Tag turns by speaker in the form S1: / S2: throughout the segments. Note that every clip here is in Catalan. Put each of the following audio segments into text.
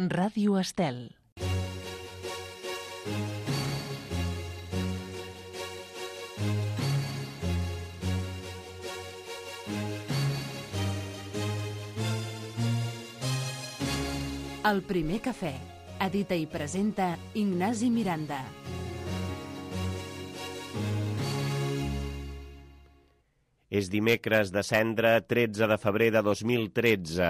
S1: Ràdio Estel. El primer cafè. Edita i presenta Ignasi Miranda.
S2: És dimecres de Cendra, 13 de febrer de 2013.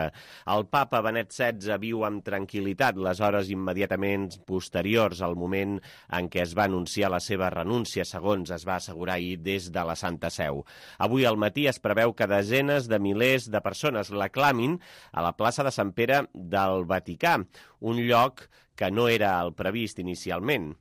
S2: El papa Benet XVI viu amb tranquil·litat les hores immediatament posteriors al moment en què es va anunciar la seva renúncia, segons es va assegurar ahir des de la Santa Seu. Avui al matí es preveu que desenes de milers de persones l'aclamin a la plaça de Sant Pere del Vaticà, un lloc que no era el previst inicialment.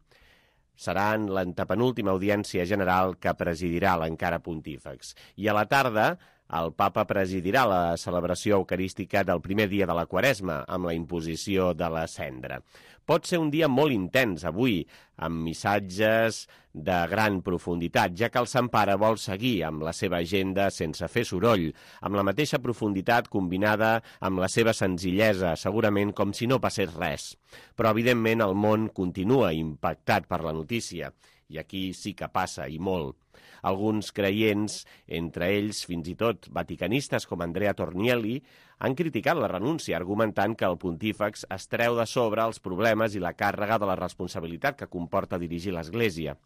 S2: Serà en l'antepenúltima audiència general que presidirà l'encara pontífex. I a la tarda, el papa presidirà la celebració eucarística del primer dia de la Quaresma, amb la imposició de la cendra. Pot ser un dia molt intens avui, amb missatges de gran profunditat, ja que el Sant Pare vol seguir amb la seva agenda sense fer soroll, amb la mateixa profunditat combinada amb la seva senzillesa, segurament com si no passés res. Però, evidentment, el món continua impactat per la notícia, i aquí sí que passa, i molt. Alguns creients, entre ells fins i tot vaticanistes com Andrea Tornielli, han criticat la renúncia, argumentant que el pontífex es treu de sobre els problemes i la càrrega de la responsabilitat que comporta dirigir l'Església.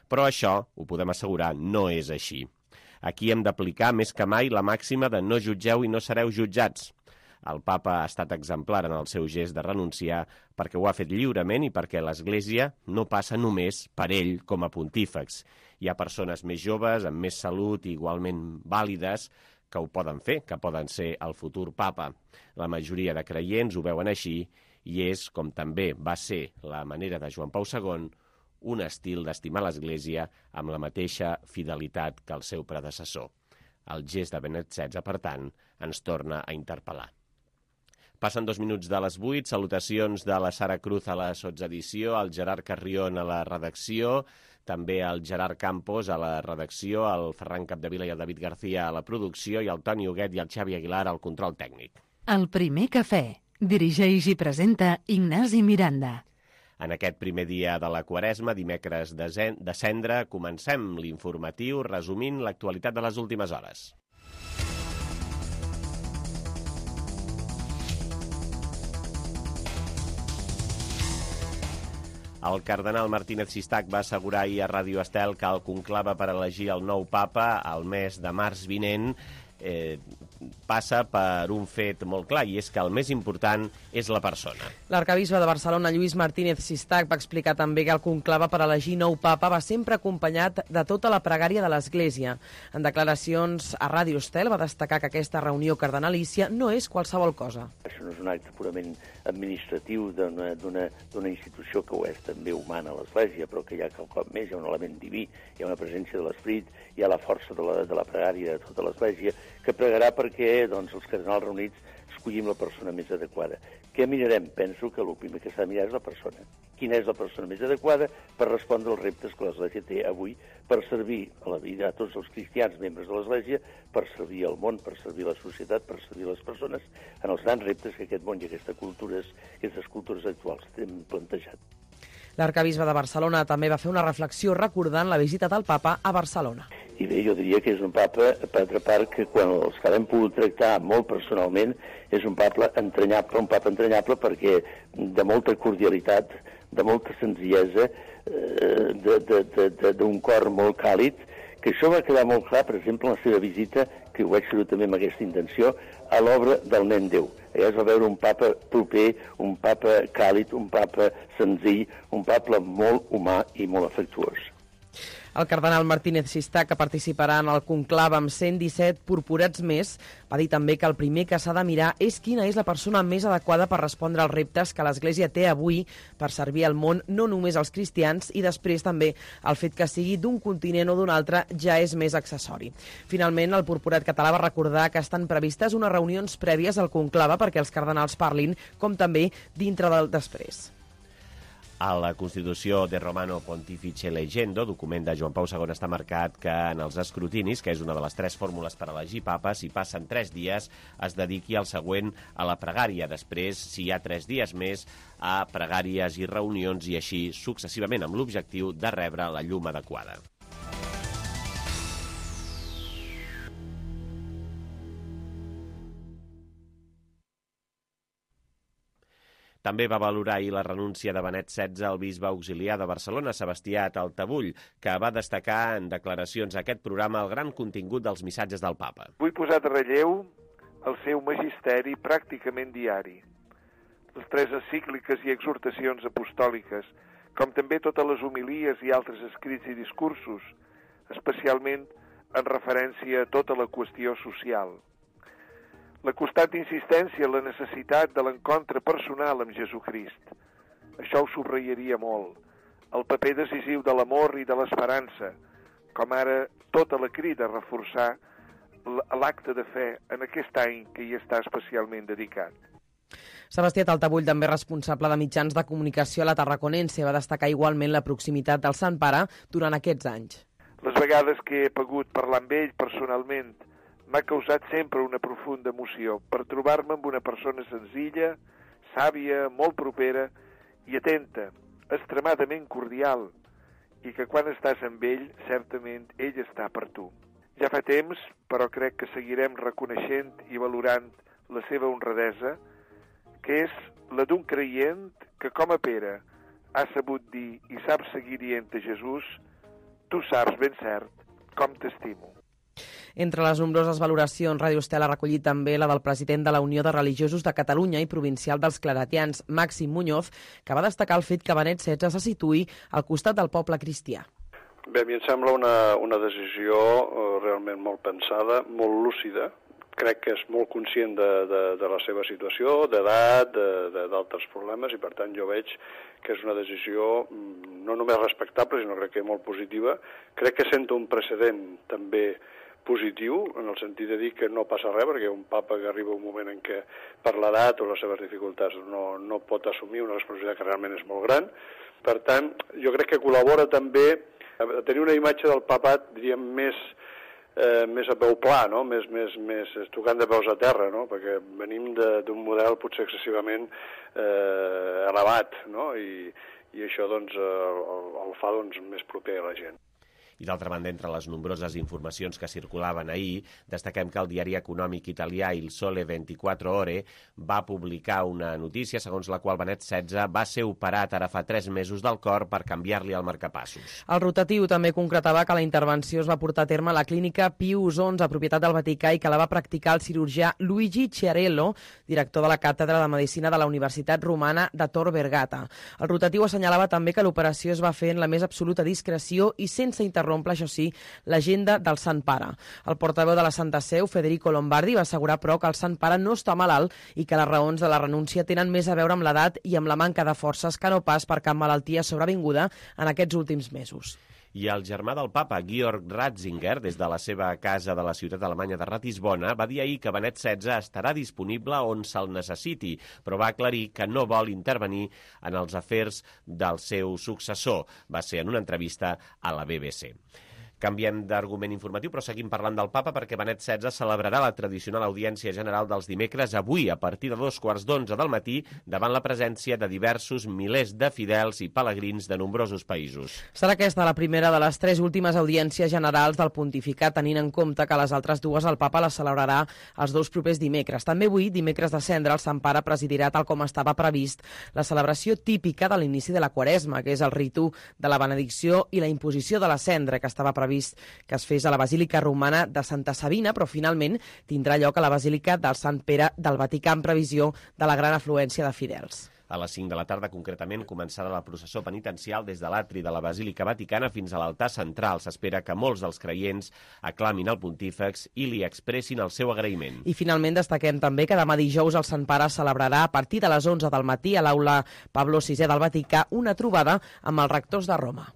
S2: Però això, ho podem assegurar, no és així. Aquí hem d'aplicar més que mai la màxima de no jutgeu i no sereu jutjats. El papa ha estat exemplar en el seu gest de renunciar perquè ho ha fet lliurement i perquè l'Església no passa només per ell com a pontífex. Hi ha persones més joves, amb més salut i igualment vàlides, que ho poden fer, que poden ser el futur papa. La majoria de creients ho veuen així i és, com també va ser la manera de Joan Pau II, un estil d'estimar l'Església amb la mateixa fidelitat que el seu predecessor. El gest de Benet XVI, per tant, ens torna a interpel·lar. Passen 2 minuts de les 8, salutacions de la Sara Cruz a la sotsedició, el Gerard Carrion a la redacció, també el Gerard Campos a la redacció, el Ferran Capdevila i el David García a la producció i el Toni Huguet i el Xavi Aguilar al control tècnic.
S1: El primer cafè. Dirigeix i presenta Ignasi Miranda.
S2: En aquest primer dia de la Quaresma, dimecres de Cendra, comencem l'informatiu resumint l'actualitat de les últimes hores. El cardenal Martínez Sistac va assegurar ahir a Ràdio Estel que el conclave per elegir el nou papa al mes de març vinent passa per un fet molt clar, i és que el més important és la persona.
S3: L'arcabisbe de Barcelona, Lluís Martínez Sistac, va explicar també que el conclave per elegir nou papa va sempre acompanyat de tota la pregària de l'Església. En declaracions a Ràdio Estel va destacar que aquesta reunió cardenalícia no és qualsevol cosa.
S4: Això no és un acte purament administratiu d'una institució que ho és també humana, l'Església, però que hi ha quelcom més, hi ha un element diví, hi ha una presència de l'Esperit, hi ha la força de la pregària de tota l'Església, que pregarà perquè els cardenals reunits escollim la persona més adequada. Què mirarem? Penso que el primer que s'ha de mirar és la persona. Quina és la persona més adequada per respondre als reptes que l'Església té avui per servir a la vida a tots els cristians, membres de l'Església, per servir al món, per servir a la societat, per servir a les persones en els grans reptes que aquest món i aquestes cultures actuals tenen plantejat.
S3: L'arcabisbe de Barcelona també va fer una reflexió recordant la visita del papa a Barcelona.
S4: I bé, jo diria que és un papa, per altra part, que quan els que l'hem pogut tractar molt personalment, és un papa entranyable perquè de molta cordialitat, de molta senzillesa, d'un cor molt càlid, que això va quedar molt clar, per exemple, en la seva visita, que ho vaig fer també amb aquesta intenció, a l'obra del Nen Déu. Allà es va veure un papa proper, un papa càlid, un papa senzill, un papa molt humà i molt afectuós.
S3: El cardenal Martínez Sistac, que participarà en el conclave amb 117 purpurats més, va dir també que el primer que s'ha de mirar és quina és la persona més adequada per respondre als reptes que l'Església té avui per servir al món, no només als cristians, i després també el fet que sigui d'un continent o d'un altre ja és més accessori. Finalment, el purpurat català va recordar que estan previstes unes reunions prèvies al conclave perquè els cardenals parlin, com també dintre del després.
S2: A la Constitució de Romano Pontifice Legendo, document de Joan Pau II, està marcat que en els escrutinis, que és una de les 3 fórmules per elegir papa, si passen 3 dies, es dediqui al següent a la pregària. Després, si hi ha 3 dies més, a pregàries i reunions i així successivament, amb l'objectiu de rebre la llum adequada. També va valorar ahir la renúncia de Benet XVI al bisbe auxiliar de Barcelona, Sebastià Taltabull, que va destacar en declaracions a aquest programa el gran contingut dels missatges del papa.
S5: Vull posar de relleu el seu magisteri pràcticament diari, les 3 encícliques i exhortacions apostòliques, com també totes les homilies i altres escrits i discursos, especialment en referència a tota la qüestió social. La constant insistència en la necessitat de l'encontre personal amb Jesucrist. Això ho subratllaria molt. El paper decisiu de l'amor i de l'esperança, com ara tota la crida a reforçar l'acte de fe en aquest any que hi està especialment dedicat.
S3: Sebastià Taltabull, també responsable de mitjans de comunicació a la Tarraconense, va destacar igualment la proximitat del Sant Pare durant aquests anys.
S5: Les vegades que he pogut parlar amb ell personalment m'ha causat sempre una profunda emoció per trobar-me amb una persona senzilla, sàvia, molt propera i atenta, extremadament cordial, i que quan estàs amb ell, certament ell està per tu. Ja fa temps, però crec que seguirem reconeixent i valorant la seva honradesa, que és la d'un creient que, com a Pere, ha sabut dir i sap seguir dient a Jesús: tu saps ben cert com t'estimo.
S3: Entre les nombroses valoracions, Ràdio Estel ha recollit també la del president de la Unió de Religiosos de Catalunya i provincial dels claretians, Màxim Muñoz, que va destacar el fet que Benet XVI se situï al costat del poble cristià.
S6: Bé, a mi em sembla una decisió realment molt pensada, molt lúcida. Crec que és molt conscient de la seva situació, d'edat, d'altres problemes, i per tant jo veig que és una decisió no només respectable, sinó crec que molt positiva. Crec que senta un precedent també positiu, en el sentit de dir que no passa res, perquè un papa que arriba un moment en què per l'edat o les seves dificultats no pot assumir una responsabilitat que realment és molt gran. Per tant, jo crec que col·labora també a tenir una imatge del papat, diríem, més a peu pla, no? més tocant de peus a terra, no? Perquè venim d'un model potser excessivament elevat, no? I això doncs, el fa més proper a la gent.
S2: I d'altra banda, entre les nombroses informacions que circulaven ahir, destaquem que el diari econòmic italià Il Sole 24 Ore va publicar una notícia segons la qual Benet XVI va ser operat ara fa 3 mesos del cor per canviar-li el marcapassos.
S3: El rotatiu també concretava que la intervenció es va portar a terme a la clínica Pius XI, propietat del Vaticà, i que la va practicar el cirurgià Luigi Chiarello, director de la Càtedra de Medicina de la Universitat Romana de Tor Vergata. El rotatiu assenyalava també que l'operació es va fer en la més absoluta discreció i sense interrompre, això sí, l'agenda del Sant Pare. El portaveu de la Santa Seu, Federico Lombardi, va assegurar, però, que el Sant Pare no està malalt i que les raons de la renúncia tenen més a veure amb l'edat i amb la manca de forces que no pas per cap malaltia sobrevinguda en aquests últims mesos.
S2: I el germà del papa, Georg Ratzinger, des de la seva casa de la ciutat alemanya de Ratisbona, va dir ahir que Benet XVI estarà disponible on se'l necessiti, però va aclarir que no vol intervenir en els afers del seu successor. Va ser en una entrevista a la BBC. Canviem d'argument informatiu, però seguim parlant del papa perquè Benet XVI celebrarà la tradicional audiència general dels dimecres avui a partir de 11:15 del matí davant la presència de diversos milers de fidels i pelegrins de nombrosos països.
S3: Serà aquesta la primera de les 3 últimes audiències generals del pontificat, tenint en compte que les altres 2 el papa les celebrarà els 2 propers dimecres. També avui, dimecres de Cendra, el Sant Pare presidirà, tal com estava previst, la celebració típica de l'inici de la Quaresma, que és el ritu de la benedicció i la imposició de la cendra, que estava previst que es fes a la Basílica Romana de Santa Sabina, però finalment tindrà lloc a la Basílica del Sant Pere del Vaticà en previsió de la gran afluència de fidels.
S2: A les 5 de la tarda, concretament, començarà la processó penitencial des de l'atri de la Basílica Vaticana fins a l'altar central. S'espera que molts dels creients aclamin el pontífex i li expressin el seu agraïment.
S3: I finalment destaquem també que demà dijous el Sant Pare celebrarà a partir de les 11 del matí a l'aula Pablo VI del Vaticà una trobada amb els rectors de Roma.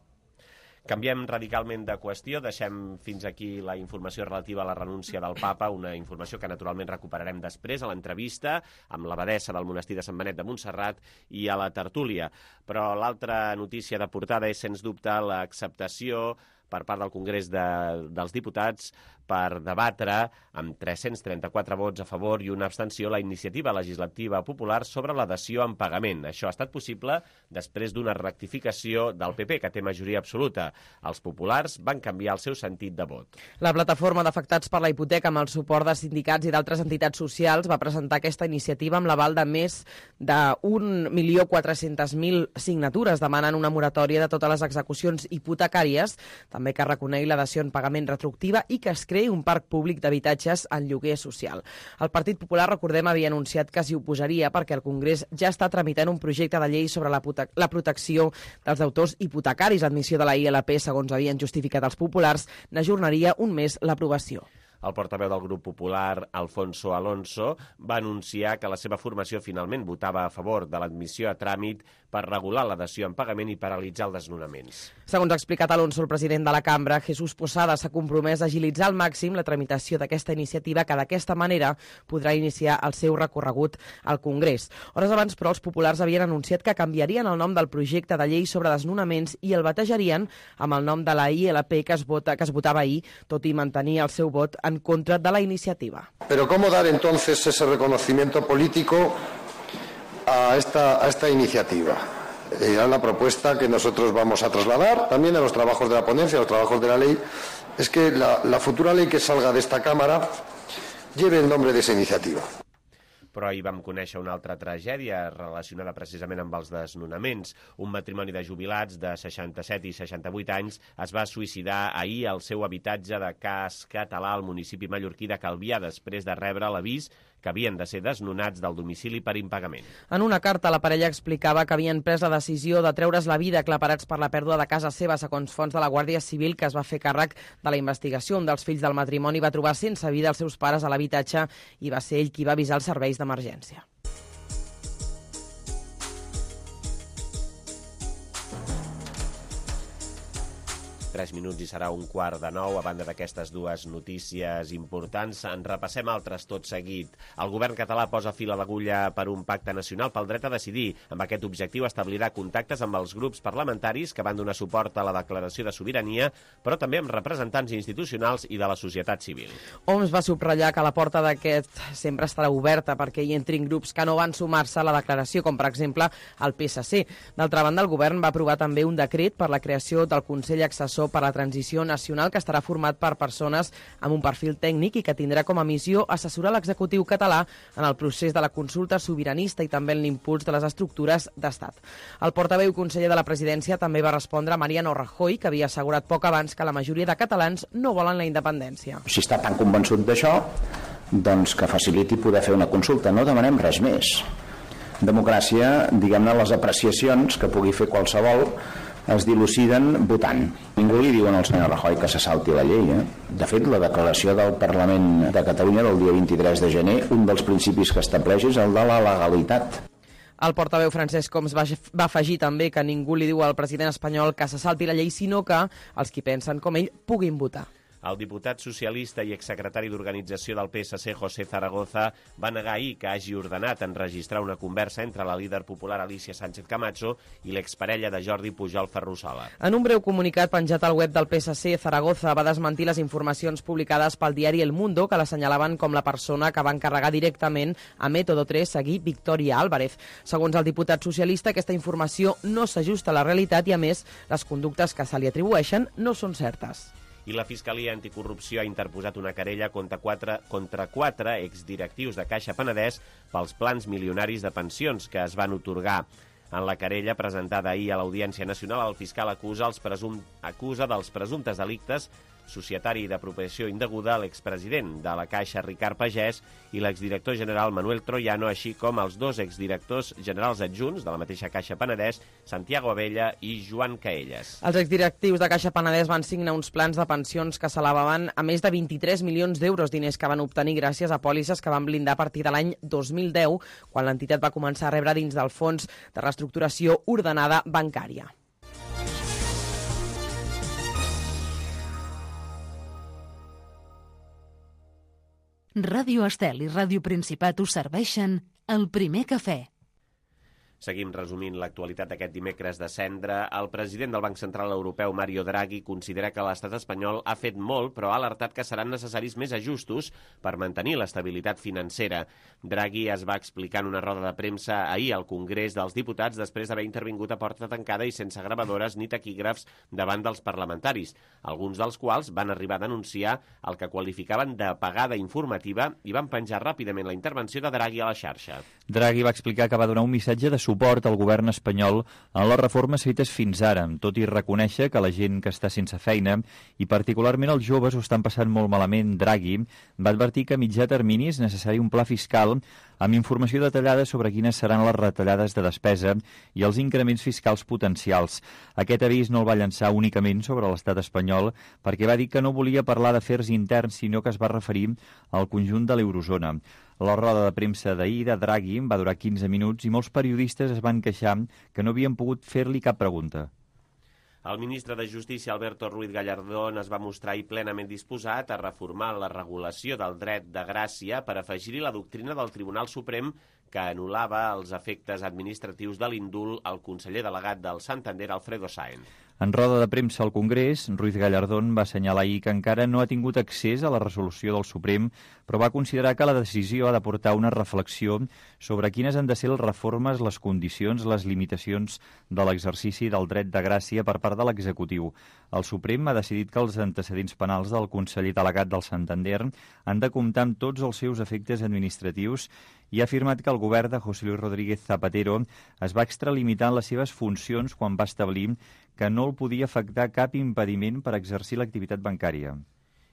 S2: Canviem radicalment de qüestió, deixem fins aquí la informació relativa a la renúncia del papa, una informació que naturalment recuperarem després a l'entrevista amb l'abadessa del monestir de Sant Benet de Montserrat i a la tertúlia. Però l'altra notícia de portada és, sens dubte, l'acceptació per part del Congrés dels Diputats per debatre amb 334 vots a favor i una abstenció la iniciativa legislativa popular sobre la dació en pagament. Això ha estat possible després d'una rectificació del PP, que té majoria absoluta. Els populars van canviar el seu sentit de vot.
S3: La plataforma d'afectats per la hipoteca, amb el suport de sindicats i d'altres entitats socials, va presentar aquesta iniciativa amb l'aval de més de 1.400.000 signatures. Demanen una moratòria de totes les execucions hipotecàries, també que reconegui la dació en pagament retroactiva i que es creï un parc públic d'habitatges en lloguer social. El Partit Popular, recordem, havia anunciat que s'hi oposaria perquè el Congrés ja està tramitant un projecte de llei sobre la protecció dels deutors hipotecaris. L'admissió de la ILP, segons havien justificat els populars, n'ajornaria un mes l'aprovació.
S2: El portaveu del grup popular, Alfonso Alonso, va anunciar que la seva formació finalment votava a favor de l'admissió a tràmit per regular la dació en pagament i paralitzar els desnonaments.
S3: Segons ha explicat Alonso, el president de la cambra, Jesús Posada, s'ha compromès a agilitzar al màxim la tramitació d'aquesta iniciativa, que d'aquesta manera podrà iniciar el seu recorregut al Congrés. Hores abans, però, els populars havien anunciat que canviarien el nom del projecte de llei sobre desnonaments i el batejarien amb el nom de la ILP que es votava ahir, tot i mantenir el seu vot en contra de la iniciativa.
S7: Pero ¿cómo dar entonces ese reconocimiento político a esta iniciativa? Era la propuesta que nosotros vamos a trasladar también a los trabajos de la ponencia, a los trabajos de la ley, es que la futura ley que salga de esta Cámara lleve el nombre de esa iniciativa.
S2: Però ahir vam conèixer una altra tragèdia relacionada precisament amb els desnonaments. Un matrimoni de jubilats de 67 i 68 anys es va suïcidar ahir al seu habitatge de Cas Català al municipi mallorquí de Calvià, després de rebre l'avís que havien de ser desnonats del domicili per impagament.
S3: En una carta, la parella explicava que havien pres la decisió de treure's la vida aclaparats per la pèrdua de casa seva, segons fonts de la Guàrdia Civil, que es va fer càrrec de la investigació. Un dels fills del matrimoni va trobar sense vida els seus pares a l'habitatge i va ser ell qui va avisar els serveis d'emergència.
S2: Tres minuts i serà 8:45. A banda d'aquestes dues notícies importants, en repassem altres tot seguit. El govern català posa fil a l'agulla per un pacte nacional pel dret a decidir. Amb aquest objectiu establirà contactes amb els grups parlamentaris que van donar suport a la declaració de sobirania, però també amb representants institucionals i de la societat civil.
S3: Homs va subratllar que la porta d'aquest sempre estarà oberta perquè hi entrin grups que no van sumar-se a la declaració, com per exemple el PSC. D'altra banda, el govern va aprovar també un decret per la creació del Consell Assessor per la Transició Nacional, que estarà format per persones amb un perfil tècnic i que tindrà com a missió assessorar l'executiu català en el procés de la consulta sobiranista i també en l'impuls de les estructures d'estat. El portaveu conseller de la presidència també va respondre a Mariano Rajoy, que havia assegurat poc abans que la majoria de catalans no volen la independència.
S8: Si està tan convençut d'això, doncs que faciliti poder fer una consulta. No demanem res més. Democràcia, diguem-ne, les apreciacions que pugui fer qualsevol es diluciden votant. Ningú li diu al senyor Rajoy que se salti la llei. De fet, la declaració del Parlament de Catalunya del dia 23 de gener, un dels principis que estableix és el de la legalitat.
S3: El portaveu Francesc Homs va afegir també que ningú li diu al president espanyol que se salti la llei, sinó que els qui pensen com ell puguin votar.
S2: El diputat socialista i exsecretari d'organització del PSC, José Zaragoza, va negar ahir que hagi ordenat enregistrar una conversa entre la líder popular Alicia Sánchez Camacho i l'exparella de Jordi Pujol Ferrusola.
S3: En un breu comunicat penjat al web del PSC, Zaragoza va desmentir les informacions publicades pel diari El Mundo que l'assenyalaven com la persona que va encarregar directament a Método 3 seguir Victoria Álvarez. Segons el diputat socialista, aquesta informació no s'ajusta a la realitat i, a més, les conductes que se li atribueixen no són certes.
S2: I la Fiscalia Anticorrupció ha interposat una querella contra quatre exdirectius de Caixa Penedès pels plans milionaris de pensions que es van otorgar. En la querella presentada ahir a l'Audiència Nacional, el fiscal acusa dels presumptes delictes societari i d'apropiació indeguda l'expresident de la Caixa, Ricard Pagès, i l'exdirector general Manuel Troiano, així com els dos exdirectors generals adjunts de la mateixa Caixa Penedès, Santiago Abella i Joan Caelles.
S3: Els exdirectius de Caixa Penedès van signar uns plans de pensions que s'elevaven a més de 23 milions d'euros, diners que van obtenir gràcies a pòlisses que van blindar a partir de l'any 2010, quan l'entitat va començar a rebre dins del Fons de Reestructuració Ordenada Bancària.
S1: Ràdio Estel i Ràdio Principat us serveixen el primer cafè.
S2: Seguim resumint l'actualitat d'aquest dimecres de cendra. El president del Banc Central Europeu, Mario Draghi, considera que l'estat espanyol ha fet molt, però ha alertat que seran necessaris més ajustos per mantenir l'estabilitat financera. Draghi es va explicar en una roda de premsa ahir al Congrés dels Diputats després d'haver intervingut a porta tancada i sense gravadores ni taquígrafs davant dels parlamentaris, alguns dels quals van arribar a denunciar el que qualificaven d'apagada informativa i van penjar ràpidament la intervenció de Draghi a la xarxa.
S9: Draghi va explicar que va donar un missatge de suport al govern espanyol en les reformes fetes fins ara, tot i reconèixer que la gent que està sense feina, i particularment els joves, ho estan passant molt malament. Draghi va advertir que a mitjà termini és necessari un pla fiscal amb informació detallada sobre quines seran les retallades de despesa i els increments fiscals potencials. Aquest avís no el va llançar únicament sobre l'estat espanyol, perquè va dir que no volia parlar d'afers interns, sinó que es va referir al conjunt de l'eurozona. La roda de premsa d'ahir de Draghi va durar 15 minuts i molts periodistes es van queixar que no havien pogut fer-li cap pregunta.
S2: El ministre de Justícia, Alberto Ruiz Gallardón, es va mostrar plenament disposat a reformar la regulació del dret de gràcia per afegir-hi la doctrina del Tribunal Suprem que anul·lava els efectes administratius de l'indult al conseller delegat del Santander, Alfredo Sáenz.
S9: En roda de premsa al Congrés, Ruiz Gallardón va assenyalar ahir que encara no ha tingut accés a la resolució del Suprem, però va considerar que la decisió ha de portar una reflexió sobre quines han de ser les reformes, les condicions, les limitacions de l'exercici del dret de gràcia per part de l'executiu. El Suprem ha decidit que els antecedents penals del conseller delegat del Santander han de comptar amb tots els seus efectes administratius i ha afirmat que el govern de José Luis Rodríguez Zapatero es va extralimitar en les seves funcions quan va establir que no el podia afectar cap impediment per exercir l'activitat bancària.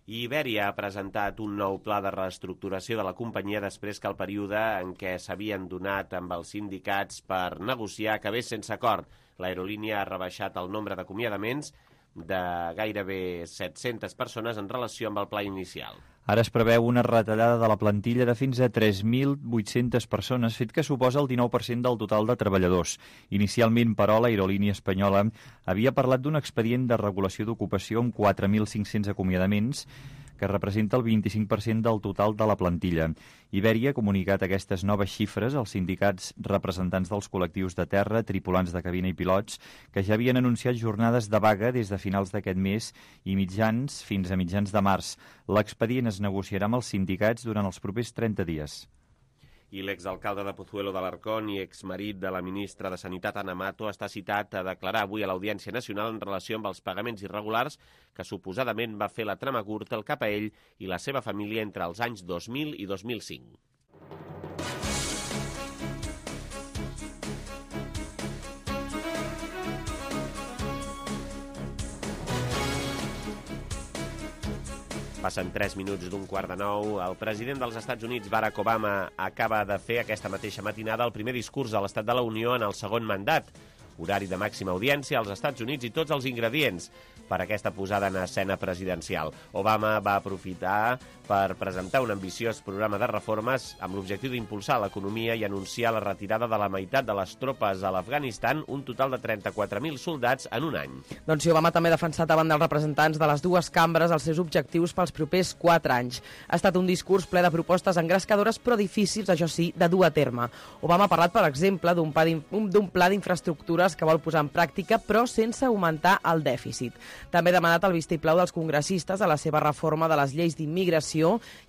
S2: Iberia ha presentat un nou pla de reestructuració de la companyia després que el període en què s'havien donat amb els sindicats per negociar acabés sense acord. L'aerolínia ha rebaixat el nombre d'acomiadaments de gairebé 700 persones en relació amb el pla inicial.
S9: Ara es preveu una retallada de la plantilla de fins a 3.800 persones, fet que suposa el 19% del total de treballadors. Inicialment, però, l'aerolínia espanyola havia parlat d'un expedient de regulació d'ocupació amb 4.500 acomiadaments, que representa el 25% del total de la plantilla. Iberia ha comunicat aquestes noves xifres als sindicats representants dels col·lectius de terra, tripulants de cabina i pilots, que ja havien anunciat jornades de vaga des de finals d'aquest mes i fins a mitjans de març. L'expedient es negociarà amb els sindicats durant els propers 30 dies.
S2: I l'exalcalde de Pozuelo de l'Arcón i exmarit de la ministra de Sanitat, Ana Mato, està citat a declarar avui a l'Audiència Nacional en relació amb els pagaments irregulars que suposadament va fer la trama Gürtel cap a ell i la seva família entre els anys 2000 i 2005. Passen 3 minuts d'un 8:45. El president dels Estats Units, Barack Obama, acaba de fer aquesta mateixa matinada el primer discurs a l'Estat de la Unió en el segon mandat. Horari de màxima audiència als Estats Units i tots els ingredients per aquesta posada en escena presidencial. Obama va aprofitar per presentar un ambiciós programa de reformes amb l'objectiu d'impulsar l'economia i anunciar la retirada de la meitat de les tropes a l'Afganistan, un total de 34.000 soldats en un any.
S3: Doncs Obama també ha defensat davant dels representants de les dues cambres els seus objectius pels propers 4 anys. Ha estat un discurs ple de propostes engrescadores però difícils, això sí, de dur a terme. Obama ha parlat, per exemple, d'un pla d'infraestructures que vol posar en pràctica però sense augmentar el dèficit. També ha demanat el vistiplau dels congressistes a la seva reforma de les lleis d'immigració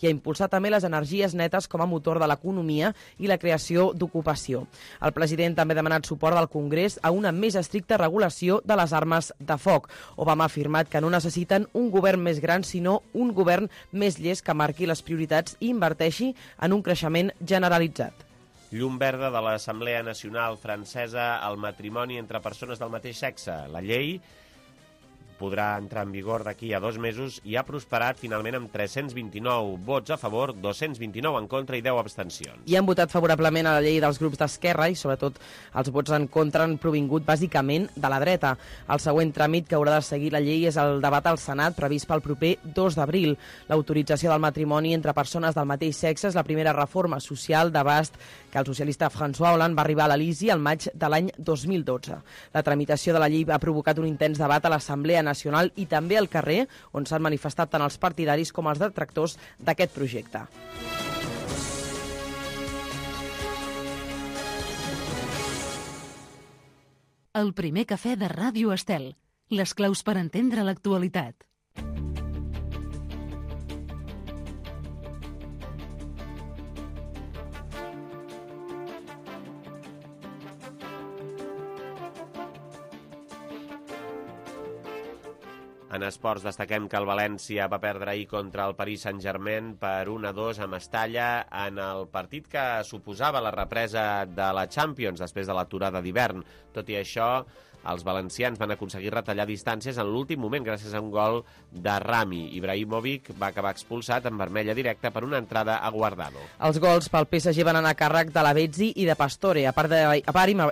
S3: i ha impulsat també les energies netes com a motor de l'economia i la creació d'ocupació. El president també ha demanat suport del Congrés a una més estricta regulació de les armes de foc. Obama ha afirmat que no necessiten un govern més gran, sinó un govern més llest que marqui les prioritats i inverteixi en un creixement generalitzat.
S2: Llum verda de l'Assemblea Nacional Francesa al matrimoni entre persones del mateix sexe. La llei podrà entrar en vigor d'aquí a 2 mesos i ha prosperat finalment amb 329 vots a favor, 229 en contra i 10 abstencions.
S3: I han votat favorablement a la llei dels grups d'esquerra i, sobretot, els vots en contra han provingut bàsicament de la dreta. El següent tràmit que haurà de seguir la llei és el debat al Senat previst pel proper 2 d'abril. L'autorització del matrimoni entre persones del mateix sexe és la primera reforma social d'abast que el socialista François Hollande va arribar a l'Elisi al maig de l'any 2012. La tramitació de la llei ha provocat un intens debat a l'Assemblea Nacional nacional i també al carrer, on s'han manifestat tant els partidaris com els detractors d'aquest projecte.
S1: El primer cafè de Ràdio Estel. Les claus per entendre l'actualitat.
S2: En esports destaquem que el València va perdre ahir contra el Paris Saint-Germain per 1-2 a Mestalla en el partit que suposava la represa de la Champions després de l'aturada d'hivern. Tot i això, els valencians van aconseguir retallar distàncies en l'últim moment gràcies a un gol de Rami. Ibrahimovic va acabar expulsat en vermella directa per una entrada a Guardado.
S3: Els gols pel PSG van anar a càrrec de Lavezzi i de Pastore. A part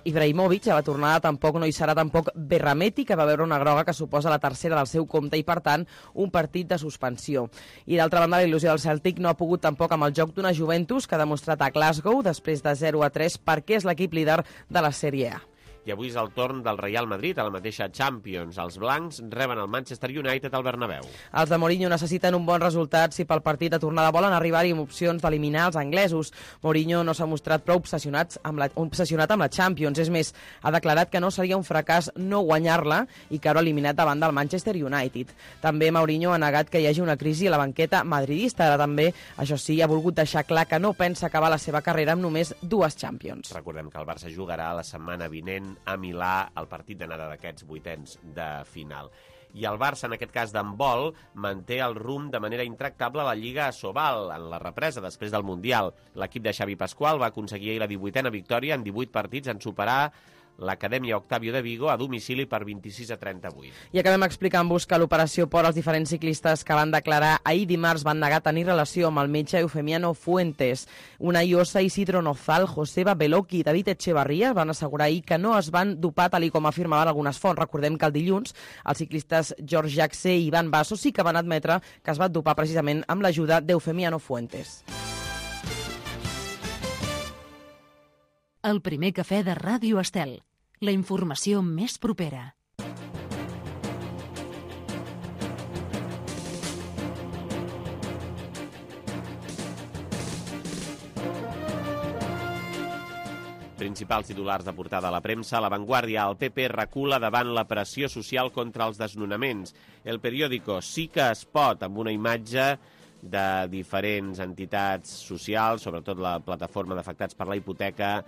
S3: Ibrahimovic, a la tornada tampoc no hi serà tampoc Berrameti, que va veure una groga que suposa la tercera del seu compte i, per tant, un partit de suspensió. I d'altra banda, la il·lusió del Celtic no ha pogut tampoc amb el joc d'una Juventus que ha demostrat a Glasgow, després de 0-3, perquè és l'equip líder de la Sèrie A.
S2: I avui és el torn del Real Madrid a la mateixa Champions. Els blancs reben el Manchester United al Bernabéu.
S3: Els de Mourinho necessiten un bon resultat si pel partit de tornada volen arribar-hi amb opcions d'eliminar els anglesos. Mourinho no s'ha mostrat prou obsessionat amb la Champions. És més, ha declarat que no seria un fracàs no guanyar-la i caure eliminat davant del Manchester United. També Mourinho ha negat que hi hagi una crisi a la banqueta madridista. Ara també, això sí, ha volgut deixar clar que no pensa acabar la seva carrera amb només 2 Champions.
S2: Recordem que el Barça jugarà la setmana vinent a Milà el partit d'anada d'aquests vuitens de final. I el Barça, en aquest cas d'handbol, manté el rumb de manera intractable a la Lliga Asobal en la represa després del Mundial. L'equip de Xavi Pascual va aconseguir la 18a victòria en 18 partits en superar l'Acadèmia Octavio de Vigo a domicili per 26-38.
S3: I acabem explicant-vos que l'operació por als diferents ciclistes que van declarar ahir dimarts van negar tenir relació amb el metge Eufemiano Fuentes. Una Iosa, Isidro Nozal, Joseba Beloki i David Echevarría van assegurar ahir que no es van dopar tal com afirmaven algunes fonts. Recordem que el dilluns els ciclistes George Jacse i Ivan Basso sí que van admetre que es van dopar precisament amb l'ajuda d'Eufemiano Fuentes.
S1: El primer cafè de Ràdio Estel. La informació més propera.
S2: Principals titulars de portada a la premsa. La Vanguardia, el PP recula davant la pressió social contra els desnonaments. El periòdico sí que es pot, amb una imatge de diferents entitats socials, sobretot la plataforma d'afectats per la hipoteca,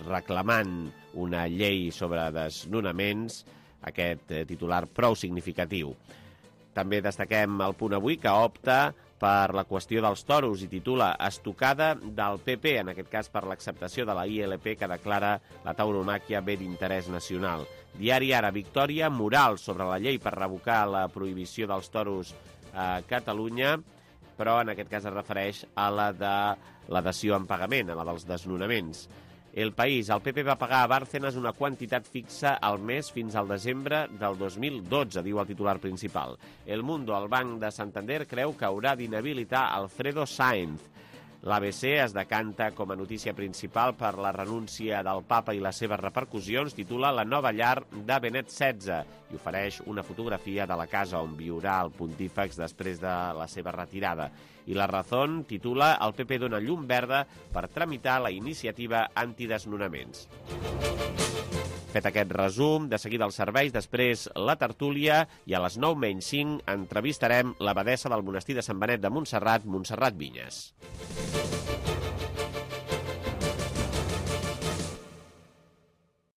S2: reclamant una llei sobre desnonaments, aquest titular prou significatiu. També destaquem el Punt Avui, que opta per la qüestió dels toros i titula Estocada del PP, en aquest cas per l'acceptació de la ILP que declara la tauromàquia bé d'interès nacional. Diari Ara, victòria moral sobre la llei per revocar la prohibició dels toros a Catalunya, però en aquest cas es refereix a la de la dació en pagament, a la dels desnonaments. El País, el PP va pagar a Bárcenas una quantitat fixa al mes fins al desembre del 2012, diu el titular principal. El Mundo, el Banc de Santander, creu que haurà d'inhabilitar Alfredo Sáenz. L'ABC es decanta com a notícia principal per la renúncia del papa i les seves repercussions, titula La nova llar de Benet XVI i ofereix una fotografia de la casa on viurà el pontífex després de la seva retirada. I La Razón titula El PP dona llum verda per tramitar la iniciativa antidesnonaments. Fet aquest resum, de seguida els serveis, després la tertúlia i a les 9:05 entrevistarem l'abadessa del monestir de Sant Benet de Montserrat, Montserrat Vinyes.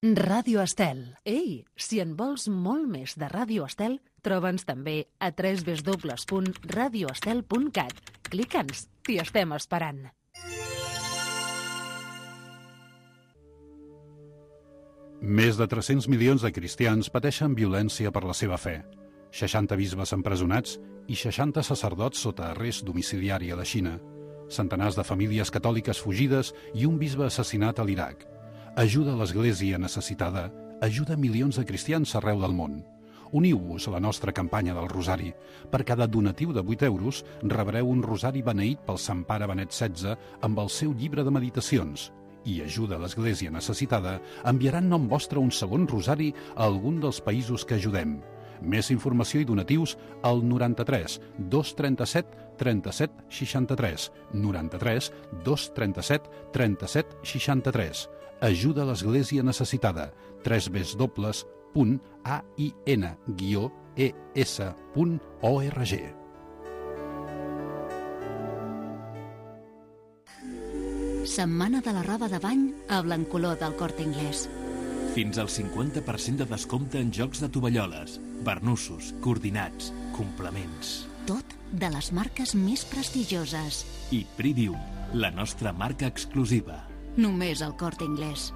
S1: Ràdio Estel. Ei, si en vols molt més de Ràdio Estel, troba'ns també a www.radioestel.cat. Clica'ns, t'hi estem esperant.
S10: Més de 300 milions de cristians pateixen violència per la seva fe. 60 bisbes empresonats i 60 sacerdots sota arrest domiciliari a la Xina. Centenars de famílies catòliques fugides i un bisbe assassinat a l'Iraq. Ajuda a l'Església necessitada, ajuda milions de cristians arreu del món. Uniu-vos a la nostra campanya del Rosari. Per cada donatiu de 8 euros rebreu un rosari beneït pel Sant Pare Benet XVI amb el seu llibre de meditacions. I ajuda a l'Església necessitada enviaran nom vostre un segon rosari a algun dels països que ajudem. Més informació i donatius al 93 237 37 63. 93 237 37 63. Ajuda a l'Església Necessitada. www.ain-es.org.
S11: Setmana de la roba de bany a Blancoló del Corte Inglés.
S12: Fins al 50% de descompte en jocs de tovalloles, barnussos, coordinats, complements.
S11: Tot de les marques més prestigioses.
S12: I Pridium, la nostra marca exclusiva.
S11: Només al Corte Inglés.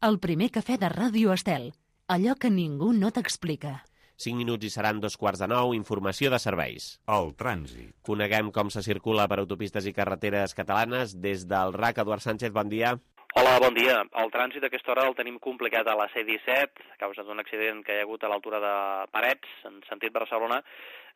S1: El primer cafè de Ràdio Estel. Allò que ningú no t'explica.
S2: 5 minuts i seran 2:15, informació de serveis.
S13: El trànsit.
S2: Coneguem com se circula per autopistes i carreteres catalanes. Des del RAC, Eduard Sánchez, bon dia.
S14: Hola, bon dia. El trànsit a aquesta hora el tenim complicat a la C-17, a causa d'un accident que hi ha hagut a l'altura de Parets, en sentit Barcelona.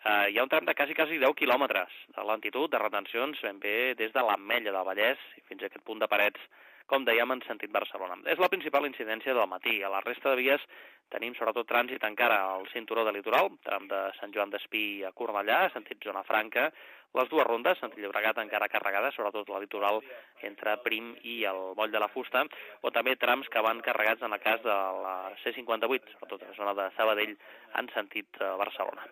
S14: Hi ha un tram de quasi 10 quilòmetres de lentitud, de retencions, ben bé des de l'Ametlla del Vallès i fins a aquest punt de Parets, com dèiem, en sentit Barcelona. És la principal incidència del matí. A la resta de vies tenim sobretot trànsit encara al cinturó de litoral, tram de Sant Joan d'Espí a Cornellà, sentit Zona Franca, les dues rondes, sentit Llobregat encara carregades, sobretot la litoral entre Prim i el Moll de la Fusta, o també trams que van carregats en el cas de la C58, sobretot a la zona de Sabadell, en sentit Barcelona.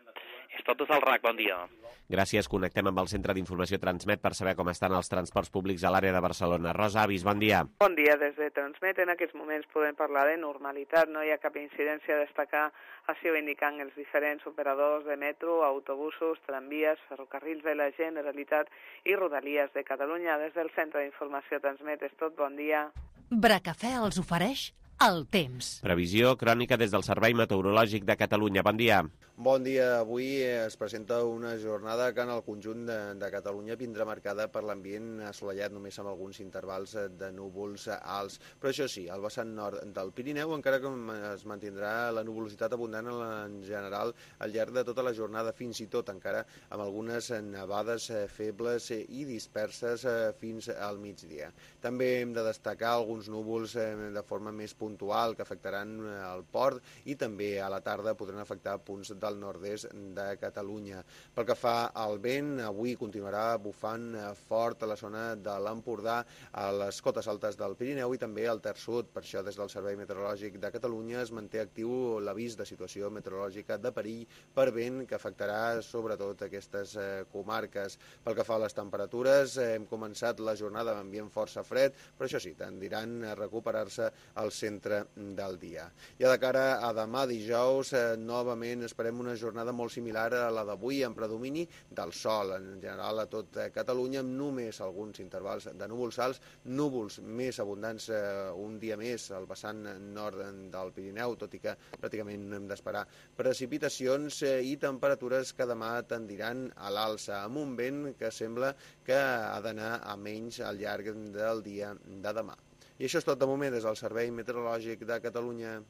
S14: És tot des del RAC, bon dia.
S2: Gràcies, connectem amb el Centre d'Informació Transmet per saber com estan els transports públics a l'àrea de Barcelona. Rosa Avis, bon dia.
S15: Bon dia, des de Transmet. En aquests moments podem parlar de normalitat, no hi ha cap incidència a destacar, així ho indiquen els diferents operadors de metro, autobusos, tramvies, ferrocarrils de la Generalitat i Rodalies de Catalunya. Des del Centre d'Informació Transmet és tot, bon dia.
S1: Bracafè els ofereix el temps.
S2: Previsió crònica des del Servei Meteorològic de Catalunya. Bon dia.
S16: Bon dia. Avui es presenta una jornada que en el conjunt de Catalunya vindrà marcada per l'ambient assolellat, només amb alguns intervals de núvols alts. Però això sí, al vessant nord del Pirineu encara que es mantindrà la nuvolositat abundant en general al llarg de tota la jornada, fins i tot encara amb algunes nevades febles i disperses fins al migdia. També hem de destacar alguns núvols de forma més puntual que afectaran el port i també a la tarda podran afectar punts del nord-est de Catalunya. Pel que fa al vent, avui continuarà bufant fort a la zona de l'Empordà, a les cotes altes del Pirineu i també al Ter Sud. Per això, des del Servei Meteorològic de Catalunya es manté actiu l'avís de situació meteorològica de perill per vent que afectarà sobretot aquestes comarques. Pel que fa a les temperatures, hem començat la jornada amb ambient força fred, però això sí, tendiran a recuperar-se al centre del dia. Ja de cara a demà dijous, novament esperem una jornada molt similar a la d'avui, amb predomini del sol, en general a tot Catalunya, amb només alguns intervals de núvols alts, núvols més abundants un dia més al vessant nord del Pirineu, tot i que pràcticament no hem d'esperar precipitacions i temperatures que demà tendiran a l'alça, amb un vent que sembla que ha d'anar a menys al llarg del dia de demà. I això és tot de moment des del Servei Meteorològic de Catalunya.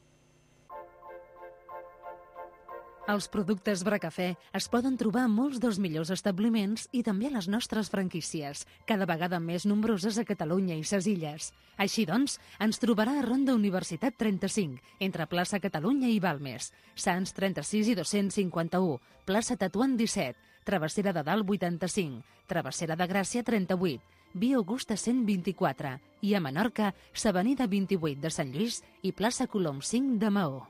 S1: Els productes Bracafè es poden trobar a molts dels millors establiments i també a les nostres franquícies, cada vegada més nombroses a Catalunya i ses illes. Així doncs, ens trobarà a Ronda Universitat 35, entre plaça Catalunya i Balmes, Sants 36 i 251, plaça Tatuant 17, Travessera de Dalt 85, Travessera de Gràcia 38, Via Augusta 124 i a Menorca, s'Avenida 28 de Sant Lluís i plaça Colom 5 de Maó.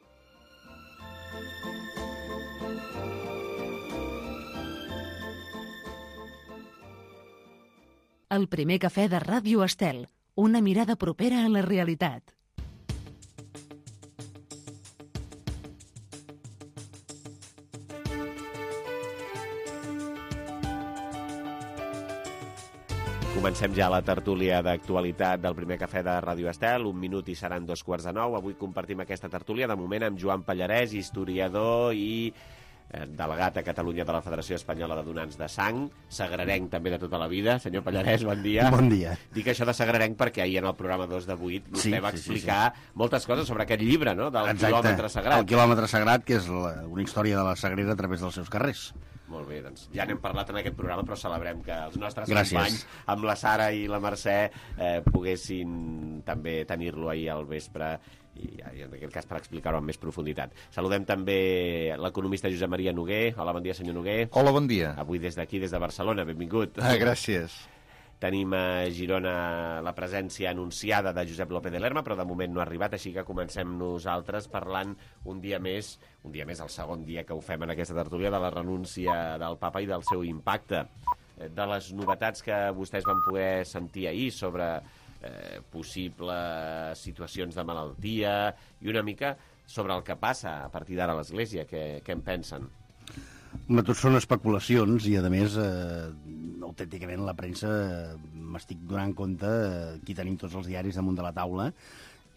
S1: El primer cafè de Ràdio Estel, una mirada propera a la realitat.
S2: Comencem ja la tertúlia d'actualitat del primer cafè de Ràdio Estel. 1 minut i seran 2:15. Avui compartim aquesta tertúlia, de moment, amb Joan Pallarès, historiador i delegat a Catalunya de la Federació Espanyola de Donants de Sang, sagrarenc també de tota la vida. Senyor Pallarès, bon dia.
S17: Bon dia.
S2: Dic això de sagrarenc perquè ahir en el programa 2 de 8 vostè va explicar moltes coses sobre aquest llibre, no?, del quilòmetre sagrat.
S17: El quilòmetre sagrat, que és una història de la Sagrera a través dels seus carrers.
S2: Molt bé, doncs ja n'hem parlat en aquest programa, però celebrem que els nostres companys, amb la Sara i la Mercè, poguessin també tenir-lo ahir al vespre i en aquest cas per explicar-ho amb més profunditat. Saludem també l'economista Josep Maria Noguer. Hola, bon dia, senyor Noguer.
S13: Hola, bon dia.
S2: Avui des d'aquí, des de Barcelona, benvingut.
S13: Gràcies.
S2: Tenim a Girona la presència anunciada de Josep López de Lerma, però de moment no ha arribat, així que comencem nosaltres parlant un dia més, el segon dia que ho fem en aquesta tertúlia, de la renúncia del papa i del seu impacte. De les novetats que vostès van poder sentir ahir sobre possibles situacions de malaltia i una mica sobre el que passa a partir d'ara a l'Església, què en pensen?
S17: Tot són especulacions i, a més, autènticament la premsa m'estic donant compte, aquí tenim tots els diaris damunt de la taula,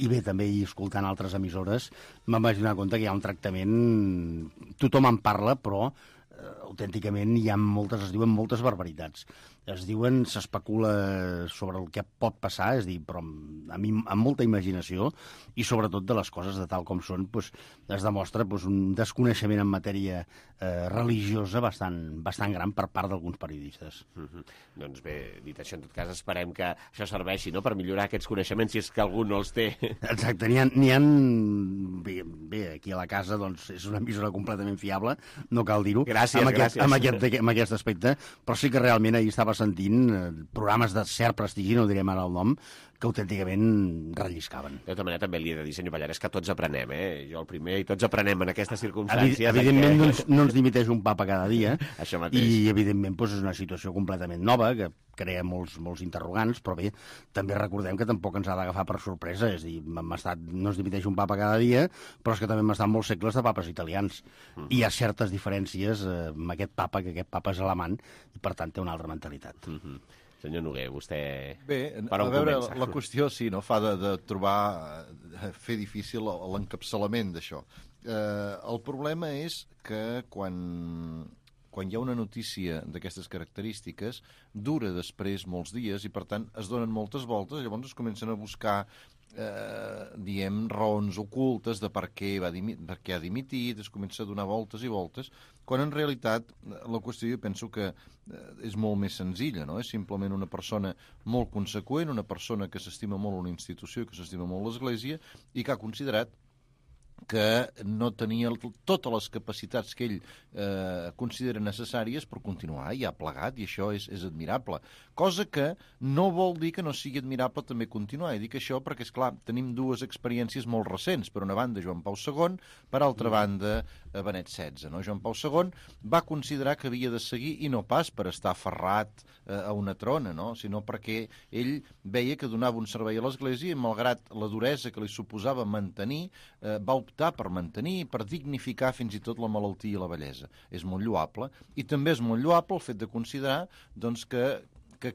S17: i bé, també escoltant altres emissores, me'n vaig donar compte que hi ha un tractament... Tothom en parla, però autènticament es diuen moltes barbaritats. S'especula sobre el que pot passar, és a dir, però amb molta imaginació, i sobretot de les coses de tal com són, es demostra un desconeixement en matèria religiosa bastant gran per part d'alguns periodistes.
S2: Doncs bé, dit això, en tot cas, esperem que això serveixi per millorar aquests coneixements, si és que algú no els té.
S17: Exacte, n'hi ha... Bé, aquí a la casa és una emissora completament fiable, no cal dir-ho, amb aquest aspecte, però sí que realment ahir estava sentint programes de cert prestigi, no direm ara el nom, que autènticament relliscaven.
S2: De tota manera, també li he de dir, senyor Pallares, que tots aprenem, jo el primer, i tots aprenem en aquestes circumstàncies.
S17: Evidentment, no ens dimiteix un papa cada dia,
S2: això mateix.
S17: I evidentment és una situació completament nova, que crea molts interrogants, però bé, també recordem que tampoc ens ha d'agafar per sorpresa, és a dir, no ens dimiteix un papa cada dia, però és que també hem estat molts segles de papes italians. I hi ha certes diferències amb aquest papa, que aquest papa és alemany, i per tant té una altra mentalitat.
S2: Senyor Noguer, vostè...
S13: Bé, a veure, la qüestió sí, no? Fa de trobar, fer difícil l'encapçalament d'això. El problema és que quan hi ha una notícia d'aquestes característiques, dura després molts dies i, per tant, es donen moltes voltes, llavors es comencen a buscar raons ocultes de per què ha dimitit, es comença a donar voltes i voltes, quan en realitat la qüestió jo penso que és molt més senzilla, no? És simplement una persona molt conseqüent, una persona que s'estima molt una institució, que s'estima molt l'Església i que ha considerat que no tenia totes les capacitats que ell considera necessàries per continuar, i ha plegat, i això és admirable. Cosa que no vol dir que no sigui admirable també continuar, i dic això perquè, esclar, tenim dues experiències molt recents. Per una banda, Joan Pau II, per altra banda, Benet XVI. No? Joan Pau II va considerar que havia de seguir, i no pas per estar aferrat a una trona, no? Sinó perquè ell veia que donava un servei a l'Església i, malgrat la duresa que li suposava mantenir, va optar per mantenir, per dignificar fins i tot la malaltia i la vellesa. És molt lloable, i també és molt lloable el fet de considerar doncs, que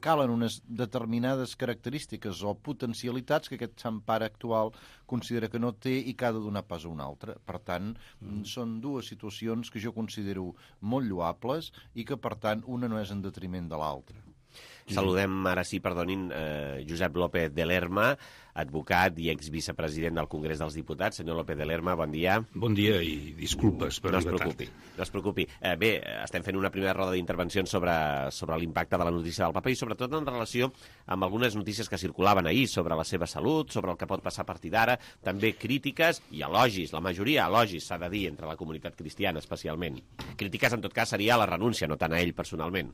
S13: calen unes determinades característiques o potencialitats que aquest sant pare actual considera que no té i que ha de donar pas a un altre. Per tant, són dues situacions que jo considero molt lloables i que, per tant, una no és en detriment de l'altra.
S2: Saludem, ara sí, perdonin, Josep López de Lerma, advocat i exvicepresident del Congrés dels Diputats. Senyor López de Lerma, bon dia.
S18: Bon dia i disculpes per arribar tard.
S2: No es preocupi. Bé, estem fent una primera roda d'intervencions sobre l'impacte de la notícia del papa i sobretot en relació amb algunes notícies que circulaven ahir sobre la seva salut, sobre el que pot passar a partir d'ara, també crítiques i elogis, la majoria elogis, s'ha de dir, entre la comunitat cristiana especialment. Crítiques, en tot cas, seria la renúncia, no tant a ell personalment.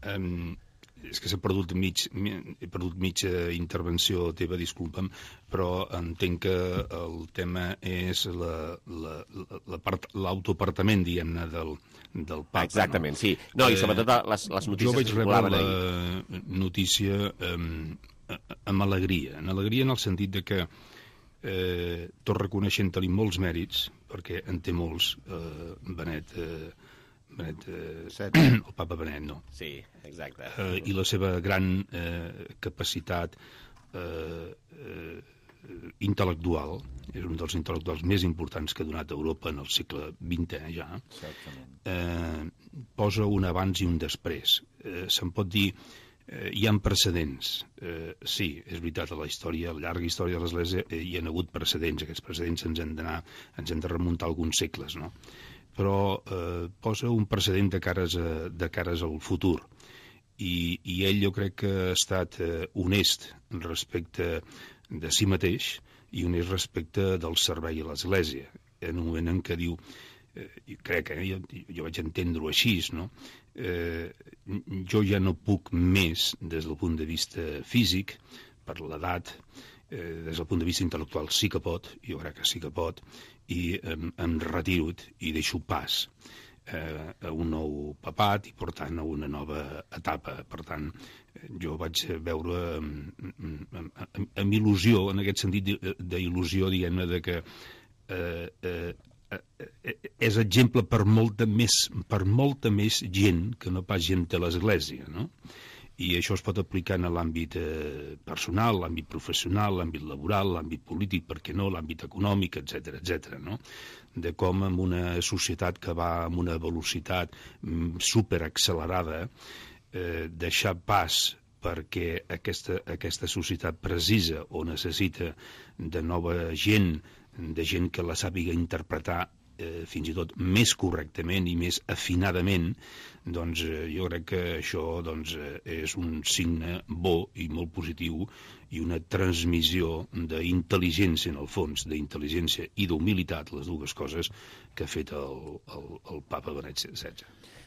S18: És que he perdut mitja intervenció teva, disculpa'm, però entenc que el tema és l'autoapartament, diguem-ne, del papa.
S2: Exactament, sí. No, i sobretot les notícies que circulaven ahir.
S18: Jo vaig rebre la notícia amb alegria, en el sentit de que tot reconeixent-li molts mèrits, perquè en té molts, Benet, el papa Benet, no?
S2: Sí, exacte.
S18: I la seva gran capacitat intel·lectual, és un dels intel·lectuals més importants que ha donat Europa en el segle XX, ja. Posa un abans i un després. Se'n pot dir, hi ha precedents. Sí, és veritat, a la història, a la llarga història de l'Església hi ha hagut precedents. Aquests precedents ens han de remuntar alguns segles, no? però posa un precedent de cares al futur. I ell jo crec que ha estat honest respecte de si mateix i honest respecte del servei a l'Església. En un moment en què diu, crec, jo vaig entendre-ho així, no? Jo ja no puc més des del punt de vista físic, per l'edat, des del punt de vista intel·lectual sí que pot, jo crec que sí que pot, i em retiro i deixo pas a un nou papat i, per tant, a una nova etapa. Per tant, jo vaig veure amb il·lusió, en aquest sentit d'il·lusió, diguem-ne, de que és exemple per molta més gent que no pas gent de l'Església, no? I això es pot aplicar en l'àmbit personal, l'àmbit professional, l'àmbit laboral, l'àmbit polític, per què no, l'àmbit econòmic, etc., no? De com en una societat que va amb una velocitat superaccelerada, deixar pas perquè aquesta societat precisa o necessita de nova gent, de gent que la sàpiga interpretar fins i tot més correctament i més afinadament, doncs jo crec que això és un signe bo i molt positiu i una transmissió d'intel·ligència, en el fons, d'intel·ligència i d'humilitat, les dues coses que ha fet el papa Benet XVI.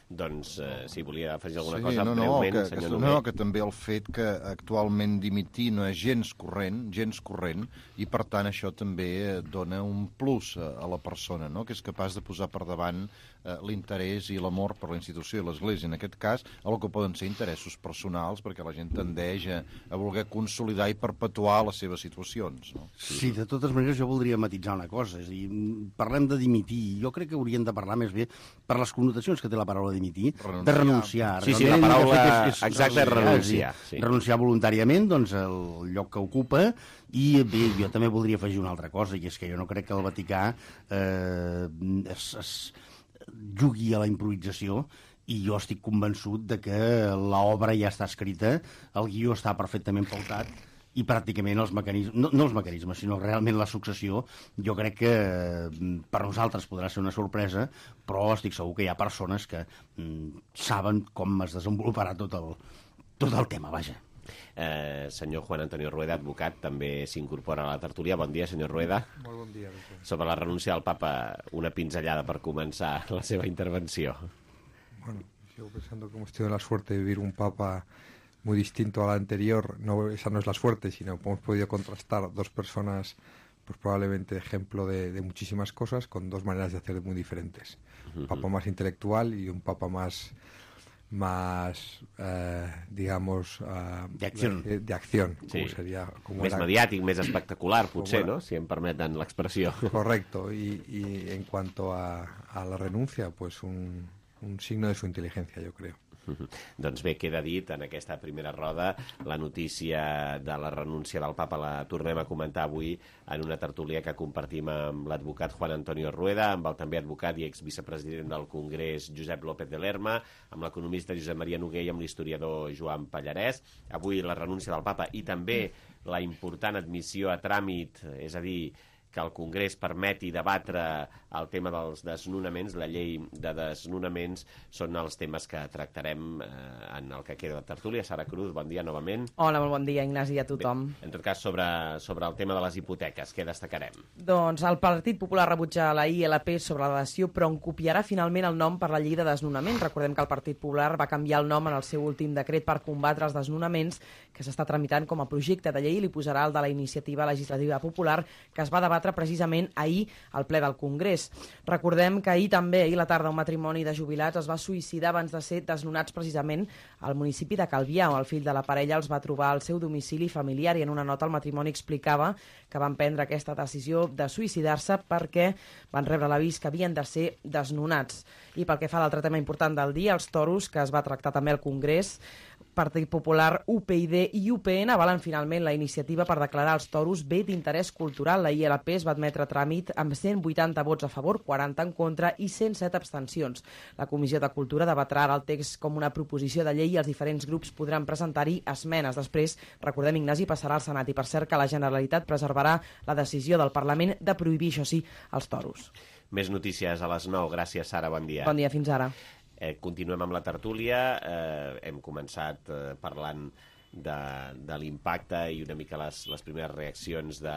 S2: Doncs, si volia afegir alguna cosa breument, senyor Noguer.
S13: No, que també el fet que actualment dimitir no és gens corrent, i per tant això també dona un plus a la persona, no? Que és capaç de posar per davant l'interès i l'amor per la institució i l'Església. En aquest cas, el que poden ser interessos personals, perquè la gent tendeix a voler consolidar i perpetuar les seves situacions. No?
S17: Sí, de totes maneres jo voldria matitzar una cosa. És a dir, parlem de dimitir. Jo crec que hauríem de parlar més bé, per les connotacions que té la paraula dimitir, de renunciar.
S2: Sí, la paraula exacta és renunciar.
S17: Renunciar voluntàriament al lloc que ocupa. I bé, jo també voldria afegir una altra cosa, i és que jo no crec que el Vaticà es jugui a la improvisació, i jo estic convençut de que l'obra ja està escrita, el guió està perfectament pautat, i pràcticament els mecanismes, no els mecanismes, sinó realment la successió, jo crec que per nosaltres podrà ser una sorpresa, però estic segur que hi ha persones que saben com es desenvoluparà tot el tema, vaja.
S2: Senyor Juan Antonio Rueda, advocat, també s'incorpora a la tertúlia. Bon dia, senyor Rueda.
S19: Molt bon dia.
S2: Sobre la renúncia del papa, una pinzellada per començar la seva intervenció.
S19: Bueno, sigo pensando que hemos tenido la suerte de vivir un papa muy distinto a la anterior. No, esa no es la suerte, sino que hemos podido contrastar dos personas, pues probablemente ejemplo de muchísimas cosas, con dos maneras de hacer muy diferentes. Un papa más intelectual y un papa más digamos,
S17: de
S19: acción,
S2: sí.
S19: Como sería, como
S2: més mediàtic, més espectacular, potser, ¿no? Si em permeten l'expressió.
S19: Correcto, y en cuanto a la renuncia, pues un signo de su inteligencia, yo creo.
S2: Doncs bé, queda dit en aquesta primera roda. La notícia de la renúncia del papa la tornem a comentar avui en una tertúlia que compartim amb l'advocat Juan Antonio Rueda, amb el també advocat i exvicepresident del Congrés Josep López de Lerma, amb l'economista Josep Maria Noguer i amb l'historiador Joan Pallarès. Avui la renúncia del papa i també la important admissió a tràmit, és a dir, que el Congrés permeti debatre el tema dels desnonaments, la llei de desnonaments, són els temes que tractarem en el que queda de tertúlia. Sara Cruz, bon dia novament.
S3: Hola, molt bon dia, Ignasi, a tothom.
S2: Bé, en tot cas, sobre el tema de les hipoteques, què destacarem?
S3: Doncs el Partit Popular rebutja la ILP sobre la dació, però en copiarà finalment el nom per la llei de desnonaments. Recordem que el Partit Popular va canviar el nom en el seu últim decret per combatre els desnonaments, que s'està tramitant com a projecte de llei, i li posarà el de la Iniciativa Legislativa Popular, que es va debatre precisament ahir al ple del Congrés. Recordem que ahir a la tarda, un matrimoni de jubilats es va suïcidar abans de ser desnonats precisament al municipi de Calvià, on el fill de la parella els va trobar al seu domicili familiar, i en una nota el matrimoni explicava que van prendre aquesta decisió de suïcidar-se perquè van rebre l'avís que havien de ser desnonats. I pel que fa a l'altre tema important del dia, els toros, que es va tractar també al Congrés, Partit Popular, UPyD i UPN avalen finalment la iniciativa per declarar els toros bé d'interès cultural. La ILP es va admetre a tràmit amb 180 vots a favor, 40 en contra i 107 abstencions. La Comissió de Cultura debatrà ara el text com una proposició de llei i els diferents grups podran presentar-hi esmenes. Després, recordem, Ignasi, passarà al Senat, i per cert que la Generalitat preservarà la decisió del Parlament de prohibir, això sí, els toros.
S2: Més notícies a les 9. Gràcies, Sara, bon dia.
S3: Bon dia, fins ara.
S2: Continuem amb la tertúlia. Hem començat parlant de l'impacte i una mica les primeres reaccions de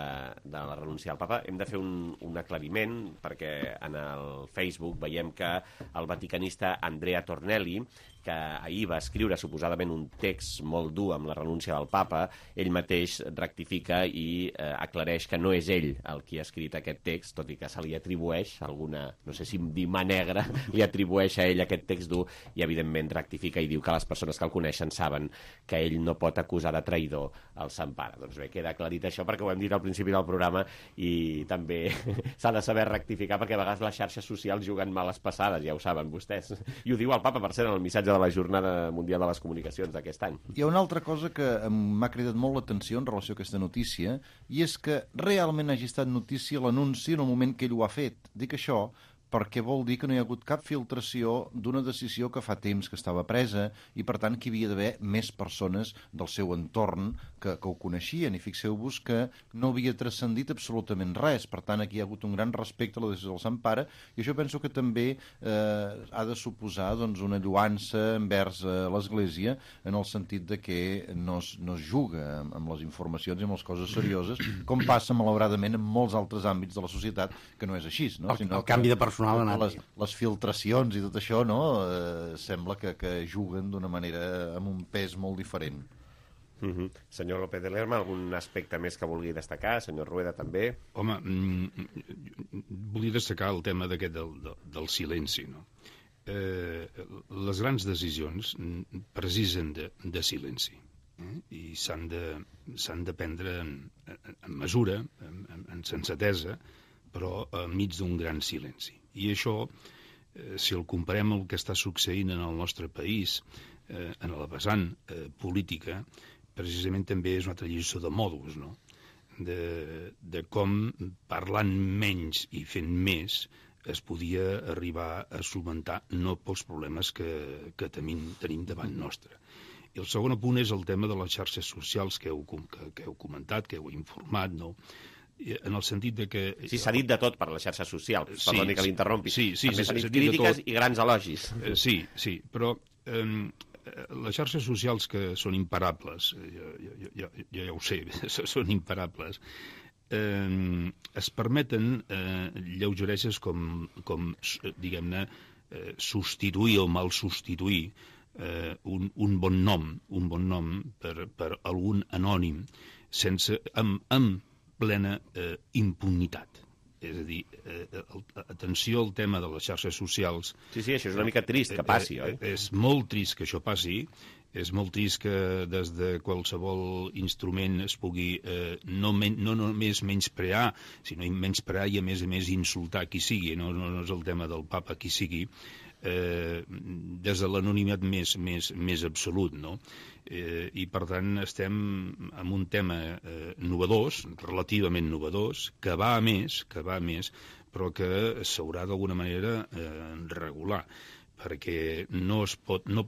S2: la renúncia al papa. Hem de fer un aclariment, perquè en el Facebook veiem que el vaticanista Andrea Tornelli, que ahir va escriure suposadament un text molt dur amb la renúncia del papa, ell mateix rectifica i aclareix que no és ell el qui ha escrit aquest text, tot i que se li atribueix alguna, no sé si dir mà negra, li atribueix a ell aquest text dur, i evidentment rectifica i diu que les persones que el coneixen saben que ell no pot acusar de traïdor el Sant Pare. Doncs bé, queda aclarit això, perquè ho hem dit al principi del programa, i també s'ha de saber rectificar, perquè a vegades les xarxes socials juguen males passades, ja ho saben vostès. I ho diu el papa, per cert, en el missatge de la Jornada Mundial de les Comunicacions d'aquest any.
S13: Hi ha una altra cosa que m'ha cridat molt l'atenció en relació a aquesta notícia, i és que realment hagi estat notícia l'anunci en el moment que ell ho ha fet. Dic això perquè vol dir que no hi ha hagut cap filtració d'una decisió que fa temps que estava presa, i per tant que hi havia d'haver més persones del seu entorn que ho coneixien, i fixeu-vos que no havia transcendit absolutament res. Per tant, aquí hi ha hagut un gran respecte a la decisió del Sant Pare, i això penso que també ha de suposar una lluança envers l'Església, en el sentit de que no es juga amb les informacions i amb les coses serioses, com passa malauradament en molts altres àmbits de la societat, que no és així, no?
S17: El canvi de personal
S13: les filtracions i tot això, no? Sembla que juguen d'una manera amb un pes molt diferent.
S2: Senyor López de Lerma, algun aspecte més que vulgui destacar? Senyor Rueda, també?
S18: Home, volia destacar el tema d'aquest del silenci, no? Les grans decisions precisen de silenci, i s'han de prendre en mesura, en sensatesa, però enmig d'un gran silenci. I això, si el comparem amb el que està succeint en el nostre país, en la vessant política, precisament també és una altra lliçó de modus, no? De com, parlant menys i fent més, es podia arribar a solucionar no pocs problemes que tenim davant nostre. I el segon punt és el tema de les xarxes socials que heu comentat, que heu informat, no? En el sentit de que...
S2: Sí, s'ha dit de tot per les xarxes socials, perdoni que l'interrompi.
S18: Sí,
S2: també s'ha dit crítiques i grans elogis.
S18: Sí, però les xarxes socials que són imparables, ja ho sé, són imparables, es permeten lleugereses com diguem-ne, substituir o mal substituir un bon nom per algun anònim amb plena impunitat. És a dir, atenció al tema de les xarxes socials.
S2: Sí, això és una mica trist que passi, oi?
S18: És molt trist que això passi, és molt trist que des de qualsevol instrument es pugui no només menysprear, sinó menysprear i a més insultar qui sigui, no és el tema del papa qui sigui, des de l'anonimat més absolut, no? I per tant estem en un tema novedós, relativament novedós, que va a més, però que s'haurà d'alguna manera regular, perquè no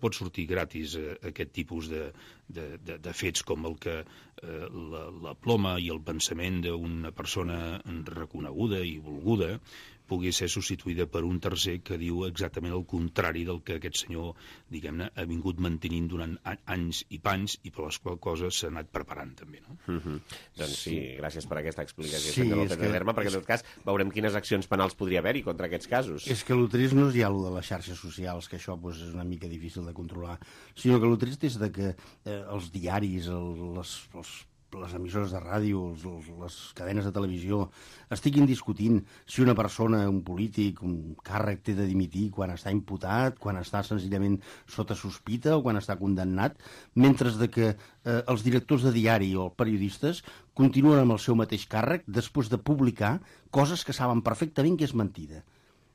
S18: pot sortir gratis aquest tipus de fets com el que la ploma i el pensament d'una persona reconeguda i volguda pugui ser substituïda per un tercer que diu exactament el contrari del que aquest senyor, diguem-ne, ha vingut mantenint durant anys i panys, i per les quals coses s'ha anat preparant també, no?
S2: Doncs sí, gràcies per aquesta explicació, senyor López de Lerma, perquè en tot cas veurem quines accions penals podria haver-hi contra aquests casos.
S17: És que el trist no és ja el de les xarxes socials, que això és una mica difícil de controlar, sinó que el trist és de que els diaris, les emissores de ràdio, les cadenes de televisió, estiguin discutint si una persona, un polític, un càrrec té de dimitir quan està imputat, quan està senzillament sota sospita o quan està condemnat, mentre que els directors de diari o els periodistes continuen amb el seu mateix càrrec després de publicar coses que saben perfectament que és mentida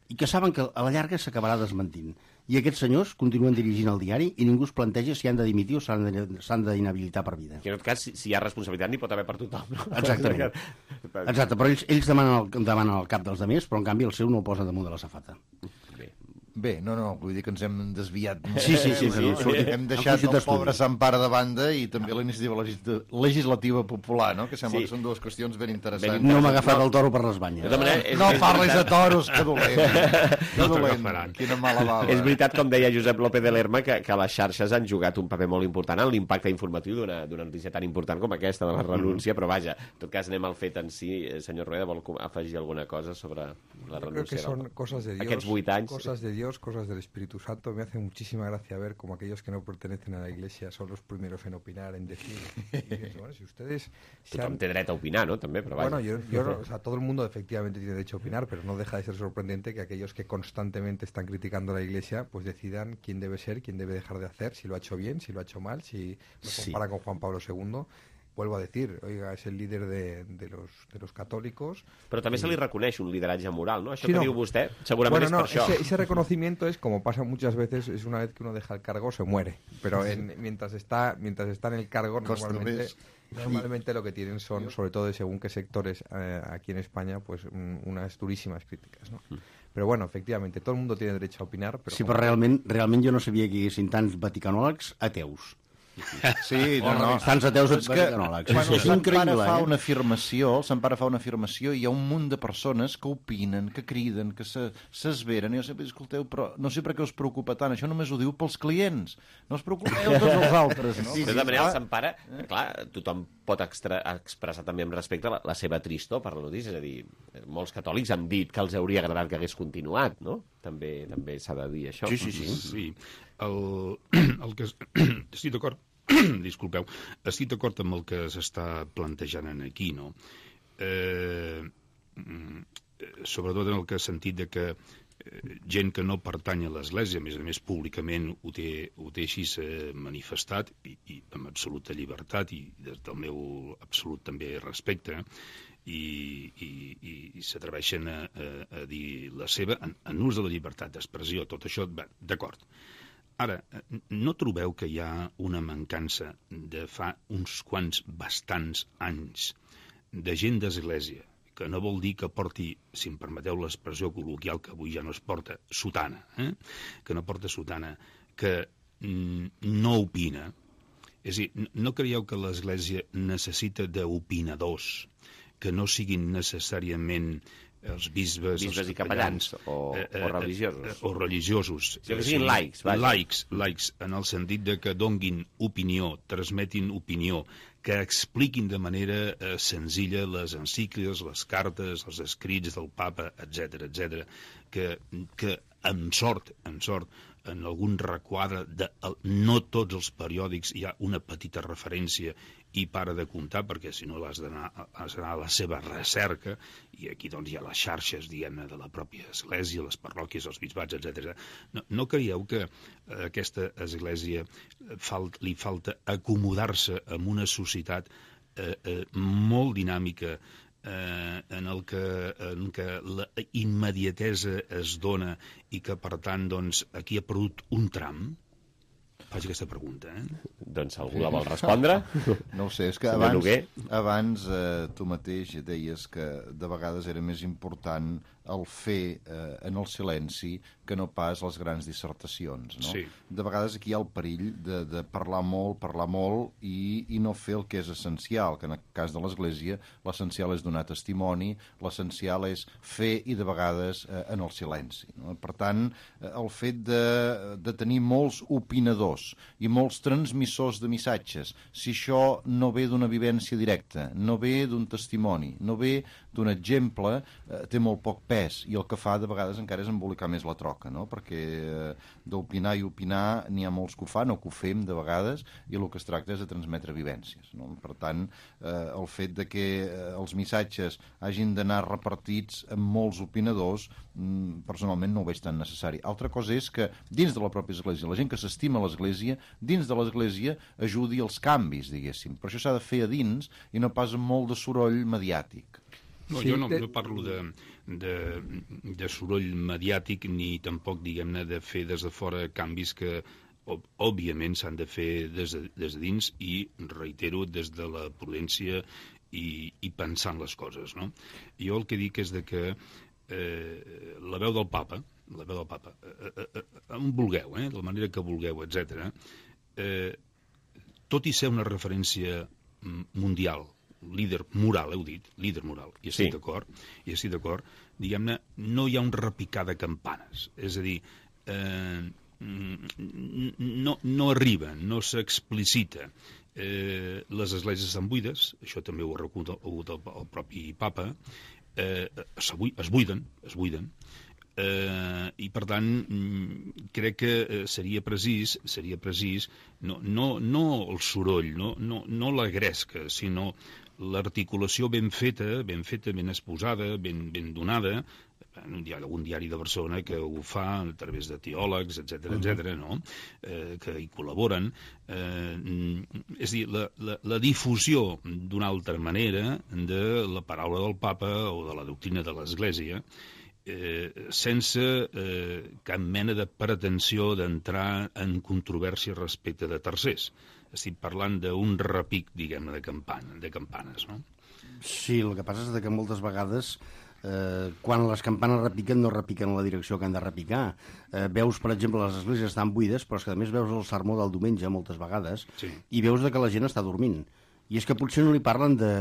S17: i que saben que a la llarga s'acabarà desmentint. I aquests senyors continuen dirigint el diari i ningú es planteja si han de dimitir o s'han d'inhabilitar per vida.
S2: I en tot cas, si hi ha responsabilitat, n'hi pot haver per tothom.
S17: Exactament. Exacte, però ells demanen el cap dels altres, però en canvi el seu no el posa damunt de la safata.
S2: Bé,
S13: Bé, no, vull dir que ens hem desviat.
S17: Sí.
S13: Hem deixat el pobre Sant Pare de banda i també la iniciativa legislativa popular, no? Que sembla que són dues qüestions ben interessants.
S17: No m'ha agafat el toro per les banyes.
S13: No parlis de toros, que dolent. Quina mala bava.
S2: És veritat, com deia Josep López de Lerma, que les xarxes han jugat un paper molt important en l'impacte informatiu d'una notícia tan important com aquesta de la renúncia, però vaja, en tot cas anem al fet en si. Senyor Rueda, vol afegir alguna cosa sobre la renúncia?
S19: Creo que son cosas de Dios.
S2: Aquests 8 anys.
S19: Cosas de Dios, cosas del Espíritu Santo. Me hace muchísima gracia ver como aquellos que no pertenecen a la Iglesia son los primeros en opinar, en decir. Bueno, si ustedes
S2: Tothom té dret a opinar, ¿no? També, però vaja.
S19: Bueno, yo o sea, todo el mundo efectivamente tiene derecho a opinar, pero no deja de ser sorprendente que aquellos que constantemente están criticando a la Iglesia, pues decidan quién debe ser, quién debe dejar de hacer, si lo ha hecho bien, si lo ha hecho mal, si lo compara con Juan Pablo II. Vuelvo a decir, oiga, es el líder de los católicos.
S2: Però també se li reconeix un lideratge moral, ¿no? Això que diu vostè, segurament
S19: bueno,
S2: és per això.
S19: Ese reconocimiento es, como pasa muchas veces, es una vez que uno deja el cargo, se muere. Pero mientras está en el cargo, normalmente lo que tienen son, sobre todo de según qué sectores aquí en España, pues unas durísimas críticas, ¿no? Però bueno, efectivamente, todo el mundo tiene derecho a opinar. Però
S17: sí, però realment jo no sabia que hi haguessin tants vaticanòlegs ateus.
S13: Sí,
S17: tants ateus vaticanòlegs.
S13: Quan el Sant Pare fa una afirmació, hi ha un munt de persones que opinen, que criden, que s'esveren, i jo sempre dic, escolteu, però no sé per què us preocupa tant, això només ho diu pels clients, no us preocupeu tots els altres, no?
S2: De tota manera, el Sant Pare, clar, tothom pot expressar també amb respecte la seva tristor per la notícia, és a dir, molts catòlics han dit que els hauria agradat que hagués continuat, no? També s'ha de dir això.
S18: Sí. El que estic d'acord, disculpeu, estic d'acord amb el que s'està plantejant aquí, no? Sobretot en el que sentit de que gent que no pertany a l'Església, a més públicament ho té així manifestat i amb absoluta llibertat i des del meu absolut també respecte, i s'atreveixen a dir la seva en ús de la llibertat d'expressió. Tot això, d'acord. Ara, no trobeu que hi ha una mancança de fa uns quants bastants anys de gent d'església, que no vol dir que porti, si em permeteu l'expressió col·loquial, que avui ja no es porta, sotana, que no porta sotana, que no opina? És a dir, no creieu que l'Església necessita d'opinadors que no siguin necessàriament els bisbes
S2: i capellans o religiosos.
S18: O religiosos.
S2: Que siguin laics.
S18: Laics, en el sentit de que donguin opinió, transmetin opinió, que expliquin de manera senzilla les encícliques, les cartes, els escrits del papa, etc., que amb sort, en algun requadre de no tots els periòdics hi ha una petita referència i para de comptar, perquè si no has d'anar a la seva recerca, i aquí doncs hi ha les xarxes, diguem-ne, de la pròpia església, les parròquies, els bisbats, etc. No creieu que a aquesta església li falta acomodar-se amb una societat molt dinàmica, en què la immediatesa es dona i que, per tant, doncs, aquí ha perdut un tram? Faig aquesta pregunta,
S2: Doncs algú la vol respondre?
S13: No ho sé, és que abans tu mateix deies que de vegades era més important el fer en el silenci que no pas les grans dissertacions, no?
S18: Sí.
S13: De vegades aquí hi ha el perill de parlar molt i no fer el que és essencial, que en el cas de l'Església l'essencial és donar testimoni, l'essencial és fer i de vegades en el silenci, no? Per tant, el fet de tenir molts opinadors i molts transmissors de missatges, si això no ve d'una vivència directa, no ve d'un testimoni, no ve d'un exemple, té molt poc pes, i el que fa de vegades encara és embolicar més la troca, no? Perquè d'opinar i opinar n'hi ha molts que ho fan o que ho fem de vegades, i el que es tracta és de transmetre vivències, no? Per tant, el fet de que els missatges hagin d'anar repartits amb molts opinadors, personalment no ho veig tan necessari. Altra cosa és que dins de la pròpia Església, la gent que s'estima l'Església, dins de l'Església ajudi als canvis, diguéssim. Però això s'ha de fer a dins i no pas amb molt de soroll mediàtic.
S18: No, jo no parlo de soroll mediàtic ni tampoc, diguem-ne, de fer des de fora canvis que òbviament s'han de fer des de dins i, reitero, des de la prudència i pensant les coses, no? Jo el que dic és que la veu del papa, la veu del papa, on vulgueu, de la manera que vulgueu, etc. Tot i ser una referència mundial, líder moral, heu dit, líder moral, i estic d'acord, diguem-ne, no hi ha un repicar de campanes, és a dir, no arriba, no s'explicita. Les esglésies estan buides, això també ho ha reconegut el propi papa, es buiden, i per tant crec que seria precís no el soroll, no la gresca, sinó l'articulació ben feta, ben exposada, ben donada. Hi ha algun diari de Barcelona que ho fa a través de teòlegs, etc., no? Que hi col·laboren. És a dir, la difusió d'una altra manera de la paraula del papa o de la doctrina de l'Església, sense cap mena de pretensió d'entrar en controvèrsia respecte de tercers. Estic parlant d'un repic, diguem-ne, de campanes, no?
S17: Sí, el que passa és que moltes vegades quan les campanes repiquen no repiquen en la direcció que han de repicar. Veus, per exemple, les esglésies estan buides, però és que a més veus el sermó del diumenge moltes vegades i veus que la gent està dormint. I és que potser no li parlen de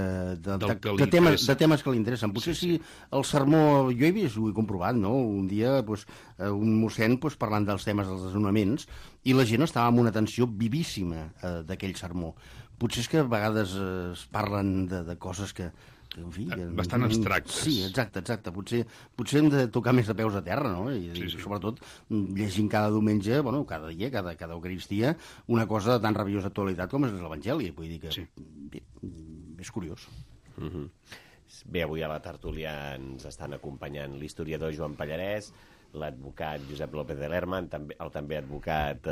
S17: temes que li interessen. Potser si el sermó... Jo he vist, ho he comprovat, no? Un dia un mossèn parlant dels temes dels desnonaments i la gent estava amb una atenció vivíssima d'aquell sermó. Potser és que a vegades es parlen de coses que en fi,
S18: bastant abstractes.
S17: Sí, exacte. Potser hem de tocar més de peus a terra, no? I sobretot llegint cada diumenge, cada dia, cada eucaristia, una cosa de tan rabiosa actualitat com és l'Evangeli. Vull dir que és curiós.
S2: Bé, avui a la tertúlia ens estan acompanyant l'historiador Joan Pallarès, l'advocat Josep López de Lerma, el també advocat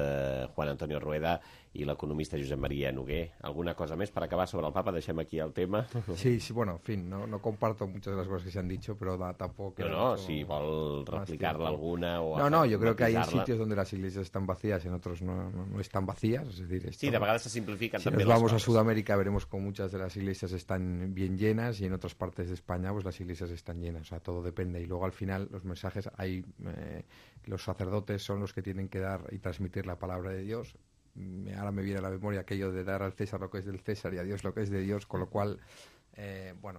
S2: Juan Antonio Rueda i l'economista Josep María Noguer. ¿Alguna cosa más para acabar sobre el Papa? Deixem aquí el tema.
S19: Sí, bueno, en fin, no comparto muchas de las cosas que se han dicho, pero tampoco...
S2: No, si vol replicar-la alguna o...
S19: No, yo creo que hay sitios donde las iglesias están vacías, en otros no están vacías, es decir...
S2: Sí, de vegades se simplifican
S19: si
S2: también
S19: nos vamos
S2: las cosas.
S19: a Sudamérica veremos que muchas de las iglesias están bien llenas y en otras partes de España pues las iglesias están llenas, o sea, todo depende. Y luego al final los mensajes hay... los sacerdotes son los que tienen que dar y transmitir la palabra de Dios. Ahora me viene a la memoria aquello de dar al César lo que es del César y a Dios lo que es de Dios, con lo cual,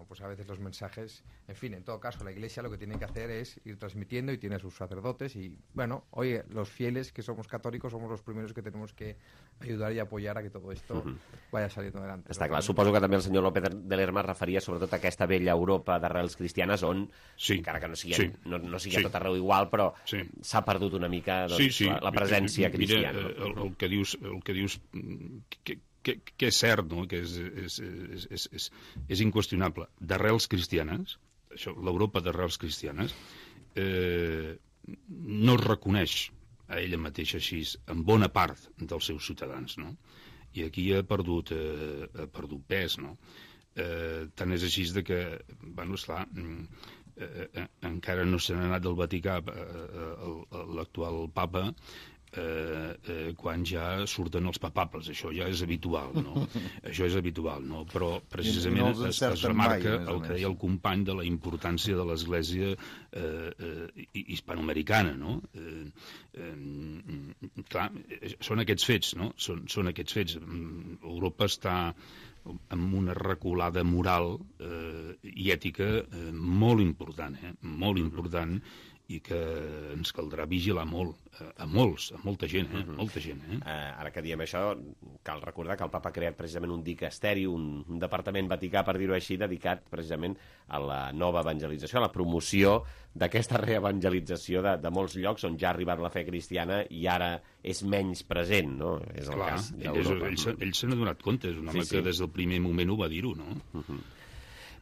S19: pues a veces los mensajes, en fin, en todo caso, la Iglesia lo que tiene que hacer es ir transmitiendo y tiene a sus sacerdotes y, oye, los fieles que somos católicos somos los primeros que tenemos que ayudar y apoyar a que todo esto vaya saliendo adelante.
S2: Està clar, suposo que també el senyor López de Lerma es referia sobretot a aquesta vella Europa d'arrels cristianes on, encara que no sigui a tot arreu igual, però s'ha perdut una mica la presència cristiana.
S18: Mira, el que dius que és cert, no? Que és inqüestionable. D'arrels cristianes, l'Europa d'arrels cristianes, no es reconeix a ella mateixa així en bona part dels seus ciutadans, no? I aquí ha perdut pes, no? Tant és així que, esclar, encara no se n'ha anat del Vaticà l'actual papa, quan ja surten els papables, això ja és habitual, no? Això és habitual, no? Però precisament es remarca el que deia el company de la importància de l'Església hispanoamericana, no? Clar, són aquests fets, no? Són aquests fets. Europa està amb una reculada moral i ètica molt important, molt important, i que ens caldrà vigilar molt, a molta gent, molta gent.
S2: Ara que diem això, cal recordar que el Papa ha creat precisament un dicasteri, un departament vaticà, per dir-ho així, dedicat precisament a la nova evangelització, a la promoció d'aquesta reevangelització de molts llocs on ja ha arribat la fe cristiana i ara és menys present, no? És el cas d'Europa.
S18: Ell se n'ha donat compte, és un home que des del primer moment ho va dir-ho, no?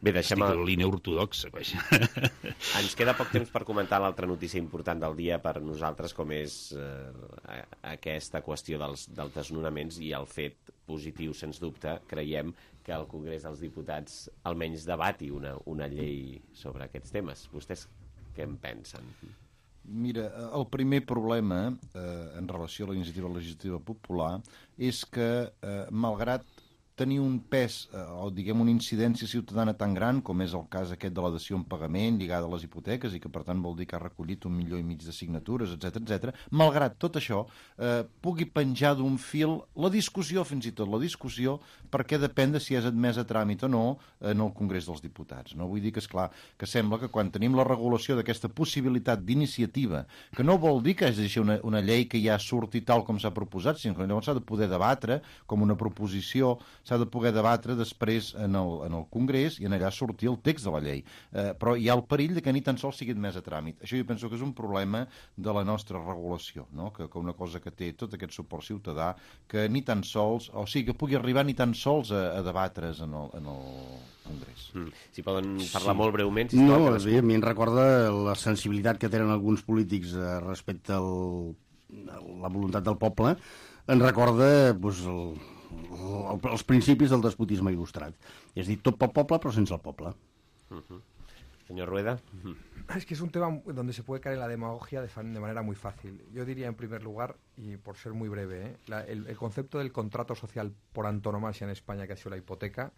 S2: Bé, deixem...
S18: Estic a la línia ortodoxa.
S2: Ens queda poc temps per comentar l'altra notícia important del dia per nosaltres, com és aquesta qüestió dels desnonaments i el fet positiu, sens dubte, creiem que el Congrés dels Diputats almenys debati una llei sobre aquests temes. Vostès què en pensen?
S13: Mira, el primer problema en relació a la iniciativa legislativa popular és que, malgrat tenir un pes o, diguem, una incidència ciutadana tan gran com és el cas aquest de la dació en pagament lligada a les hipoteques i que, per tant, vol dir que ha recollit 1,5 milions de signatures, etc. Malgrat tot això, pugui penjar d'un fil la discussió, fins i tot la discussió, perquè depèn de si és admès a tràmit o no en el Congrés dels Diputats. No? Vull dir que, esclar, que sembla que quan tenim la regulació d'aquesta possibilitat d'iniciativa, que no vol dir que és una llei que ja surti tal com s'ha proposat, sinó que llavors s'ha de poder debatre com una proposició, s'ha de poder debatre després en el Congrés i en allà sortir el text de la llei. Però hi ha el perill de que ni tan sols sigui admès a tràmit. Això jo penso que és un problema de la nostra regulació, no? Que una cosa que té tot aquest suport ciutadà, que ni tan sols, o sigui, que pugui arribar ni tan sols a debatre's en el Congrés.
S2: Si poden parlar molt breument.
S17: No, a mi em recorda la sensibilitat que tenen alguns polítics respecte a la voluntat del poble, ens recorda els principis del despotisme il·lustrat. És a dir, tot pel poble però sense el poble.
S2: Señor Rueda.
S19: Es que es un tema donde se puede caer en la demagogia de manera muy fácil. Yo diría, en primer lugar, y por ser muy breve, el concepto del contrato social por antonomasia en España, que ha sido la hipoteca,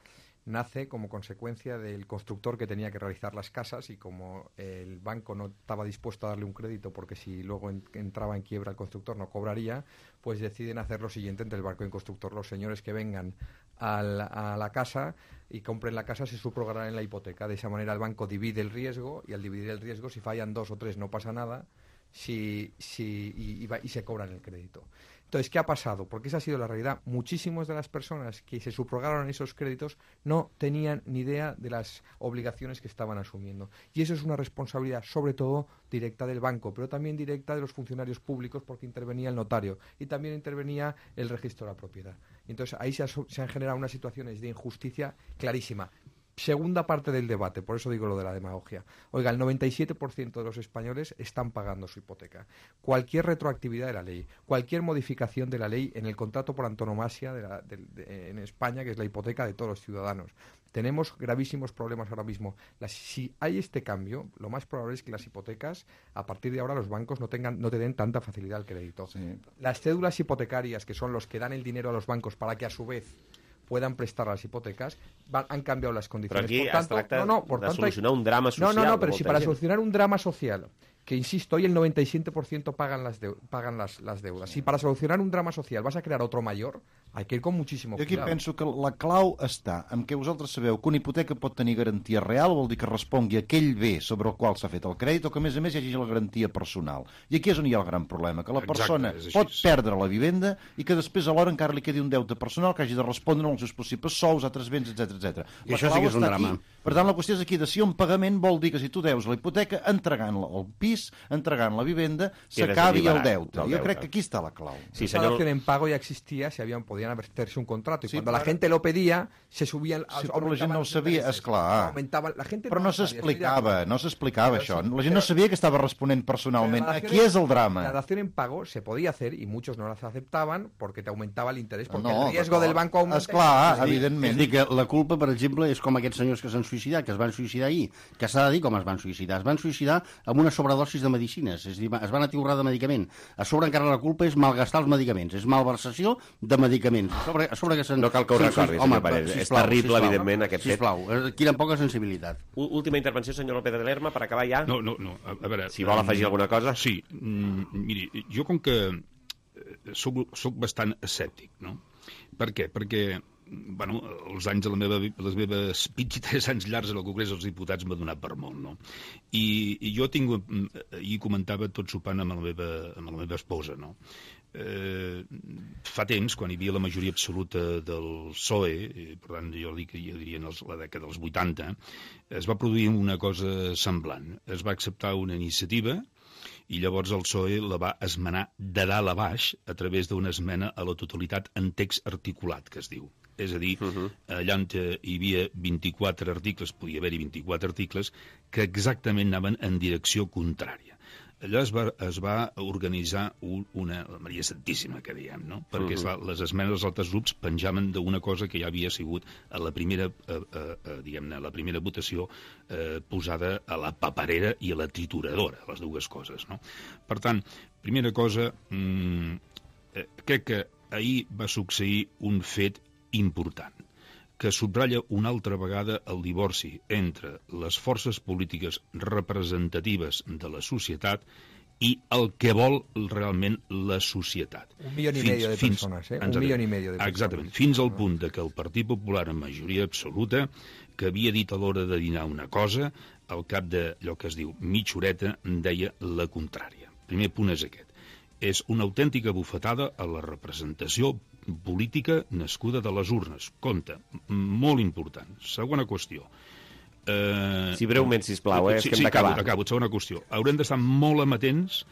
S19: nace como consecuencia del constructor que tenía que realizar las casas, y como el banco no estaba dispuesto a darle un crédito porque si luego entraba en quiebra el constructor no cobraría, pues deciden hacer lo siguiente entre el banco y el constructor. Los señores que vengan a la casa y compren la casa se subrogarán en la hipoteca. De esa manera el banco divide el riesgo, y al dividir el riesgo, si fallan 2 o 3 no pasa nada, y se cobran el crédito. Entonces, ¿qué ha pasado? Porque esa ha sido la realidad. Muchísimas de las personas que se subrogaron esos créditos no tenían ni idea de las obligaciones que estaban asumiendo. Y eso es una responsabilidad, sobre todo, directa del banco, pero también directa de los funcionarios públicos, porque intervenía el notario y también intervenía el registro de la propiedad. Entonces, ahí se han generado unas situaciones de injusticia clarísima. Segunda parte del debate, por eso digo lo de la demagogia. Oiga, el 97% de los españoles están pagando su hipoteca. Cualquier retroactividad de la ley, cualquier modificación de la ley en el contrato por antonomasia en España, que es la hipoteca de todos los ciudadanos. Tenemos gravísimos problemas ahora mismo. Si hay este cambio, lo más probable es que las hipotecas, a partir de ahora, los bancos no te den tanta facilidad al crédito. Sí. Las cédulas hipotecarias, que son los que dan el dinero a los bancos para que a su vez puedan prestar las hipotecas, han cambiado las condiciones.
S2: Però aquí es tracta de solucionar un drama social.
S19: No, pero si para solucionar un drama social, que insisto, hoy el 97% pagan las deudas. Si para solucionar un drama social vas a crear otro mayor, hay que ir con muchísimo cuidado.
S13: Jo aquí penso que la clau està en què vosaltres sabeu que una hipoteca pot tenir garantia real, vol dir que respongui a aquell bé sobre el qual s'ha fet el crèdit, o que a més hi hagi la garantia personal. I aquí és on hi ha el gran problema, que la persona pot perdre la vivenda i que després alhora encara li quedi un deute personal que hagi de respondre als seus possibles sous, altres béns, etc.
S17: I això sí que és un drama.
S13: Per tant, la qüestió és aquí, de si un pagament vol dir que si tu deus la hipoteca, entregant el pis, entregant la vivenda, s'acabi el deute. Jo crec que aquí està la clau.
S19: Sí, la dación en pago ya existía, podían hacerse un contrato, y cuando la gente lo pedía, se subían...
S13: Sí, però la gent no ho sabia, esclar. Però no s'explicava això. La gent no sabia que estava responent personalment. Aquí és el drama.
S19: La dación en pago se podía hacer, y muchos no las aceptaban, porque te aumentaba el interés, porque el riesgo del banco aumenta.
S13: Esclar, evidentment.
S17: És a dir, que la culpa, per exemple, és com aquests senyors que s'han suïcidat, que es van suïcidar ahir, que s'ha de dir com es van suïcidar. Es van suïcidar amb una sobredosis de medicines, és a dir, es van atiborrar de medicament. A sobre encara la culpa és malgastar els medicaments, és malversació de medicaments. A sobre que
S2: no cal que ho recordis, senyor Parés. És terrible, evidentment, aquest fet.
S17: Sisplau, quina poca sensibilitat.
S2: Última intervenció, senyor López de Lerma, per acabar ja.
S18: No, a veure...
S2: Si vol afegir alguna cosa.
S18: Sí, miri, jo com que soc bastant escèptic, no? Per què? Perquè bueno, els anys de les meves 23 anys llargs en el Congrés dels Diputats m'ha donat per molt, no? I jo ahir comentava tot sopant amb la meva esposa, no? Fa temps, quan hi havia la majoria absoluta del PSOE, per tant jo diria en la dècada dels 80, es va produir una cosa semblant. Es va acceptar una iniciativa i llavors el PSOE la va esmenar de dalt a baix a través d'una esmena a la totalitat en text articulat, que es diu. És a dir, allà on hi havia 24 articles, podia haver-hi 24 articles, que exactament anaven en direcció contrària. Allà es va organitzar una Maria Santíssima, que diem, no? Perquè les esmenes dels altres grups penjaven d'una cosa que ja havia sigut a la primera, diguem-ne, la primera votació posada a la paperera i a la trituradora, les dues coses, no? Per tant, primera cosa, crec que ahir va succeir un fet important, que subratlla una altra vegada el divorci entre les forces polítiques representatives de la societat i el que vol realment la societat.
S19: 1,5 milió de persones, eh? 1,5 milió de persones.
S18: Exactament, fins al punt que el Partit Popular, en majoria absoluta, que havia dit a l'hora de dinar una cosa, al cap d'allò que es diu mitja horeta, deia la contrària. Primer punt és aquest. És una autèntica bufetada a la representació política nascuda de les urnes. Compte, molt important. Segona qüestió.
S2: Sí, breument, sisplau, és que hem d'acabar.
S18: Acabo. Segona qüestió. Haurem d'estar molt amatents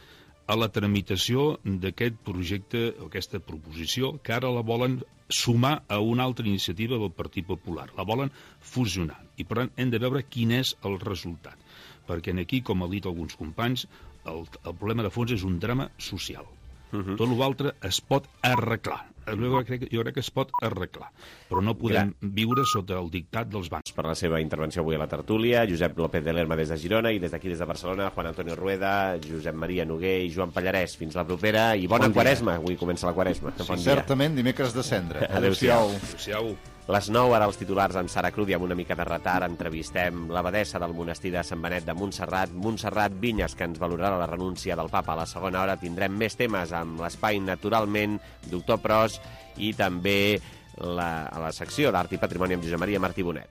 S18: a la tramitació d'aquest projecte, o aquesta proposició, que ara la volen sumar a una altra iniciativa del Partit Popular. La volen fusionar. I, per tant, hem de veure quin és el resultat. Perquè aquí, com han dit alguns companys, el problema de fons és un drama social. Tot l'altre es pot arreglar. Jo crec que es pot arreglar, però no podem viure sota el dictat dels bancs.
S2: Per la seva intervenció avui a la tertúlia, Josep López de Lerma des de Girona i des d'aquí, des de Barcelona, Juan Antonio Rueda, Josep Maria Noguer i Joan Pallarès. Fins la propera i bona Quaresma. Avui comença la Quaresma.
S13: Sí, certament, dimecres de cendra.
S2: Adéu-siau. Les 9, ara els titulars amb Sara Crudi, amb una mica de retard. Entrevistem l'abadessa del monestir de Sant Benet de Montserrat, Montserrat Vinyes, que ens valorarà la renúncia del papa. A la segona hora tindrem més temes amb l'espai Naturalment, Doctor Pros, i també a la secció d'Art i Patrimoni amb Josep Maria Martí Bonet.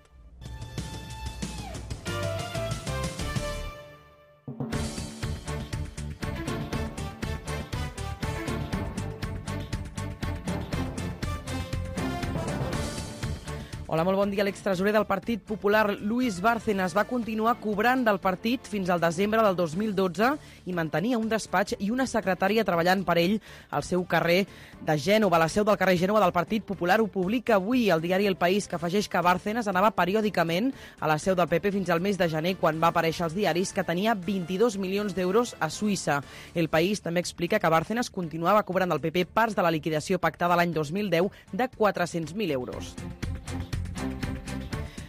S3: Hola, molt bon dia. L'extresorer del Partit Popular, Luis Bárcenas, va continuar cobrant del partit fins al desembre del 2012 i mantenia un despatx i una secretària treballant per ell al seu carrer de Gènova. La seu del carrer Gènova del Partit Popular ho publica avui el diari El País, que afegeix que Bárcenas anava periòdicament a la seu del PP fins al mes de gener, quan va aparèixer als diaris que tenia 22 milions d'euros a Suïssa. El País també explica que Bárcenas continuava cobrant del PP parts de la liquidació pactada l'any 2010 de 400.000 euros.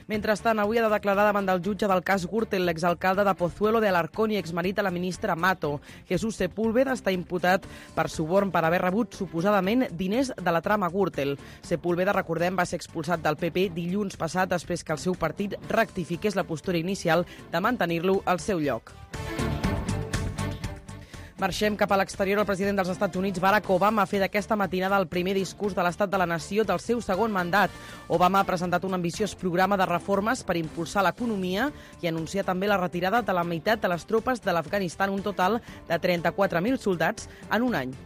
S3: Mentrestant, avui ha de declarar davant del jutge del cas Gürtel l'exalcalde de Pozuelo de Alarcón i exmarit de la ministra Mato. Jesús Sepúlveda està imputat per suborn per haver rebut suposadament diners de la trama Gürtel. Sepúlveda, recordem, va ser expulsat del PP dilluns passat després que el seu partit rectifiqués la postura inicial de mantenir-lo al seu lloc. Marxem cap a l'exterior. El president dels Estats Units, Barack Obama, ha fet aquesta matinada el primer discurs de l'estat de la nació del seu segon mandat. Obama ha presentat un ambiciós programa de reformes per impulsar l'economia i anunciar també la retirada de la meitat de les tropes de l'Afganistan, un total de 34.000 soldats en un any.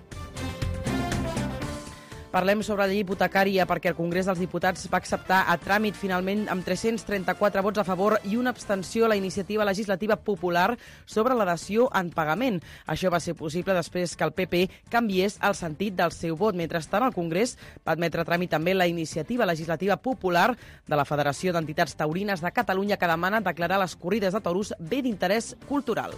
S3: Parlem sobre la llei hipotecària perquè el Congrés dels Diputats va acceptar a tràmit finalment amb 334 vots a favor i una abstenció a la iniciativa legislativa popular sobre la dació en pagament. Això va ser possible després que el PP canviés el sentit del seu vot. Mentrestant, el Congrés va admetre a tràmit també la iniciativa legislativa popular de la Federació d'Entitats Taurines de Catalunya, que demana declarar les corrides de toros bé d'interès cultural.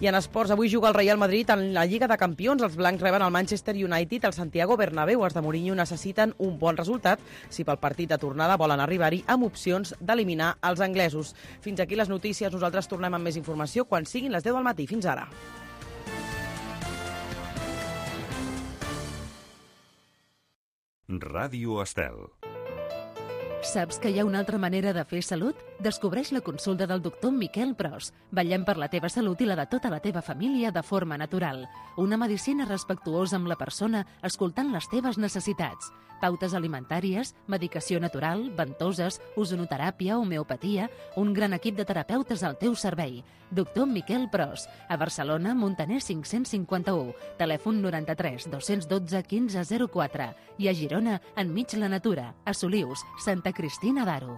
S3: I en esports, avui juga el Real Madrid en la Lliga de Campions. Els blancs reben el Manchester United al Santiago Bernabéu. Els de Mourinho necessiten un bon resultat si pel partit de tornada volen arribar-hi amb opcions d'eliminar els anglesos. Fins aquí les notícies. Nosaltres tornem amb més informació quan siguin les 10 del matí. Fins ara.
S20: Ràdio Estel.
S1: Saps que hi ha una altra manera de fer salut? Descobreix la consulta del doctor Miquel Pros. Vetllem per la teva salut i la de tota la teva família de forma natural. Una medicina respectuosa amb la persona, escoltant les teves necessitats. Pautes alimentàries, medicació natural, ventoses, ozonoteràpia, homeopatia, un gran equip de terapeutes al teu servei. Doctor Miquel Pros, a Barcelona, Montaner 551, telèfon 93 212 1504 i a Girona, enmig la natura, a Solius, Santa Cristina d'Aro.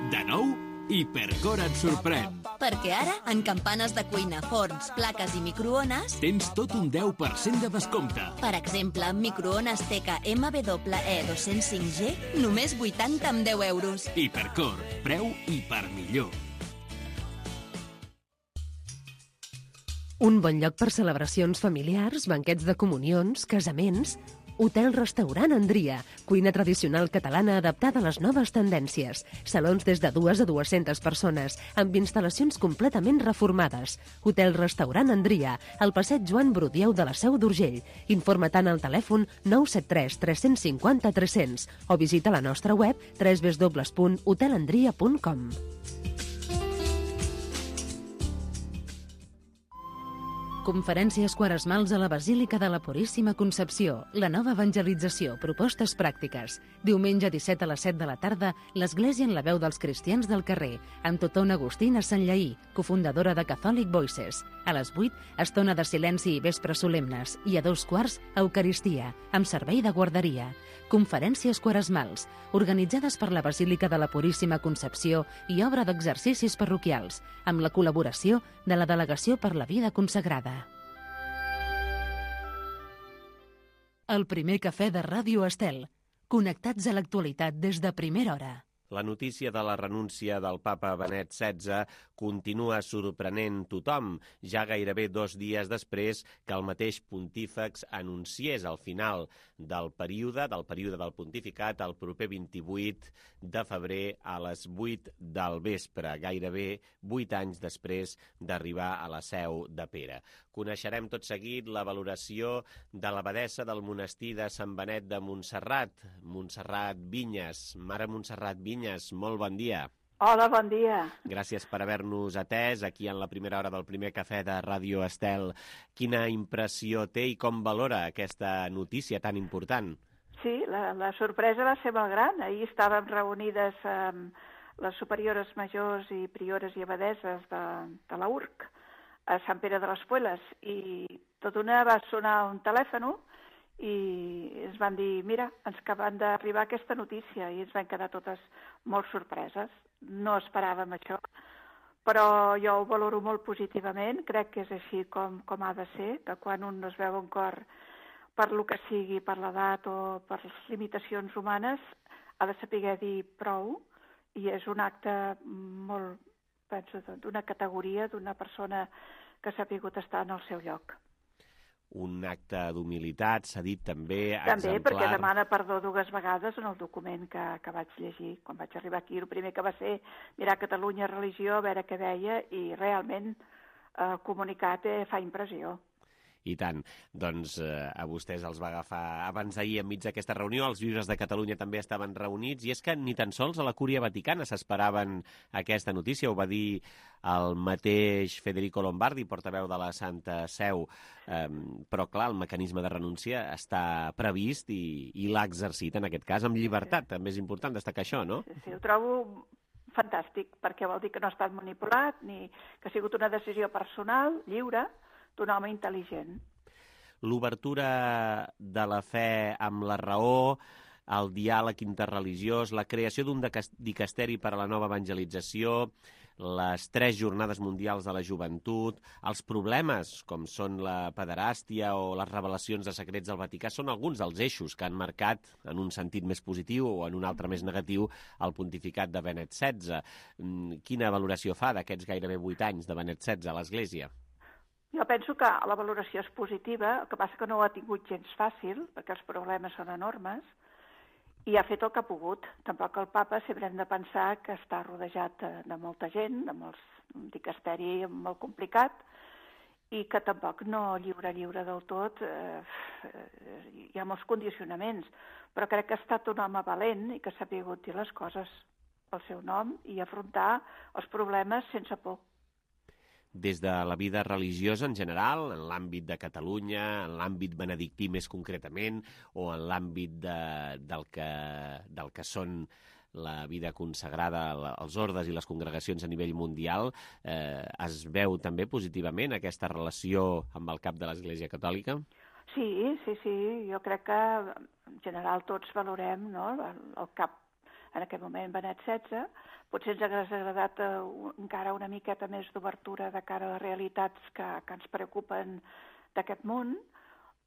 S12: De nou, Hipercor et sorprèn.
S11: Perquè ara, en campanes de cuina, forns, plaques i microones,
S12: tens tot un 10% de descompte.
S11: Per exemple, microones TK MWE 205G, només 80 amb 10 euros.
S12: Hipercor, preu hiper millor.
S21: Un bon lloc per celebracions familiars, banquets de comunions, casaments.
S1: Hotel-restaurant Andria, cuina tradicional catalana adaptada a les noves tendències. Salons des de 2 a 200 persones, amb instal·lacions completament reformades. Hotel-restaurant Andria, al passeig Joan Brudieu de la Seu d'Urgell. Informa tant al telèfon 973 350 300 o visita la nostra web www.hotelandria.com. Conferències quaresmals a la Basílica de la Puríssima Concepció, la nova evangelització, propostes pràctiques. Diumenge 17 a les 7 de la tarda, l'Església en la veu dels cristians del carrer, amb Totona Agustina Sanllaí, cofundadora de Catholic Voices. A les 8, estona de silenci i vespres solemnes, i a 2:15, Eucaristia, amb servei de guarderia. Conferències quaresmals, organitzades per la Basílica de la Puríssima Concepció i obra d'exercicis parroquials, amb la col·laboració de la Delegació per la Vida Consagrada. El primer cafè de Ràdio Estel. Connectats a l'actualitat des de primera hora.
S2: La notícia de la renúncia del papa Benet XVI continua sorprenent tothom, ja gairebé 2 dies després que el mateix pontífex anunciés el final del període del pontificat el proper 28 de febrer a les 8 del vespre, gairebé 8 anys després d'arribar a la Seu de Pere. Coneixerem tot seguit la valoració de l'abadessa del monestir de Sant Benet de Montserrat, Montserrat Vinyes. Mare Montserrat Vinyes, molt bon dia.
S20: Hola, bon dia.
S2: Gràcies per haver-nos atès aquí en la primera hora del primer cafè de Ràdio Estel. Quina impressió té i com valora aquesta notícia tan important?
S20: Sí, la sorpresa va ser molt gran. Ahir estàvem reunides les superiores majors i priores i abadesses de la URC a Sant Pere de les Pueles i tot una va sonar un telèfon i ens van dir, mira, ens acaben d'arribar aquesta notícia i ens van quedar totes molt sorpreses. No esperàvem això, però jo ho valoro molt positivament, crec que és així com ha de ser, que quan un no es veu en cor per lo que sigui, per l'edat o per les limitacions humanes, ha de saber dir prou i és un acte molt, penso, d'una categoria, d'una persona que s'ha pogut estar en el seu lloc.
S2: Un acte d'humilitat, s'ha dit també,
S20: exemplar. També, perquè demana perdó 2 vegades en el document que vaig llegir. Quan vaig arribar aquí, el primer que va ser mirar Catalunya Religió, a veure què deia, i realment el comunicat fa impressió.
S2: I tant. Doncs a vostès els va agafar abans d'ahir enmig d'aquesta reunió. Els bisbes de Catalunya també estaven reunits i és que ni tan sols a la Cúria Vaticana s'esperaven aquesta notícia. Ho va dir el mateix Federico Lombardi, portaveu de la Santa Seu. Però, clar, el mecanisme de renúncia està previst i l'ha exercit, en aquest cas, amb llibertat. També és important destacar això, no?
S20: Sí, ho trobo fantàstic, perquè vol dir que no ha estat manipulat, ni que ha sigut una decisió personal, lliure, d'un home intel·ligent.
S2: L'obertura de la fe amb la raó, el diàleg interreligiós, la creació d'un dicasteri per a la nova evangelització, les 3 jornades mundials de la joventut, els problemes com són la pederàstia o les revelacions de secrets del Vaticà són alguns dels eixos que han marcat, en un sentit més positiu o en un altre més negatiu, el pontificat de Benet XVI. Quina valoració fa d'aquests gairebé 8 anys de Benet XVI a l'Església?
S20: Jo penso que la valoració és positiva, el que passa que no ho ha tingut gens fàcil, perquè els problemes són enormes, i ha fet el que ha pogut. Tampoc el papa sempre hem de pensar que està rodejat de molta gent, un dicasteri molt complicat, i que tampoc no lliure del tot, hi ha molts condicionaments, però crec que ha estat un home valent i que s'ha sabut dir les coses pel seu nom i afrontar els problemes sense por.
S2: Des de la vida religiosa en general, en l'àmbit de Catalunya, en l'àmbit benedictí més concretament, o en l'àmbit del que són la vida consagrada, els ordes i les congregacions a nivell mundial, es veu també positivament aquesta relació amb el cap de l'Església Catòlica?
S20: Sí, jo crec que en general tots valorem, no?, el cap en aquest moment Benet XVI. Potser ens hauria agradat encara una miqueta més d'obertura de cara a les realitats que ens preocupen d'aquest món,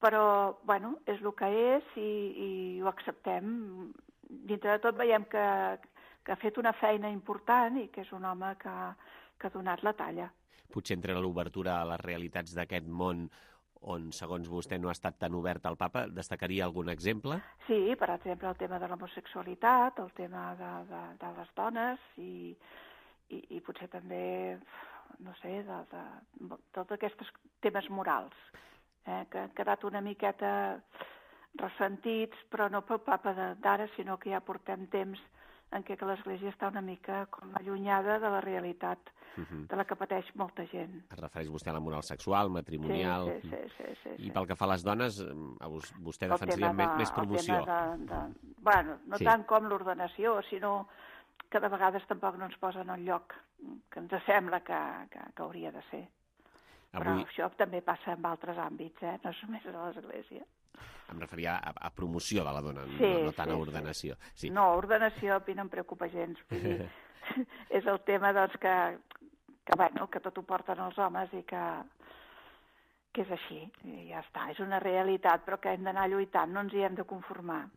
S20: però, bueno, és el que és i ho acceptem. Dintre de tot veiem que ha fet una feina important i que és un home que ha donat la talla.
S2: Potser entre l'obertura a les realitats d'aquest món on, segons vostè, no ha estat tan obert al papa. Destacaria algun exemple?
S20: Sí, per exemple, el tema de l'homosexualitat, el tema de les dones i potser també, no sé, de tots aquests temes morals, que han quedat una miqueta ressentits, però no pel papa d'ara, sinó que ja portem temps en què l'Església està una mica com allunyada de la realitat de la que pateix molta gent.
S2: Es refereix vostè a la moral sexual, matrimonial...
S20: Sí.
S2: I pel que fa a les dones, vostè defensaria més promoció.
S20: Bueno, no tant com l'ordenació, sinó que de vegades tampoc no ens posen al lloc que ens sembla que hauria de ser. Però això també passa en altres àmbits, no només a l'Església.
S2: Em referia a promoció de la dona, no tant a ordenació. Sí.
S20: No, ordenació a mi no em preocupa gens. Vull dir, és el tema doncs, que tot ho porten els homes i que és així. I ja està, és una realitat, però que hem d'anar lluitant, no ens hi hem de conformar.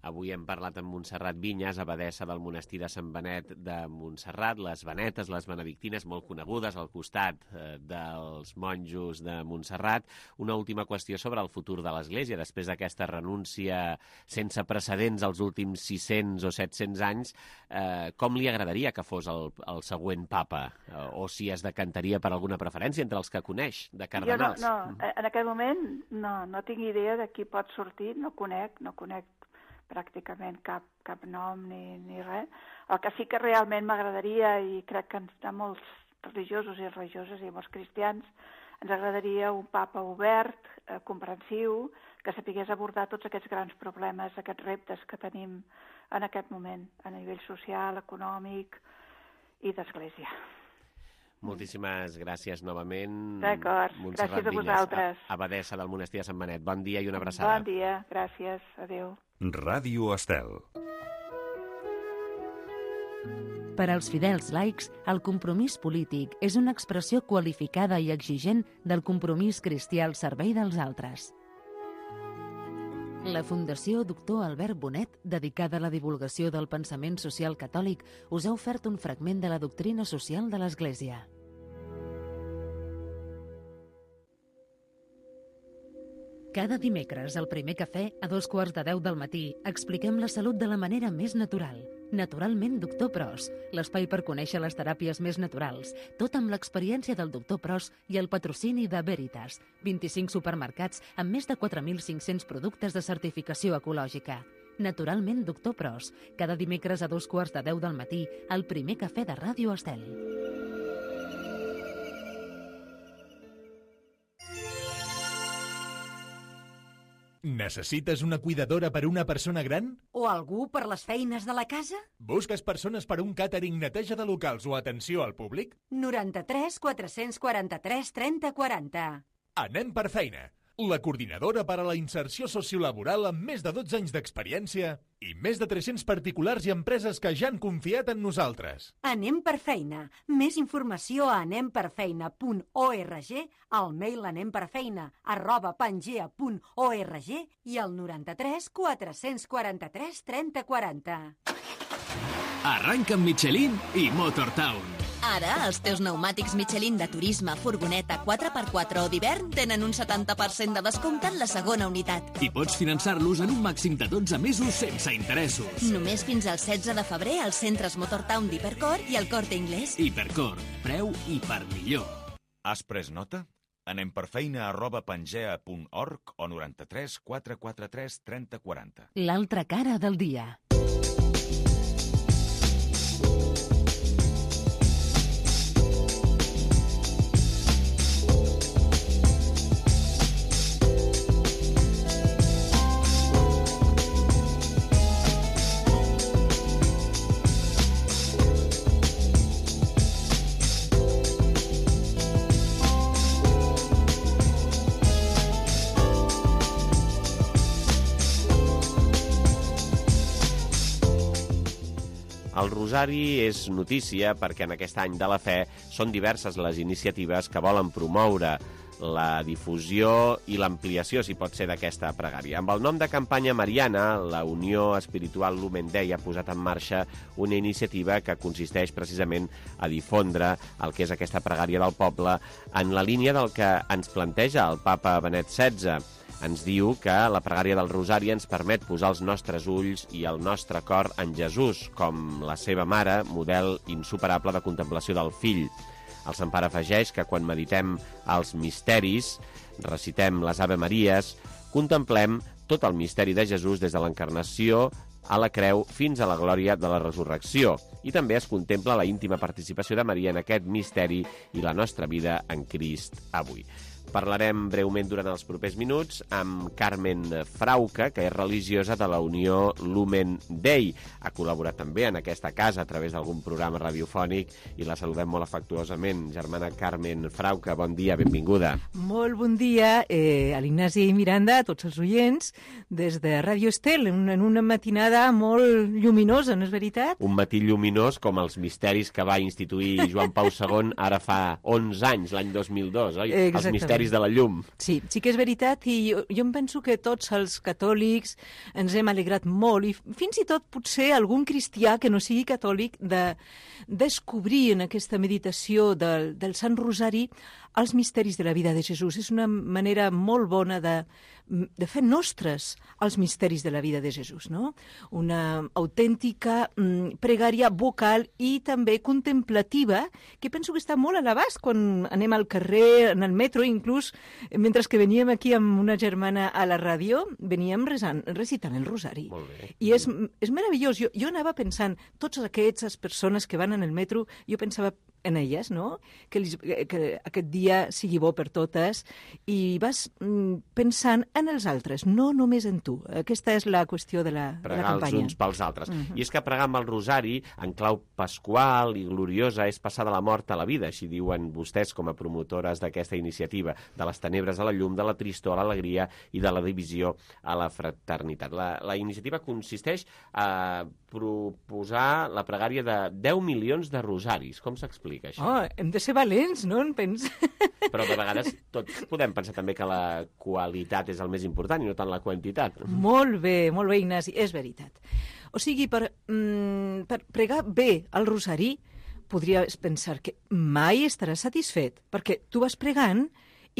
S2: Avui hem parlat amb Montserrat Vinyes, abadessa del monestir de Sant Benet de Montserrat, les benetes, les benedictines, molt conegudes al costat dels monjos de Montserrat. Una última qüestió sobre el futur de l'Església. Després d'aquesta renúncia sense precedents als últims 600 o 700 anys, com li agradaria que fos el següent papa? O si es decantaria per alguna preferència entre els que coneix, de cardenals?
S20: Jo en aquest moment no tinc idea de qui pot sortir, no conec pràcticament cap nom ni res. El que sí que realment m'agradaria, i crec que a molts religiosos i religioses i molts cristians, ens agradaria un papa obert, comprensiu, que sapigués abordar tots aquests grans problemes, aquests reptes que tenim en aquest moment, a nivell social, econòmic i d'església.
S2: Moltíssimes gràcies novament.
S20: D'acord, gràcies a vosaltres.
S2: Abadessa del monestir de Sant Benet. Bon dia i una abraçada.
S20: Bon dia, gràcies, adéu.
S21: Ràdio Estel.
S1: Per als fidels laics, el compromís polític és una expressió qualificada i exigent del compromís cristià al servei dels altres. La Fundació Doctor Albert Bonet, dedicada a la divulgació del pensament social catòlic, us ha ofert un fragment de la doctrina social de l'Església. Cada dimecres, al primer cafè, a 2:15 del matí, expliquem la salut de la manera més natural. Naturalment, Doctor Pros, l'espai per conèixer les teràpies més naturals, tot amb l'experiència del Doctor Pros i el patrocini de Veritas, 25 supermercats amb més de 4.500 productes de certificació ecològica. Naturalment, Doctor Pros, cada dimecres a 2:15 del matí, al primer cafè de Ràdio Estel.
S22: Necessites una cuidadora per a una persona gran?
S23: O algú per les feines de la casa?
S22: Busques persones per a un càtering, neteja de locals o atenció al públic?
S23: 93 443 30 40.
S22: Anem per feina. La coordinadora per a la inserció sociolaboral amb més de 12 anys d'experiència i més de 300 particulars i empreses que ja han confiat en nosaltres.
S23: Anem per feina. Més informació a anemperfeina.org, al mail anemperfeina@pangea.org i al 93 443 30 40.
S12: Arranca amb Michelin i Motortown.
S11: Ara, els teus pneumàtics Michelin de turisme, furgoneta, 4x4 o d'hivern tenen un 70% de descompte en la segona unitat.
S12: I pots finançar-los en un màxim de 12 mesos sense interessos.
S11: Només fins al 16 de febrer als centres Motortown d'Hipercor i al Corte Inglés.
S12: Hipercor, preu i per millor.
S21: Has pres nota? Anem per feina@pangea.org o 93 443 30 40.
S1: L'altra cara del dia.
S2: El Rosari és notícia perquè en aquest any de la fe són diverses les iniciatives que volen promoure la difusió i l'ampliació, si pot ser, d'aquesta pregària. Amb el nom de campanya Mariana, la Unió Espiritual Lumen Dei ha posat en marxa una iniciativa que consisteix precisament a difondre el que és aquesta pregària del poble en la línia del que ens planteja el papa Benet XVI. Ens diu que la pregària del Rosari ens permet posar els nostres ulls i el nostre cor en Jesús, com la seva mare, model insuperable de contemplació del fill. El Sant Pare afegeix que quan meditem els misteris, recitem les Ave Maries, contemplem tot el misteri de Jesús des de l'encarnació a la creu fins a la glòria de la resurrecció. I també es contempla la íntima participació de Maria en aquest misteri i la nostra vida en Crist avui. Parlarem breument durant els propers minuts amb Carmen Frauca, que és religiosa de la Unió Lumen Dei. Ha col·laborat també en aquesta casa a través d'algun programa radiofònic i la saludem molt afectuosament. Germana Carmen Frauca, bon dia, benvinguda.
S4: Molt bon dia a l'Ignasi Miranda, a tots els oients, des de Ràdio Estel, en una matinada molt lluminosa, no és veritat?
S2: Un matí lluminós com els misteris que va instituir Joan Pau II ara fa 11 anys, l'any 2002, oi?
S4: Exactament.
S2: Els misteris de la llum.
S4: Sí, sí que és veritat, i jo em penso que tots els catòlics ens hem alegrat molt, i fins i tot potser algun cristià que no sigui catòlic, de descobrir en aquesta meditació del Sant Rosari els misteris de la vida de Jesús. És una manera molt bona de fer nostres els misteris de la vida de Jesús, no? Una autèntica pregària vocal i també contemplativa, que penso que està molt a l'abast quan anem al carrer, en el metro, inclús mentre que veníem aquí amb una germana a la ràdio, veníem recitant el Rosari.
S2: Molt bé.
S4: I és meravellós. Jo anava pensant, totes aquestes persones que van en el metro, jo pensava en elles, no? Que aquest dia sigui bo per totes, i vas pensant en els altres, no només en tu. Aquesta és la qüestió de la
S2: pregar
S4: campanya.
S2: Pregar els uns pels altres. I és que pregar amb el Rosari, en clau pasqual i gloriosa, és passar de la mort a la vida, així diuen vostès com a promotores d'aquesta iniciativa, de les tenebres a la llum, de la tristor a l'alegria i de la divisió a la fraternitat. La iniciativa consisteix a proposar la pregària de 10 milions de rosaris. Com s'explica això?
S4: Oh, hem de ser valents, no?
S2: Però de vegades tots podem pensar també que la qualitat és el més important i no tant la quantitat.
S4: Molt bé, Ignasi, és veritat. O sigui, per pregar bé el Rosari, podries pensar que mai estaràs satisfet, perquè tu vas pregant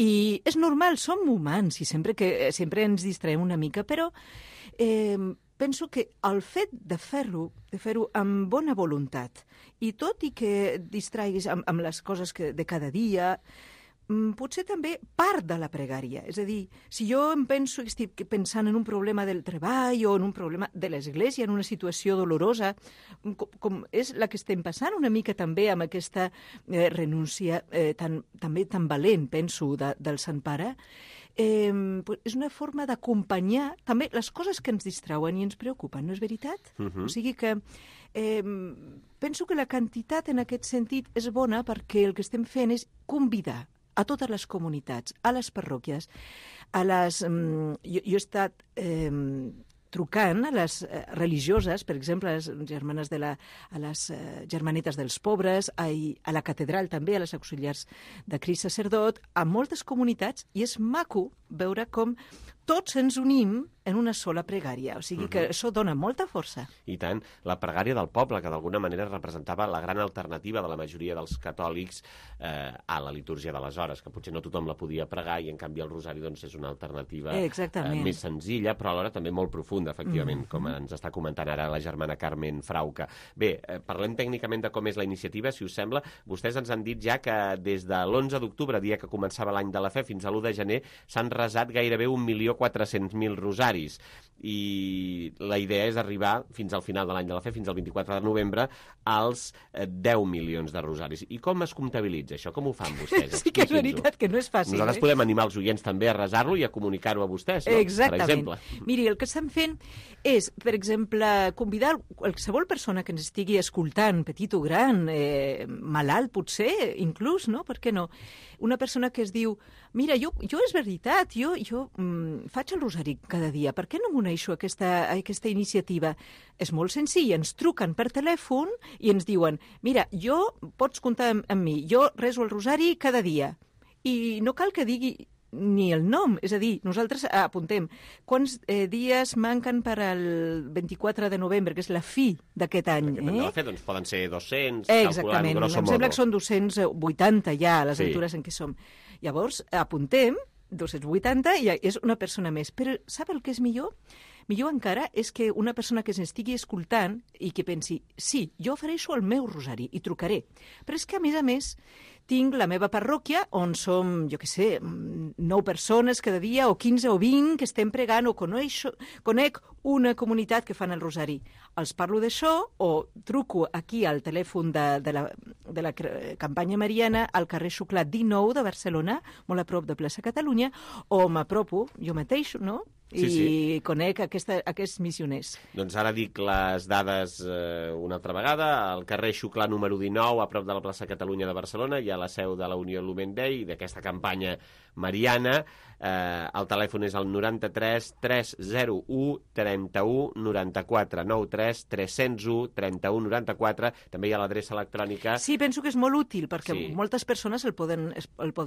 S4: i és normal, som humans i sempre ens distraem una mica, però penso que el fet de fer-ho amb bona voluntat, i tot i que distraiguis amb les coses de cada dia, potser també part de la pregària. És a dir, si jo em penso que estic pensant en un problema del treball o en un problema de l'Església, en una situació dolorosa, com és la que estem passant una mica també amb aquesta renúncia també tan valent, penso, del Sant Pare, és una forma d'acompanyar també les coses que ens distrauen i ens preocupen, no és veritat? O sigui que penso que la quantitat en aquest sentit és bona, perquè el que estem fent és convidar a totes les comunitats, a les parròquies, jo he estat trucant a les religioses, per exemple, a les germanes a les germanetes dels pobres, a la catedral també, a les auxiliars de Crist Sacerdot, a moltes comunitats, i és maco veure com tots ens unim en una sola pregària. O sigui que això dona molta força.
S2: I tant. La pregària del poble, que d'alguna manera representava la gran alternativa de la majoria dels catòlics a la litúrgia de les hores, que potser no tothom la podia pregar, i en canvi el Rosari és una alternativa més senzilla, però alhora també molt profunda, efectivament, com ens està comentant ara la germana Carmen Frauca. Bé, parlem tècnicament de com és la iniciativa, si us sembla. Vostès ens han dit ja que des de l'11 d'octubre, dia que començava l'any de la fe, fins a l'1 de gener, s'han resat gairebé 1.400.000 rosaris, i la idea és arribar fins al final de l'any de la fe, fins al 24 de novembre, als 10 milions de rosaris. I com es comptabilitza això? Com ho fan vostès?
S4: Sí que és veritat que no és fàcil.
S2: Nosaltres podem animar els oients també a resar-lo i a comunicar-ho a vostès, no?
S4: Exactament.
S2: Per exemple.
S4: Miri, el que estem fent és, per exemple, convidar qualsevol persona que ens estigui escoltant, petit o gran, malalt potser, inclús, no? Per què no? Una persona que es diu, mira, jo és veritat, jo faig el Rosari cada dia, per què no m'uneixo a aquesta iniciativa? És molt senzill, ens truquen per telèfon i ens diuen, mira, pots comptar amb mi, jo rezo el Rosari cada dia. I no cal que digui ni el nom, és a dir, nosaltres apuntem quants dies manquen per al 24 de novembre, que és la fi d'aquest any.
S2: Doncs poden ser 200,
S4: exactament, em sembla que són 280 ja a les altures en què som. Llavors, apuntem 280 i és una persona més. Però sap el que és millor? Millor encara és que una persona que s'estigui escoltant i que pensi, sí, jo ofereixo el meu rosari i trucaré. Però és que, a més, tinc la meva parròquia on som, jo què sé, 9 persones cada dia, o 15 o 20 que estem pregant, o conec una comunitat que fan el rosari. Els parlo d'això o truco aquí al telèfon de la campanya mariana al carrer Xuclà 19 de Barcelona, molt a prop de Plaça Catalunya, o m'apropo jo mateix, no?, i conec aquests missioners.
S2: Doncs ara dic les dades una altra vegada. Al carrer Xuclà número 19, a prop de la plaça Catalunya de Barcelona, hi ha la seu de la Unió Lumen Day, d'aquesta campanya mariana. El telèfon és el 93 301 31 94, 93 301 31 94. També hi ha l'adreça electrònica.
S4: Sí, penso que és molt útil, perquè moltes persones el poden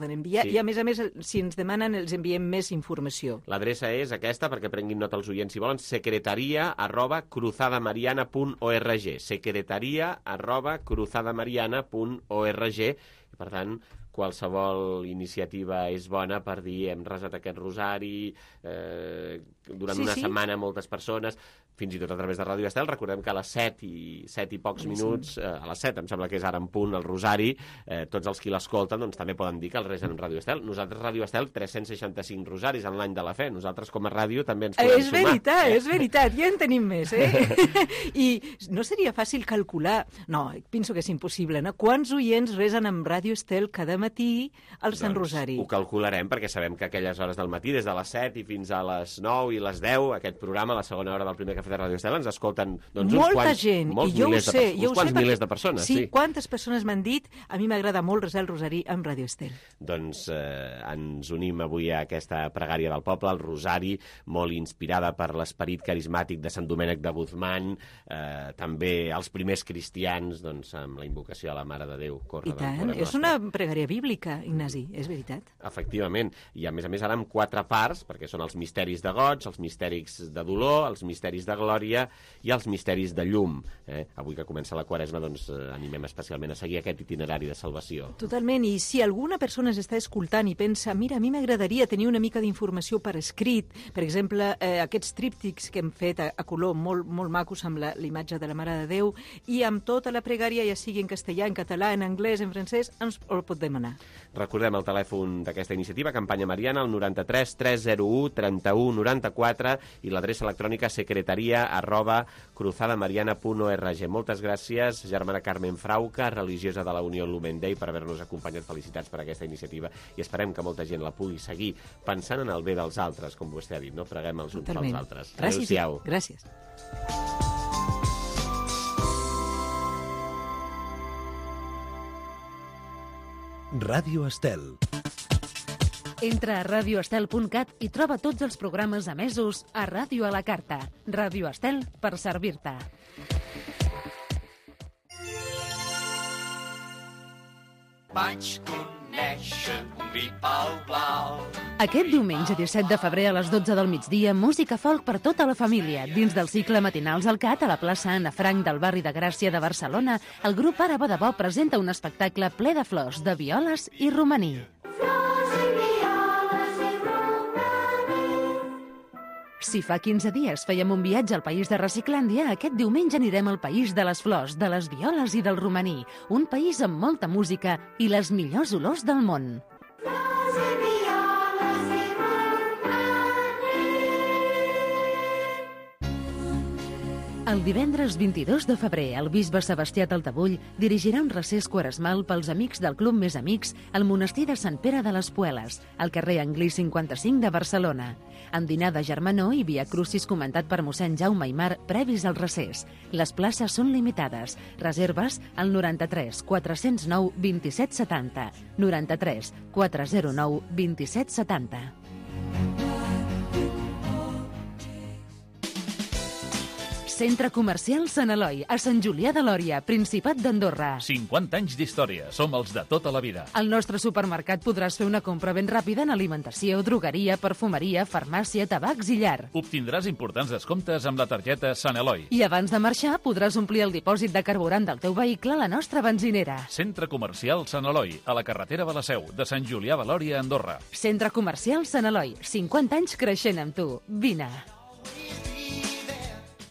S4: enviar, i a més, si ens demanen, els enviem més informació.
S2: L'adreça és aquesta, perquè prenguin nota els oients si volen, secretaria@cruzadamariana.org, secretaria@cruzadamariana.org, i per tant qualsevol iniciativa és bona per dir hem resat aquest rosari durant una setmana moltes persones, fins i tot a través de Ràdio Estel. Recordem que a les 7 i pocs minuts, a les 7 em sembla que és ara en punt el rosari, tots els qui l'escolten doncs també poden dir que el resen en Ràdio Estel. Nosaltres, Ràdio Estel, 365 rosaris en l'any de la fe. Nosaltres com a ràdio també ens podem sumar.
S4: És veritat, ja en tenim més, I no seria fàcil calcular, no, penso que és impossible, no? Quants oients resen amb Ràdio Estel cada matí al Sant Rosari?
S2: Ho calcularem, perquè sabem que aquelles hores del matí, des de les 7 i fins a les 9 i les 10, aquest programa, la segona hora del primer cafè de Ràdio Estel, ens escolten
S4: molta gent, i jo ho sé,
S2: milers de persones.
S4: Sí, quantes persones m'han dit, a mi m'agrada molt resar el rosari amb Ràdio Estel.
S2: Doncs ens unim avui a aquesta pregària del poble, el rosari, molt inspirada per l'esperit carismàtic de Sant Domènec de Guzmán, també els primers cristians, doncs, amb la invocació a la Mare de Déu.
S4: I tant, és una pregària bíblica, Ignasi, és veritat.
S2: Efectivament, i a més ara amb 4 parts, perquè són els misteris de goig, els misteris de dolor, els misteris de glòria i els misteris de llum. Avui que comença la Quaresma, doncs animem especialment a seguir aquest itinerari de salvació.
S4: Totalment, i si alguna persona s'està escoltant i pensa, mira, a mi m'agradaria tenir una mica d'informació per escrit, per exemple, aquests tríptics que hem fet a color molt macos amb l'imatge de la Mare de Déu, i amb tota la pregària, ja sigui en castellà, en català, en anglès, en francès, ens el pot demanar.
S2: Recordem el telèfon d'aquesta iniciativa, Campanya Mariana, el 93 301 31 94, i l'adreça electrònica secretaria@cruzadamariana.org. Moltes gràcies, germana Carmen Frauca, religiosa de la Unió Lumen Day, per haver-nos acompanyat. Felicitats per aquesta iniciativa i esperem que molta gent la pugui seguir pensant en el bé dels altres, com vostè ha dit, no? Preguem els uns pels altres.
S4: Adéu-siau. Gràcies.
S5: Ràdio Estel.
S1: Entra a radioestel.cat i troba tots els programes emesos a Ràdio a la Carta. Ràdio Estel, per servir-te.
S6: Vaig conèixer un vi pal blau.
S1: Aquest diumenge 17 de febrer a les 12 del migdia, música folk per tota la família. Dins del cicle Matinals al Cat, a la plaça Anna Frank del barri de Gràcia de Barcelona, el grup Àraba de Bo presenta un espectacle ple de flors, de violes i romaní. Si fa 15 dies fèiem un viatge al país de Reciclàndia, aquest diumenge anirem al país de les flors, de les violes i del romaní. Un país amb molta música i les millors olors del món. El divendres 22 de febrer, el bisbe Sebastià Taltabull dirigirà un recés quaresmal pels amics del Club Més Amics al monestir de Sant Pere de les Pueles, al carrer Anglí 55 de Barcelona. Amb dinar de germanor i via crucis comentat per mossèn Jaume Aimar previs al recés. Les places són limitades. Reserves al 93 409 27 70. 93 409 27 70. Centre Comercial Sant Eloi, a Sant Julià de Lòria, Principat d'Andorra.
S7: 50 anys d'història. Som els de tota la vida.
S1: Al nostre supermercat podràs fer una compra ben ràpida en alimentació, drogueria, perfumeria, farmàcia, tabacs i llar.
S7: Obtindràs importants descomptes amb la targeta Sant Eloi.
S1: I abans de marxar podràs omplir el dipòsit de carburant del teu vehicle a la nostra benzinera.
S7: Centre Comercial Sant Eloi, a la carretera de la Seu, de Sant Julià de Lòria, Andorra.
S1: Centre Comercial Sant Eloi, 50 anys creixent amb tu. Vine.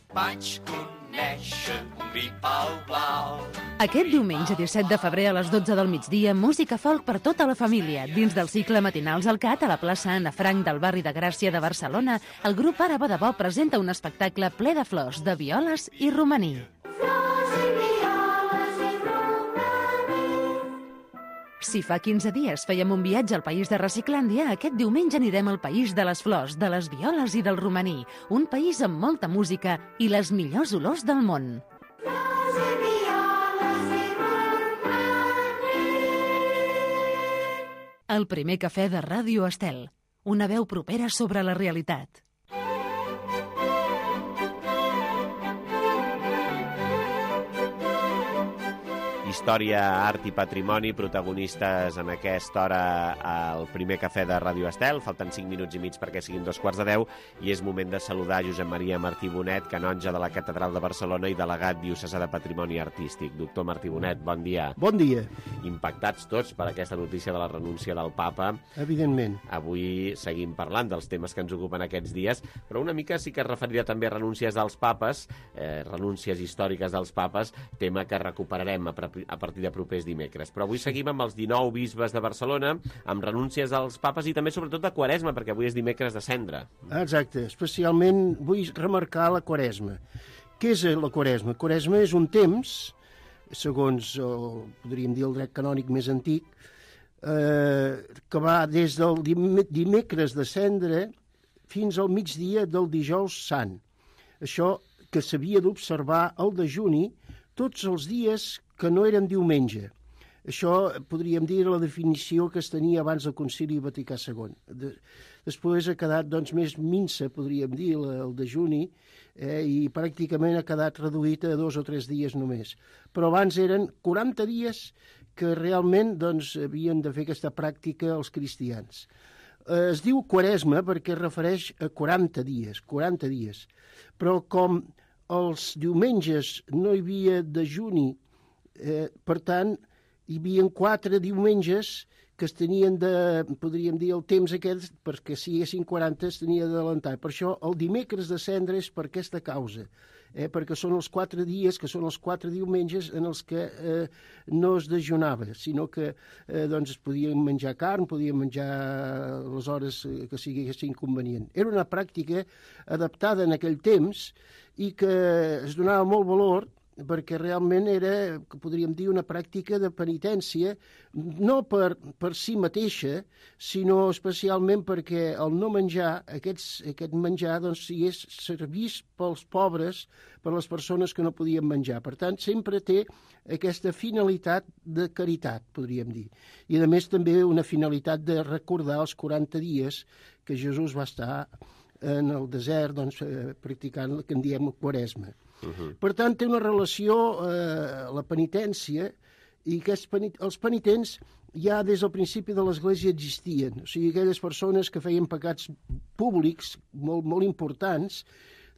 S6: Vaig conèixer un vi blau.
S1: Aquest diumenge 17 de febrer a les 12 del migdia, música folk per tota la família. Dins del cicle Matinals al Cat, a la plaça Anna Frank del barri de Gràcia de Barcelona, el grup Àraba de Bo presenta un espectacle ple de flors, de violes i romaní. Si fa 15 dies fèiem un viatge al país de Reciclàndia, aquest diumenge anirem al país de les flors, de les violes i del romaní. Un país amb molta música i les millors olors del món. El primer cafè de Ràdio Estel. Una veu propera sobre la realitat.
S2: Història, art i patrimoni, protagonistes en aquesta hora al primer cafè de Ràdio Estel. Falten 5 minuts i mig perquè siguin 2:15 i és moment de saludar Josep Maria Martí Bonet, canonge de la Catedral de Barcelona i delegat diocesà de Patrimoni Artístic. Doctor Martí Bonet, bon dia.
S8: Bon dia.
S2: Impactats tots per aquesta notícia de la renúncia del papa.
S8: Evidentment.
S2: Avui seguim parlant dels temes que ens ocupen aquests dies, però una mica sí que es referirà també a renúncies dels papes, renúncies històriques dels papes, tema que recuperarem a partir de propers dimecres. Però avui seguim amb els 19 bisbes de Barcelona, amb renúncies als papes i també sobretot de Quaresma, perquè avui és dimecres de Cendra.
S8: Exacte, especialment vull remarcar la Quaresma. Què és la Quaresma? Quaresma és un temps, segons podríem dir el dret canònic més antic, que va des del dimecres de Cendra fins al migdia del dijous sant. Això que s'havia d'observar el dejuni tots els dies que no eren diumenge. Això podríem dir la definició que es tenia abans del Concili Vaticà II. Després ha quedat més minsa, podríem dir, el dejuni, i pràcticament ha quedat reduït a 2 o 3 dies només. Però abans eren 40 dies que realment havien de fer aquesta pràctica els cristians. Es diu Quaresma perquè es refereix a 40 dies, però com els diumenges no hi havia dejuni, per tant, hi havia 4 diumenges que es tenien de, podríem dir, el temps aquest, perquè si haguessin 40 es tenia d'adelantar. Per això el dimecres de Cendra és per aquesta causa, perquè són els 4 dies, que són els 4 diumenges en els que no es dejunava, sinó que es podien menjar carn, podien menjar les hores que siguessin convenient. Era una pràctica adaptada en aquell temps i que es donava molt valor perquè realment era, podríem dir, una pràctica de penitència, no per si mateixa, sinó especialment perquè el no menjar, aquest menjar, sigués servís pels pobres, per les persones que no podien menjar. Per tant, sempre té aquesta finalitat de caritat, podríem dir. I, a més, també una finalitat de recordar els 40 dies que Jesús va estar en el desert, practicant el que en diem Quaresma. Per tant, té una relació la penitència i que els penitents ja des del principi de l'Església existien. O sigui, aquelles persones que feien pecats públics molt importants,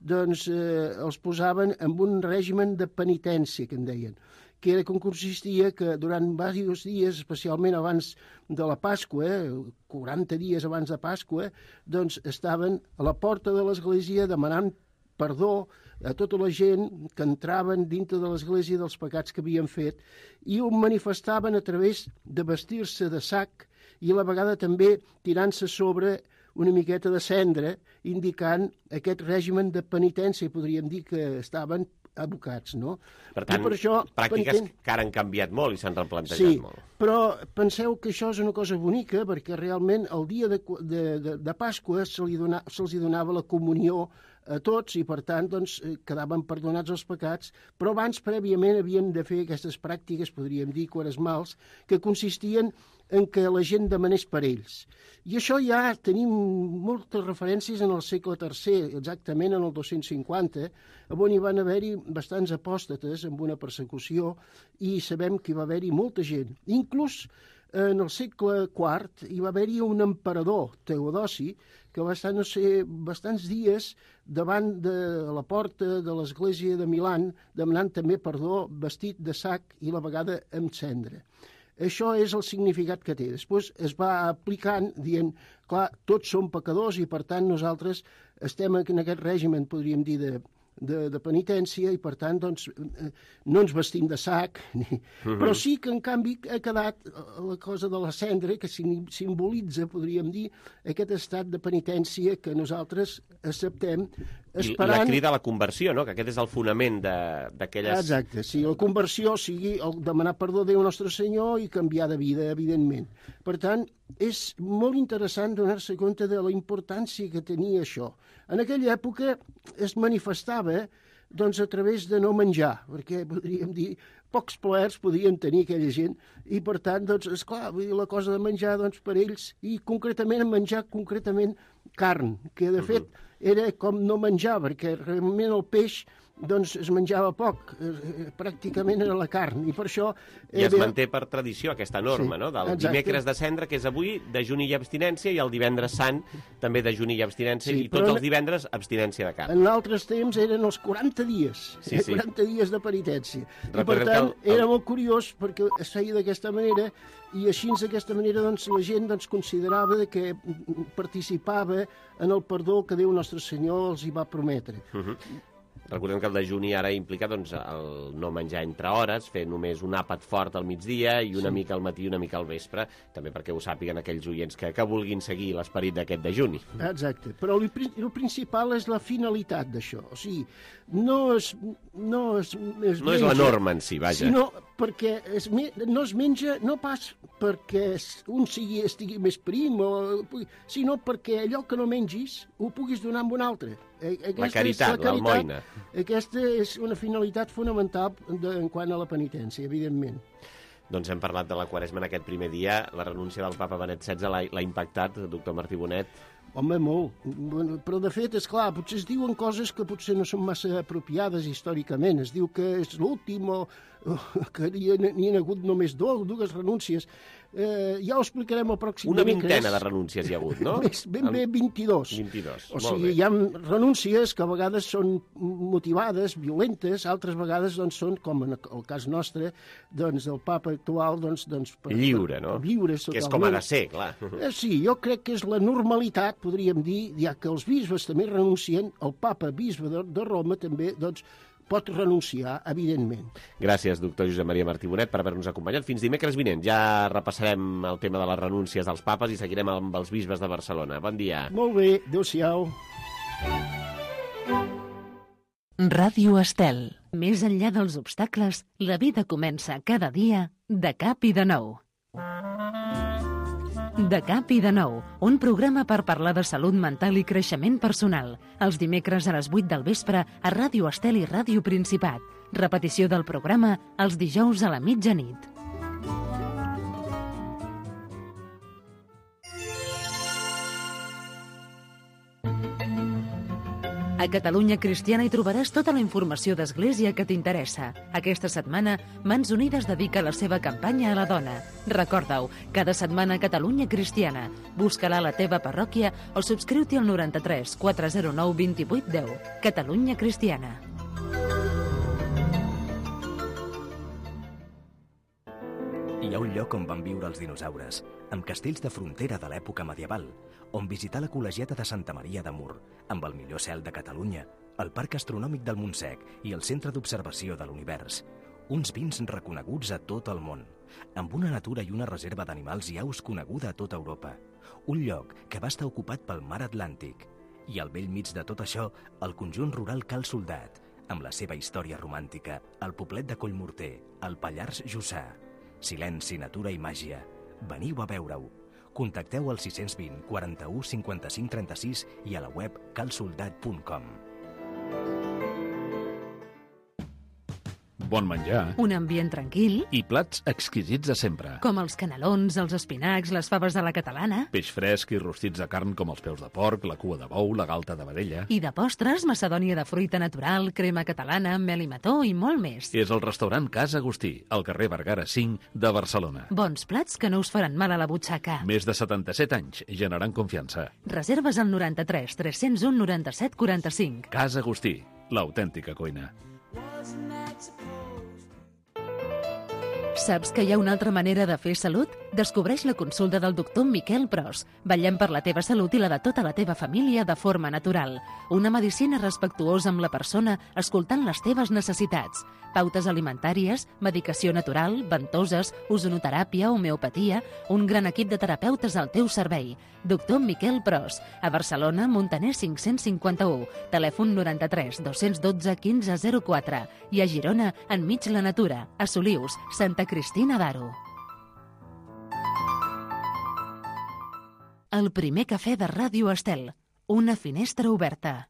S8: els posaven en un règim de penitència, que en deien, que era com consistia que durant diversos dies, especialment abans de la Pasqua, 40 dies abans de Pasqua, estaven a la porta de l'Església demanant perdó a tota la gent que entraven dintre de l'Església dels pecats que havien fet i ho manifestaven a través de vestir-se de sac i a la vegada també tirant-se sobre una miqueta de cendra, indicant aquest règim de penitència, podríem dir que estaven abocats, no?
S2: Per tant, pràctiques que ara han canviat molt i s'han replantejat molt.
S8: Sí, però penseu que això és una cosa bonica perquè realment el dia de Pasqua se'ls donava la comunió a tots i, per tant, doncs, quedaven perdonats els pecats, però abans, prèviament, havien de fer aquestes pràctiques, podríem dir, quaresmals, que consistien en què la gent demanés per ells. I això ja tenim moltes referències en el segle III, exactament en el 250, on hi van haver-hi bastants apòstates amb una persecució i sabem que hi va haver-hi molta gent. Inclús en el segle IV hi va haver-hi un emperador, Teodosi, que va estar, no sé, bastants dies davant de la porta de l'església de Milan, demanant també perdó, vestit de sac i a la vegada amb cendra. Això és el significat que té. Després es va aplicant dient, clar, tots som pecadors i per tant nosaltres estem en aquest règim, podríem dir, de penitència i per tant doncs, no ens vestim de sac, però sí que en canvi ha quedat la cosa de la cendra que simbolitza, podríem dir, aquest estat de penitència que nosaltres acceptem esperant...
S2: I la crida a la conversió, no? Que aquest és el fonament d'aquelles...
S8: Exacte, sí, la conversió sigui el demanar perdó a Déu Nostre Senyor i canviar de vida, evidentment. Per tant, és molt interessant donar-se compte de la importància que tenia això. En aquella època es manifestava doncs, a través de no menjar, perquè podríem dir pocs plaers podien tenir aquella gent i per tant, doncs, esclar, la cosa de menjar doncs, per ells i concretament menjar concretament carn, que de fet era com no menjar, perquè realment el peix doncs es menjava poc, pràcticament era la carn, i per això...
S2: I es manté per tradició aquesta norma,
S8: sí,
S2: no? Del
S8: exacte.
S2: Dimecres de Cendra, que és avui, dejuni i abstinència, i el divendres sant, també dejuni i abstinència, sí, i tots els divendres abstinència de carn.
S8: En altres temps eren els 40 dies,
S2: sí, sí.
S8: 40 dies de penitència.
S2: Recordem
S8: I per tant, era molt curiós, perquè es feia d'aquesta manera, i així d'aquesta manera doncs, la gent doncs, considerava que participava en el perdó que Déu Nostre Senyor els hi va prometre.
S2: Recordem que el dejuni ara implica doncs, el no menjar entre hores, fer només un àpat fort al migdia i una mica al matí i una mica al vespre, també perquè ho sàpiguen aquells oients que vulguin seguir l'esperit d'aquest dejuni.
S8: Exacte, però el principal és la finalitat d'això, o sigui, no és
S2: la norma en si, vaja.
S8: Sinó perquè no es menja no pas perquè un estigui més prim, sinó perquè allò que no mengis ho puguis donar a un altre.
S2: La caritat, l'almoina.
S8: Aquesta és una finalitat fonamental en quant a la penitència, evidentment.
S2: Doncs hem parlat de la Quaresma en aquest primer dia. La renúncia del papa Benet XVI l'ha impactat, doctor Martí Bonet?
S8: Home, molt. Però, de fet, és clar, potser es diuen coses que potser no són massa apropiades històricament. Es diu que és l'últim o que n'hi ha hagut només dues renúncies. Ja ho explicarem el pròxim
S2: Una
S8: dimecres.
S2: vintena de renúncies hi ha hagut, no?
S8: Ben bé 22.
S2: 22,
S8: o sigui, hi ha renúncies que a vegades són motivades, violentes, altres vegades doncs, són, com en el cas nostre, doncs, del papa actual... Doncs,
S2: lliure, no?
S8: Lliure,
S2: totalment. Que és com ha de ser, clar.
S8: Sí, jo crec que és la normalitat, podríem dir, ja que els bisbes també renuncien, el papa bisbe de Roma també, doncs, pot renunciar, evidentment.
S2: Gràcies, doctor Josep Maria Martí Bonet, per haver-nos acompanyat. Fins dimecres vinent. Ja repassarem el tema de les renúncies dels papes i seguirem amb els bisbes de Barcelona. Bon dia.
S8: Molt bé, adéu-siau.
S1: Ràdio Estel. Més enllà dels obstacles, la vida comença cada dia de cap i de nou. De cap i de nou, un programa per parlar de salut mental i creixement personal. Els dimecres a les 8 del vespre a Ràdio Estel i Ràdio Principat. Repetició del programa els dijous a la mitjanit. A Catalunya Cristiana hi trobaràs tota la informació d'Església que t'interessa. Aquesta setmana, Mans Unides dedica la seva campanya a la dona. Recorda-ho, cada setmana a Catalunya Cristiana. Busca-la a la teva parròquia o subscriu-t'hi al 93 409 28 10. Catalunya Cristiana.
S9: Hi ha un lloc on van viure els dinosaures, amb castells de frontera de l'època medieval, on visitar la col·legiata de Santa Maria de Mur, amb el millor cel de Catalunya, el Parc Astronòmic del Montsec i el Centre d'Observació de l'Univers. Uns vins reconeguts a tot el món, amb una natura i una reserva d'animals i aus coneguda a tota Europa. Un lloc que va estar ocupat pel mar Atlàntic. I al bell mig de tot això, el conjunt rural Cal Soldat, amb la seva història romàntica, el poblet de Collmorter, el Pallars Jussà. Silenci, natura i màgia. Veniu a veure-ho. Contacteu al 620 41 55 36 i a la web calsoldat.com.
S7: bon menjar
S1: un ambient tranquil,
S7: i plats exquisits de sempre.
S1: com els canelons, els espinacs, les faves de la catalana,
S7: Peix fresc i rostits de carn com els peus de porc, la cua de bou, la galta de vedella.
S1: i de postres, macedònia de fruita natural, crema catalana, mel i mató i molt més.
S7: És el restaurant Casa Agustí, al carrer Vergara 5 de Barcelona.
S1: Bons plats que no us faran mal a la butxaca.
S7: Més de 77 anys, generant confiança.
S1: Reserves al 93 301 97 45.
S7: Casa Agustí, l'autèntica cuina.
S1: Saps que hi ha una altra manera de fer salut? Descobreix la consulta del doctor Miquel Pros. Vetllem per la teva salut i la de tota la teva família de forma natural. Una medicina respectuosa amb la persona, escoltant les teves necessitats. Pautes alimentàries, medicació natural, ventoses, ozonoteràpia, homeopatia, un gran equip de terapeutes al teu servei. Doctor Miquel Pros, a Barcelona, Montaner 551, telèfon 93 212 1504 i a Girona, enmig la natura, a Solius, Santa Cristina d'Aro. El primer cafè de Ràdio Estel, una finestra oberta.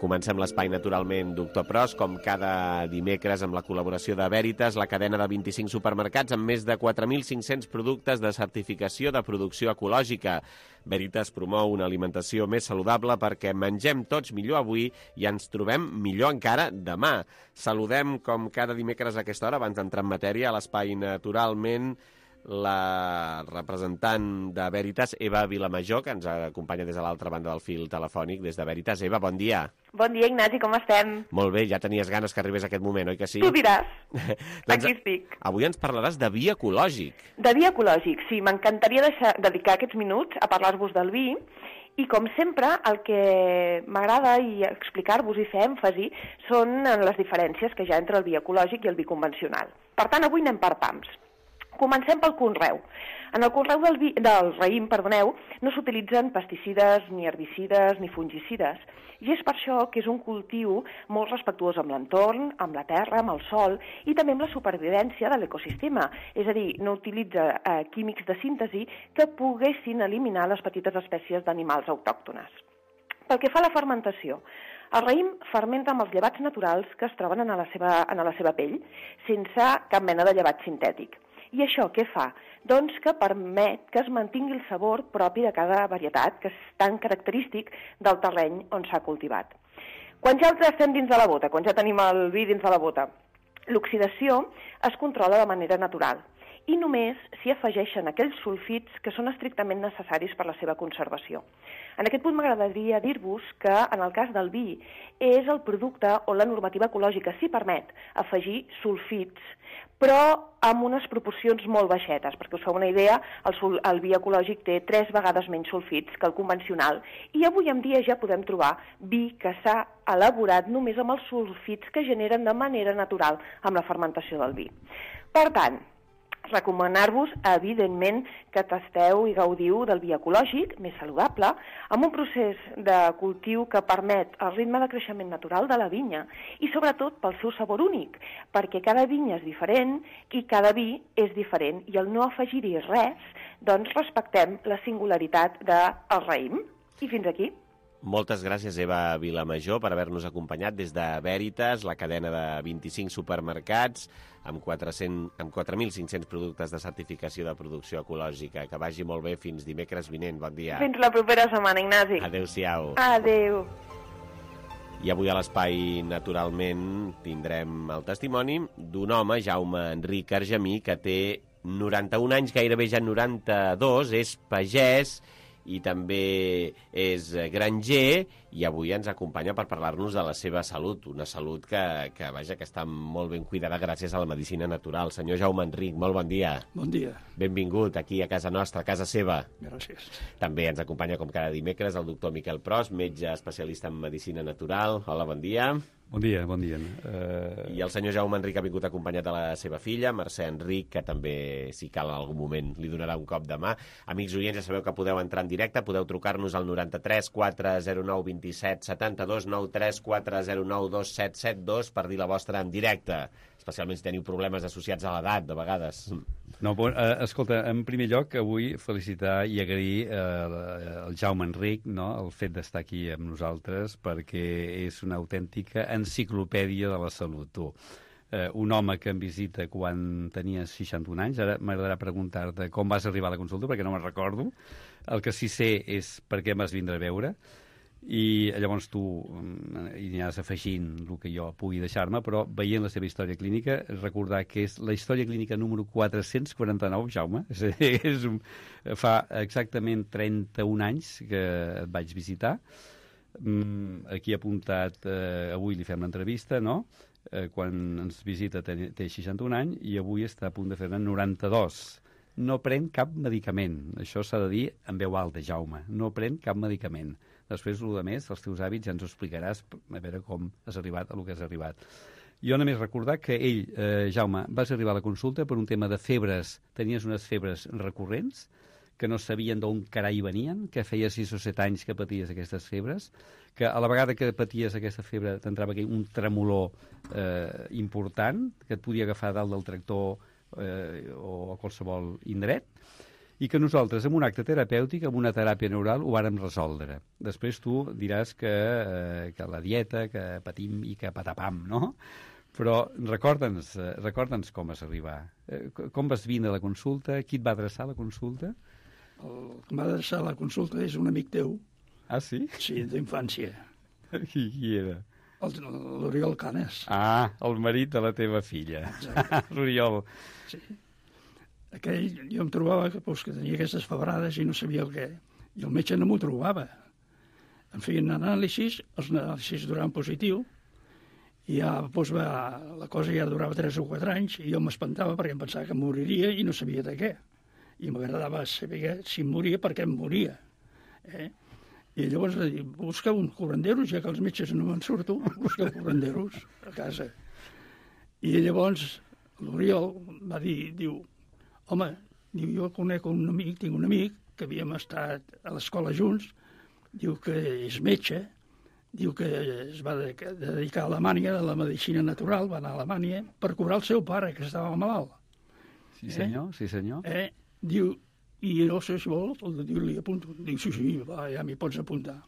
S2: Comencem l'espai, naturalment, Doctor Pros, com cada dimecres amb la col·laboració de Veritas, la cadena de 25 supermercats amb més de 4.500 productes de certificació de producció ecològica. Veritas promou una alimentació més saludable perquè mengem tots millor avui i ens trobem millor encara demà. Saludem, com cada dimecres a aquesta hora, abans d'entrar en matèria, a l'espai, naturalment, la representant de Veritas, Eva Vilamajor, que ens acompanya des de l'altra banda del fil telefònic, des de Veritas. Eva, bon dia.
S10: Bon dia, Ignasi, com estem?
S2: Molt bé, ja tenies ganes que arribés aquest moment, oi que sí?
S10: Tu diràs.
S2: Doncs,
S10: aquí estic.
S2: Avui ens parlaràs de vi ecològic.
S10: De vi ecològic, sí. M'encantaria dedicar aquests minuts a parlar-vos del vi i, com sempre, el que m'agrada i explicar-vos i fer èmfasi són les diferències que hi ha entre el vi ecològic i el vi convencional. Per tant, avui anem per pams. Comencem pel conreu. En el conreu del raïm, no s'utilitzen pesticides, ni herbicides, ni fungicides, i és per això que és un cultiu molt respectuós amb l'entorn, amb la terra, amb el sol, i també amb la supervivència de l'ecosistema. És a dir, no utilitza químics de síntesi que poguessin eliminar les petites espècies d'animals autòctones. Pel que fa a la fermentació, el raïm fermenta amb els llevats naturals que es troben en la seva pell, sense cap mena de llevat sintètic. I això què fa? Doncs que permet que es mantingui el sabor propi de cada varietat, que és tan característic del terreny on s'ha cultivat. Quan ja estem dins de la bota, quan ja tenim el vi dins de la bota, l'oxidació es controla de manera natural i només s'hi afegeixen aquells sulfits que són estrictament necessaris per la seva conservació. En aquest punt m'agradaria dir-vos que, en el cas del vi, és el producte on la normativa ecològica s'hi permet afegir sulfits, però amb unes proporcions molt baixetes. Perquè us feu una idea, el vi ecològic té 3 vegades menys sulfits que el convencional i avui en dia ja podem trobar vi que s'ha elaborat només amb els sulfits que generen de manera natural amb la fermentació del vi. Per tant, recomanar-vos, evidentment, que tasteu i gaudiu del vi ecològic, més saludable, amb un procés de cultiu que permet el ritme de creixement natural de la vinya i, sobretot, pel seu sabor únic, perquè cada vinya és diferent i cada vi és diferent i al no afegir-hi res, doncs respectem la singularitat del raïm. I fins aquí.
S2: Moltes gràcies, Eva Vilamajor, per haver-nos acompanyat des de Veritas, la cadena de 25 supermercats, amb 4.500 productes de certificació de producció ecològica. Que vagi molt bé fins dimecres vinent. Bon dia.
S10: Fins la propera setmana, Ignasi.
S2: Adéu-siau.
S10: Adéu.
S2: I avui a l'espai, naturalment, tindrem el testimoni d'un home, Jaume Enric Argemí, que té 91 anys, gairebé ja 92, és pagès i també és granger i avui ens acompanya per parlar-nos de la seva salut, una salut que vaja, que està molt ben cuidada gràcies a la medicina natural. Senyor Jaume Enric, molt bon dia.
S14: Bon dia.
S2: Benvingut aquí a casa nostra, a casa seva.
S14: Gràcies.
S2: També ens acompanya, com cada dimecres, el doctor Miquel Pros, metge especialista en medicina natural. Hola, bon dia.
S15: Bon dia, bon dia.
S2: I el senyor Jaume Enric ha vingut acompanyat de la seva filla, Mercè Enric, que també, si cal en algun moment, li donarà un cop de mà. Amics oients, ja sabeu que podeu entrar en directe, podeu trucar-nos al 93 409 27 72, 93 409 2772 per dir la vostra en directe, especialment si teniu problemes associats a l'edat, de vegades.
S15: No, escolta, en primer lloc, avui felicitar i agrair al Jaume Enric, no?, el fet d'estar aquí amb nosaltres, perquè és una autèntica enciclopèdia de la salut, tu. Un home que em visita quan tenia 61 anys, ara m'agradarà preguntar-te com vas arribar a la consulta, perquè no me'n recordo. El que sí sé és per què em vas vindre a veure, i llavors tu hi aniràs afegint el que jo pugui deixar-me, però veient la seva història clínica, recordar que és la història clínica número 449, Jaume. Fa exactament 31 anys que et vaig visitar. Aquí apuntat, avui li fem l'entrevista, no?, quan ens visita té 61 anys i avui està a punt de fer-ne 92. No pren cap medicament. Això s'ha de dir en veu alta, Jaume. No pren cap medicament. Després, el que més, els teus hàbits ja ens ho explicaràs, a veure com has arribat a lo que has arribat. Jo només recordar que ell, Jaume, vas arribar a la consulta per un tema de febres. Tenies unes febres recurrents, que no sabien d'on carai venien, que feia 6 o 7 anys que paties aquestes febres, que a la vegada que paties aquesta febre t'entrava aquí un tremolor important, que et podia agafar dalt del tractor o a qualsevol indret, i que nosaltres, amb un acte terapèutic, amb una teràpia neural, ho vàrem resoldre. Després tu diràs que la dieta, que patim i que patapam, no? Però recorda'ns com vas arribar. Com vas vindre a la consulta? Qui et va adreçar a la consulta?
S14: El que m'ha adreçat a la consulta és un amic teu.
S15: Ah, sí?
S14: Sí, d'infància.
S15: Qui era?
S14: L'Oriol Canes.
S15: Ah, el marit de la teva filla. L'Oriol.
S14: Sí. Aquell, jo em trobava que tenia aquestes febrades i no sabia el què. I el metge no m'ho trobava. Em feien anàlisis, els anàlisis duraven positiu, i ja la cosa ja durava 3 o 4 anys, i jo m'espantava perquè em pensava que moriria i no sabia de què. I m'agradava saber si em moria, per què em moria. I llavors busca un curanderos, ja que els metges no me'n surto, busca curanderos a casa. I llavors l'Oriol va dir, home, jo conec un amic, tinc un amic que havíem estat a l'escola junts, diu que és metge, diu que es va dedicar a Alemanya, a la medicina natural, va anar a Alemanya per curar el seu pare, que estava malalt.
S15: Sí, senyor, sí, senyor.
S14: Diu, i no sé si vol, diu, li apunto. Diu, sí, va, ja m'hi pots apuntar.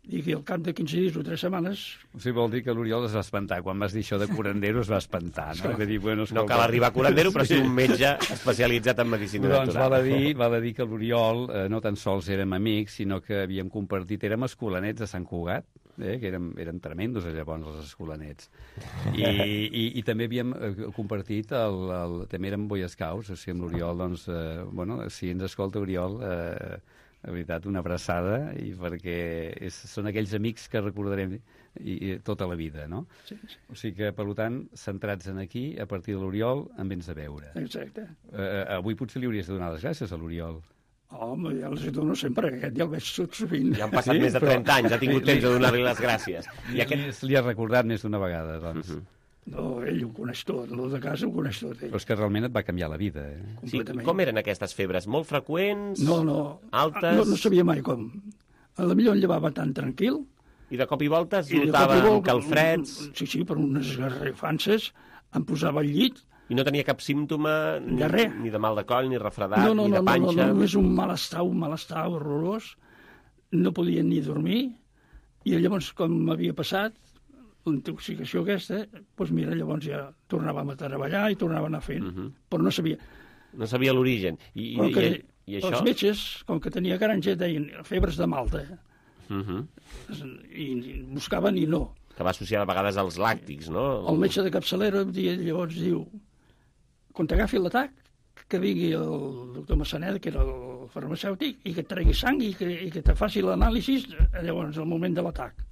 S14: Dic, i al cap de 15 dies o 3 setmanes...
S15: O sigui, vol dir que l'Oriol es va espantar. Quan vas dir això de curandero es va espantar, no?
S2: Dir, bueno, no cal arribar a curandero, però sí un metge especialitzat en medicina natural.
S15: Doncs val a dir que l'Oriol no tan sols érem amics, sinó que havíem compartit, érem escolanets de Sant Cugat, que eren tremendos llavors els escolanets. I també havíem compartit, també érem Boy Scouts, o sigui, amb l'Oriol, doncs, si ens escolta Oriol... La veritat, una abraçada, i perquè són aquells amics que recordarem tota la vida, no?
S14: Sí.
S15: O sigui que, per tant, centrats en aquí, a partir de l'Oriol, em vens a veure.
S14: Exacte.
S15: Avui potser li hauries de donar les gràcies a l'Oriol.
S14: Home, ja els dono sempre, aquest ja el veig tot sovint.
S2: Ja han passat més de 30 anys, ha tingut temps de donar-li les gràcies.
S15: Li has recordat més d'una vegada, doncs.
S14: No, ell ho coneix tot, el de casa ho coneix tot.
S15: Però és que realment et va canviar la vida.
S2: Sí, com eren aquestes febres? Molt freqüents?
S14: No.
S2: Altes?
S14: No sabia mai com. A la millor em llevava tan tranquil.
S2: I de cop i volta es notava calfreds?
S14: Sí, per unes esgarrifances em posava al llit.
S2: I no tenia cap símptoma?
S14: De res.
S2: Ni de mal de coll, ni refredat, ni de panxa?
S14: No, només un malestar horrorós. No podia ni dormir. I llavors, com m'havia passat, la intoxicació aquesta, doncs mira, llavors ja tornàvem a treballar i tornàvem a anar fent, però no sabia.
S2: No sabia l'origen. I això?
S14: Els metges, com que tenia granja, deien febres de Malta. I buscaven i no.
S2: Que va associar a vegades als làctics, no?
S14: El metge de capçalera llavors diu, quan t'agafi l'atac, que vingui el doctor Massanet, que era el farmacèutic i que et tregui sang i que te faci l'anàlisi llavors al moment de l'atac.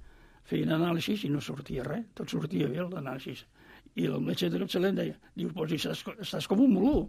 S14: Feien anàlisi i no sortia res, tot sortia bé l'anàlisi. I el metge de capçalera em deia, diu, pues estàs com un molú,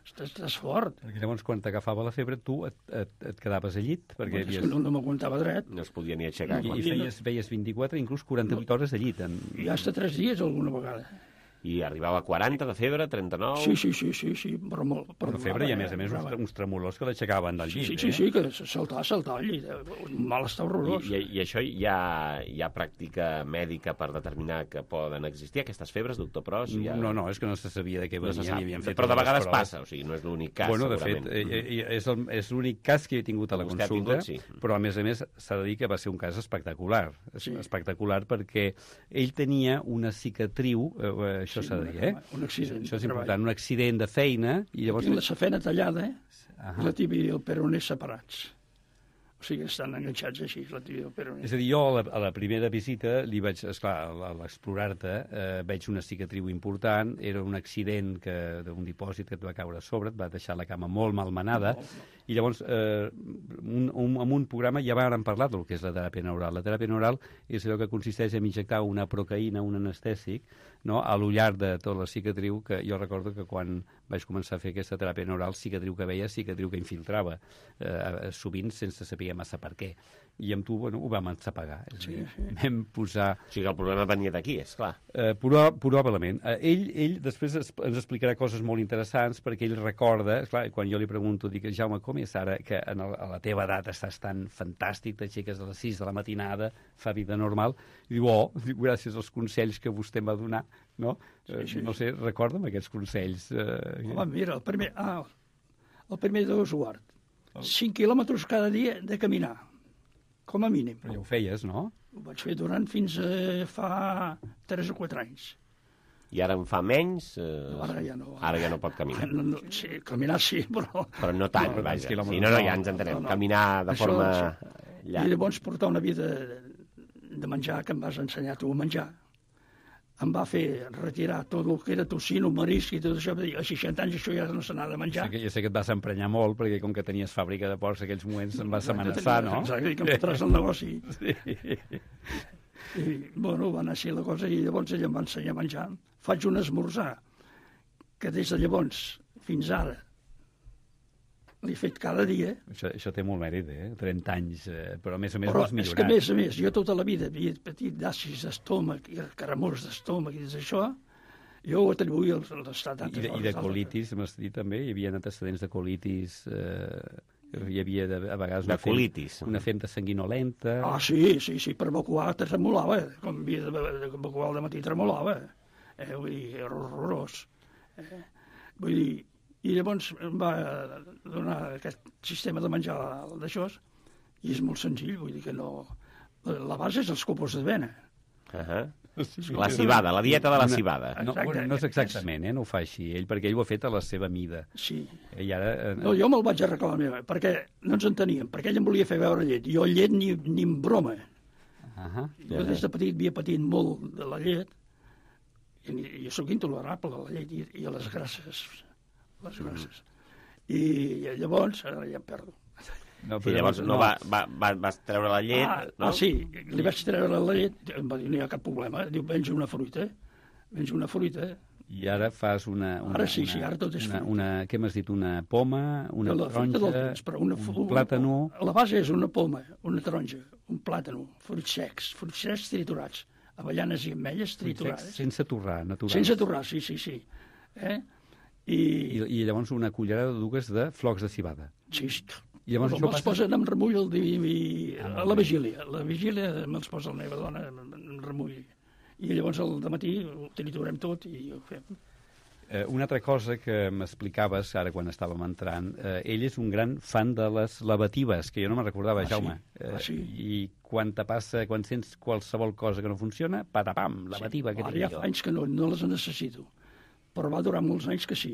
S14: estàs fort.
S15: Perquè llavors quan t'agafava la febre tu et quedaves al llit? Perquè
S14: no m'aguantava dret.
S2: No es podia ni aixecar.
S15: I feies 24, inclús 48 hores al llit.
S14: I hasta 3 dies alguna vegada.
S2: I arribava a 40 de febre, 39...
S14: Sí, però molt...
S15: Però febre i, a més, uns tremolors que l'aixecaven del llit.
S14: Sí, que saltar al llit. Un malestar horrorós.
S2: I això hi ha pràctica mèdica per determinar que poden existir aquestes febres, doctor Pros?
S15: No, és que no se sabia de què venien.
S2: Però de vegades passa, o sigui, no és l'únic cas, segurament.
S15: De fet, és l'únic cas que he tingut a la consulta, però a més s'ha de dir que va ser un cas espectacular. Espectacular perquè ell tenia una cicatriu... Això s'ha de dir,
S14: un accident.
S15: Això és important, un accident de feina... I llavors...
S14: la safena tallada, i la tibia i el peroné separats. O sigui, estan enganxats així, la tibia i el peroné.
S15: És a dir, jo a la primera visita li vaig, esclar, a l'explorar-te, veig una cicatriu important, era un accident d'un dipòsit que et va caure a sobre, et va deixar la cama molt malmenada, i llavors en un programa ja vàrem parlar del que és la teràpia neural. La teràpia neural és allò que consisteix en injectar una procaïna, un anestèsic, no? A l'ullar de tota la cicatriu, que jo recordo que quan vaig començar a fer aquesta teràpia neural, cicatriu que veia, cicatriu que infiltrava, sovint sense saber massa per què. I amb tu, ho vam ensapegar. Vam posar...
S2: O sigui, el problema venia d'aquí, esclar.
S15: Probablement. Ell després ens explicarà coses molt interessants, perquè ell recorda, esclar, quan jo li pregunto, dic, Jaume, com és ara que a la teva edat estàs tan fantàstic, t'aixeques a les 6 de la matinada, fa vida normal, i diu, gràcies als consells que vostè em va donar, no? No sé, recorda'm aquests consells.
S14: Mira, el primer d'Oswart, 5 quilòmetres cada dia de caminar, com a mínim.
S15: Però ja ho feies, no?
S14: Ho vaig fer durant fins fa 3 o 4 anys.
S2: I ara en fa menys?
S14: Ara ja no.
S2: Ara ja no pot caminar.
S14: Sí, caminar sí, però...
S2: Però no tant, vaja. Sí, ja ens entenem. Caminar de forma llarga.
S14: I llavors portar una vida de menjar que em vas ensenyar tu a menjar. Em va fer retirar tot el que era tocino, marisc i tot això. A 60 anys això ja no se n'ha de menjar.
S15: Jo sé que et vas emprenyar molt, perquè com que tenies fàbrica de porcs aquells moments em vas amenaçar, no?
S14: Exacte, que em fotràs el negoci. I, va anar així la cosa, i llavors ell em va ensenyar a menjar. Faig un esmorzar, que des de llavors fins ara l'he fet cada dia.
S15: Això té molt mèrit, 30 anys, però a més vols millorar.
S14: És que a més, jo tota la vida havia patit d'acis d'estómac i caramors d'estómac i d'això, jo ho atribuïa a l'estat d'altres.
S15: I de colitis, m'has dit també? Hi havia antecedents de colitis, hi havia a vegades una femta sanguinolenta...
S14: Sí, per evacuar tremolava, com havia d'evacuar al matí tremolava, vull dir, era horrorós. Vull dir, i llavors em va donar aquest sistema de menjar d'això, i és molt senzill, vull dir que no... La base és els copos d'avena.
S2: La cibada, la dieta de la cibada.
S15: No és exactament, no ho fa així ell, perquè ell ho ha fet a la seva mida.
S14: Sí.
S15: I ara...
S14: No, jo me'l vaig arreglar a la meva, perquè no ens enteníem, perquè ell em volia fer veure llet. Jo llet ni en broma. Jo des de petit havia patit molt de la llet, i jo sóc intolerable a la llet i a les grasses. I llavors, ara ja em perdo.
S2: I llavors vas treure la llet, no?
S14: Sí, li vaig treure la llet, em va dir, no hi ha cap problema, diu, menja una fruita.
S15: I ara fas una...
S14: Ara sí, ara tot és fruita.
S15: Què m'has dit? Una poma, una taronja, un plàtano...
S14: La base és una poma, una taronja, un plàtano, fruits secs triturats, avellanes i ametlles triturades.
S15: Sense torrar, naturals.
S14: Sense torrar, sí.
S15: I llavors una cullerada de dues de flocs de cibada.
S14: Sí.
S15: I llavors
S14: me'ls posen amb remull a la vigília. A la vigília me'ls posa la meva dona amb remull. I llavors al dematí ho triturem tot i ho fem.
S15: Una altra cosa que m'explicaves ara quan estàvem entrant, ell és un gran fan de les lavatives, que jo no me'n recordava, Jaume.
S14: Sí.
S15: I quan sents qualsevol cosa que no funciona, patapam, lavativa.
S14: Ara ja fa anys que no les necessito, però va durar molts anys que sí.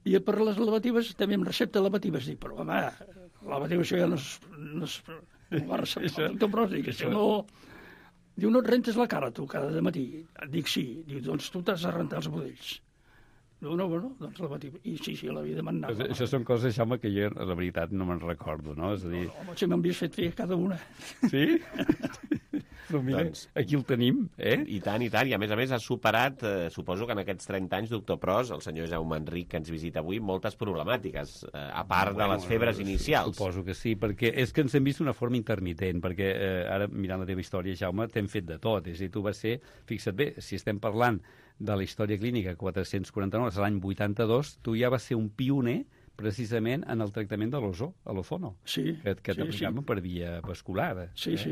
S14: I per les lavatives també em recepta lavatives. Dic, però home, lavativa això ja no es va receptar el doctor Pros, dic, això no... Diu, no et rentes la cara tu cada matí? Dic, sí. Diu, doncs tu t'has de rentar els budells. No, doncs lavativa. I sí, l'havia de manar.
S15: Això són coses, Jaume, que jo, la veritat, no me'n recordo, no? És a dir...
S14: Home, si m'han vist fer cada una.
S15: Sí? Però mira, doncs, aquí el tenim,
S2: I tant, i tant. I a més ha superat, suposo que en aquests 30 anys, doctor Pros, el senyor Jaume Enric, que ens visita avui, moltes problemàtiques, a part de les febres inicials.
S15: Suposo que sí, perquè és que ens hem vist d'una forma intermitent, perquè ara, mirant la teva història, Jaume, t'hem fet de tot. És a dir, tu vas ser, fixa't bé, si estem parlant de la història clínica 449, és l'any 82, tu ja vas ser un pioner precisament en el tractament de l'ozono, que t'aplicàvem per via vascular.
S14: Sí.
S15: És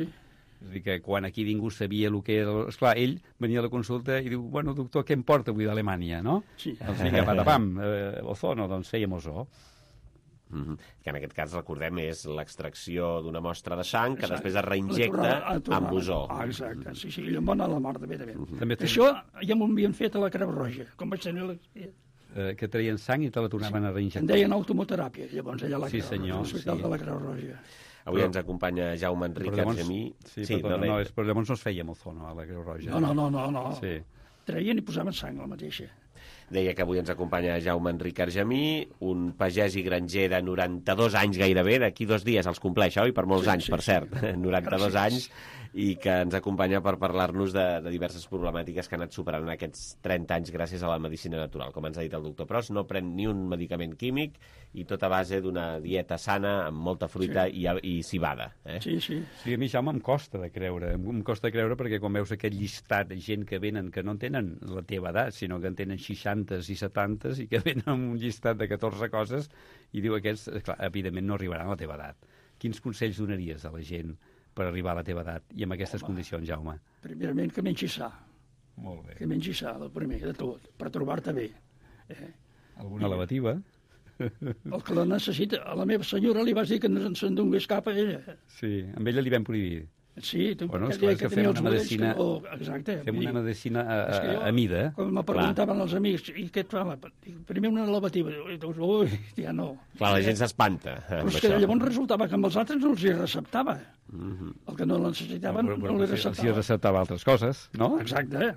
S15: a dir, que quan aquí ningú sabia el que era... Esclar, ell venia a la consulta i diu, bueno, doctor, què em porta avui d'Alemanya, no?
S14: Sí.
S15: Doncs vinga, patapam, ozono, doncs fèiem ozó.
S2: Que en aquest cas, recordem, és l'extracció d'una mostra de sang que després es reinjecta amb ozó.
S14: Exacte, sí, ell em va anar a la mar de bé. Això ja m'ho havien fet a la Creu Roja, com vaig tenir
S15: que traien sang i te la tornaven a reinjectar.
S14: En deien automoteràpia, llavors allà a l'Hospital de la Creu Roja.
S2: Avui ens acompanya Jaume Enric Argemí.
S15: Però llavors no es feia ozono a la Creu Roja.
S14: No. Traien i posaven sang, la mateixa.
S2: Deia que avui ens acompanya Jaume Enric Argemí, un pagès i granger de 92 anys gairebé, d'aquí 2 dies els compleix, oi? Per molts anys, per cert, 92 anys, i que ens acompanya per parlar-nos de diverses problemàtiques que ha anat superant en aquests 30 anys gràcies a la medicina natural. Com ens ha dit el doctor Pros, no pren ni un medicament químic i tot a base d'una dieta sana amb molta fruita i cibada.
S14: Sí,
S15: a mi, Jaume, em costa de creure. Em costa de creure perquè quan veus aquest llistat de gent que venen que no tenen la teva edat, sinó que en tenen 60s i 70s i que venen amb un llistat de 14 coses i diu aquests, clar, evidentment no arribaran a la teva edat. Quins consells donaries a la gent per arribar a la teva edat i amb aquestes condicions, Jaume?
S14: Primerament, que mengi sa.
S15: Molt bé.
S14: Que mengi sa, el primer de tot, per trobar-te bé.
S15: Alguna lavativa?
S14: El que la necessita. A la meva senyora li vas dir que no se'n donés cap a ella.
S15: Sí, amb ella li vam prohibir.
S14: Sí,
S15: bueno, és clar, que fem una medicina,
S14: exacte,
S15: fem una medicina a mida.
S14: Quan me preguntaven els amics, i què et fa? Primer una lavativa, ui, ja no.
S2: Clar, la gent s'espanta.
S14: Però és que llavors resultava que amb els altres no els hi receptava. El que no necessitaven no li receptava.
S15: Els hi receptava altres coses, no?
S14: Exacte.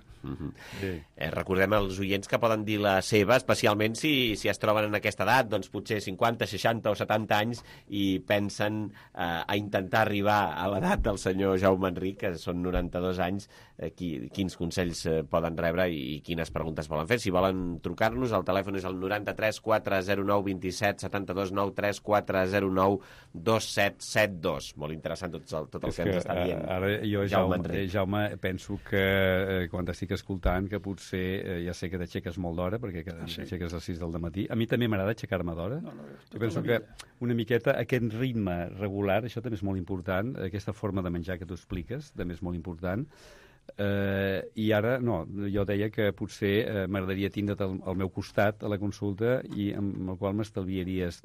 S2: Recordem als oients que poden dir la seva, especialment si es troben en aquesta edat, doncs potser 50, 60 o 70 anys i pensen a intentar arribar a l'edat del senyor Jaume Enric, que són 92 anys, quins consells poden rebre i quines preguntes volen fer. Si volen trucar-nos, el telèfon és el 93 409 27 72 93 409 2772. Molt interessant tot el que ens està dient.
S15: Ara jo, Jaume, penso que quan t'estic escoltant, que potser ja sé que t'aixeques molt d'hora, perquè t'aixeques a les 6 del matí. A mi també m'agrada aixecar-me d'hora. Jo penso que una miqueta aquest ritme regular, això també és molt important, aquesta forma de menjar que tu expliques, també és molt important. I ara, no, jo deia que potser m'agradaria tindre't al meu costat a la consulta i amb el qual m'estalviaries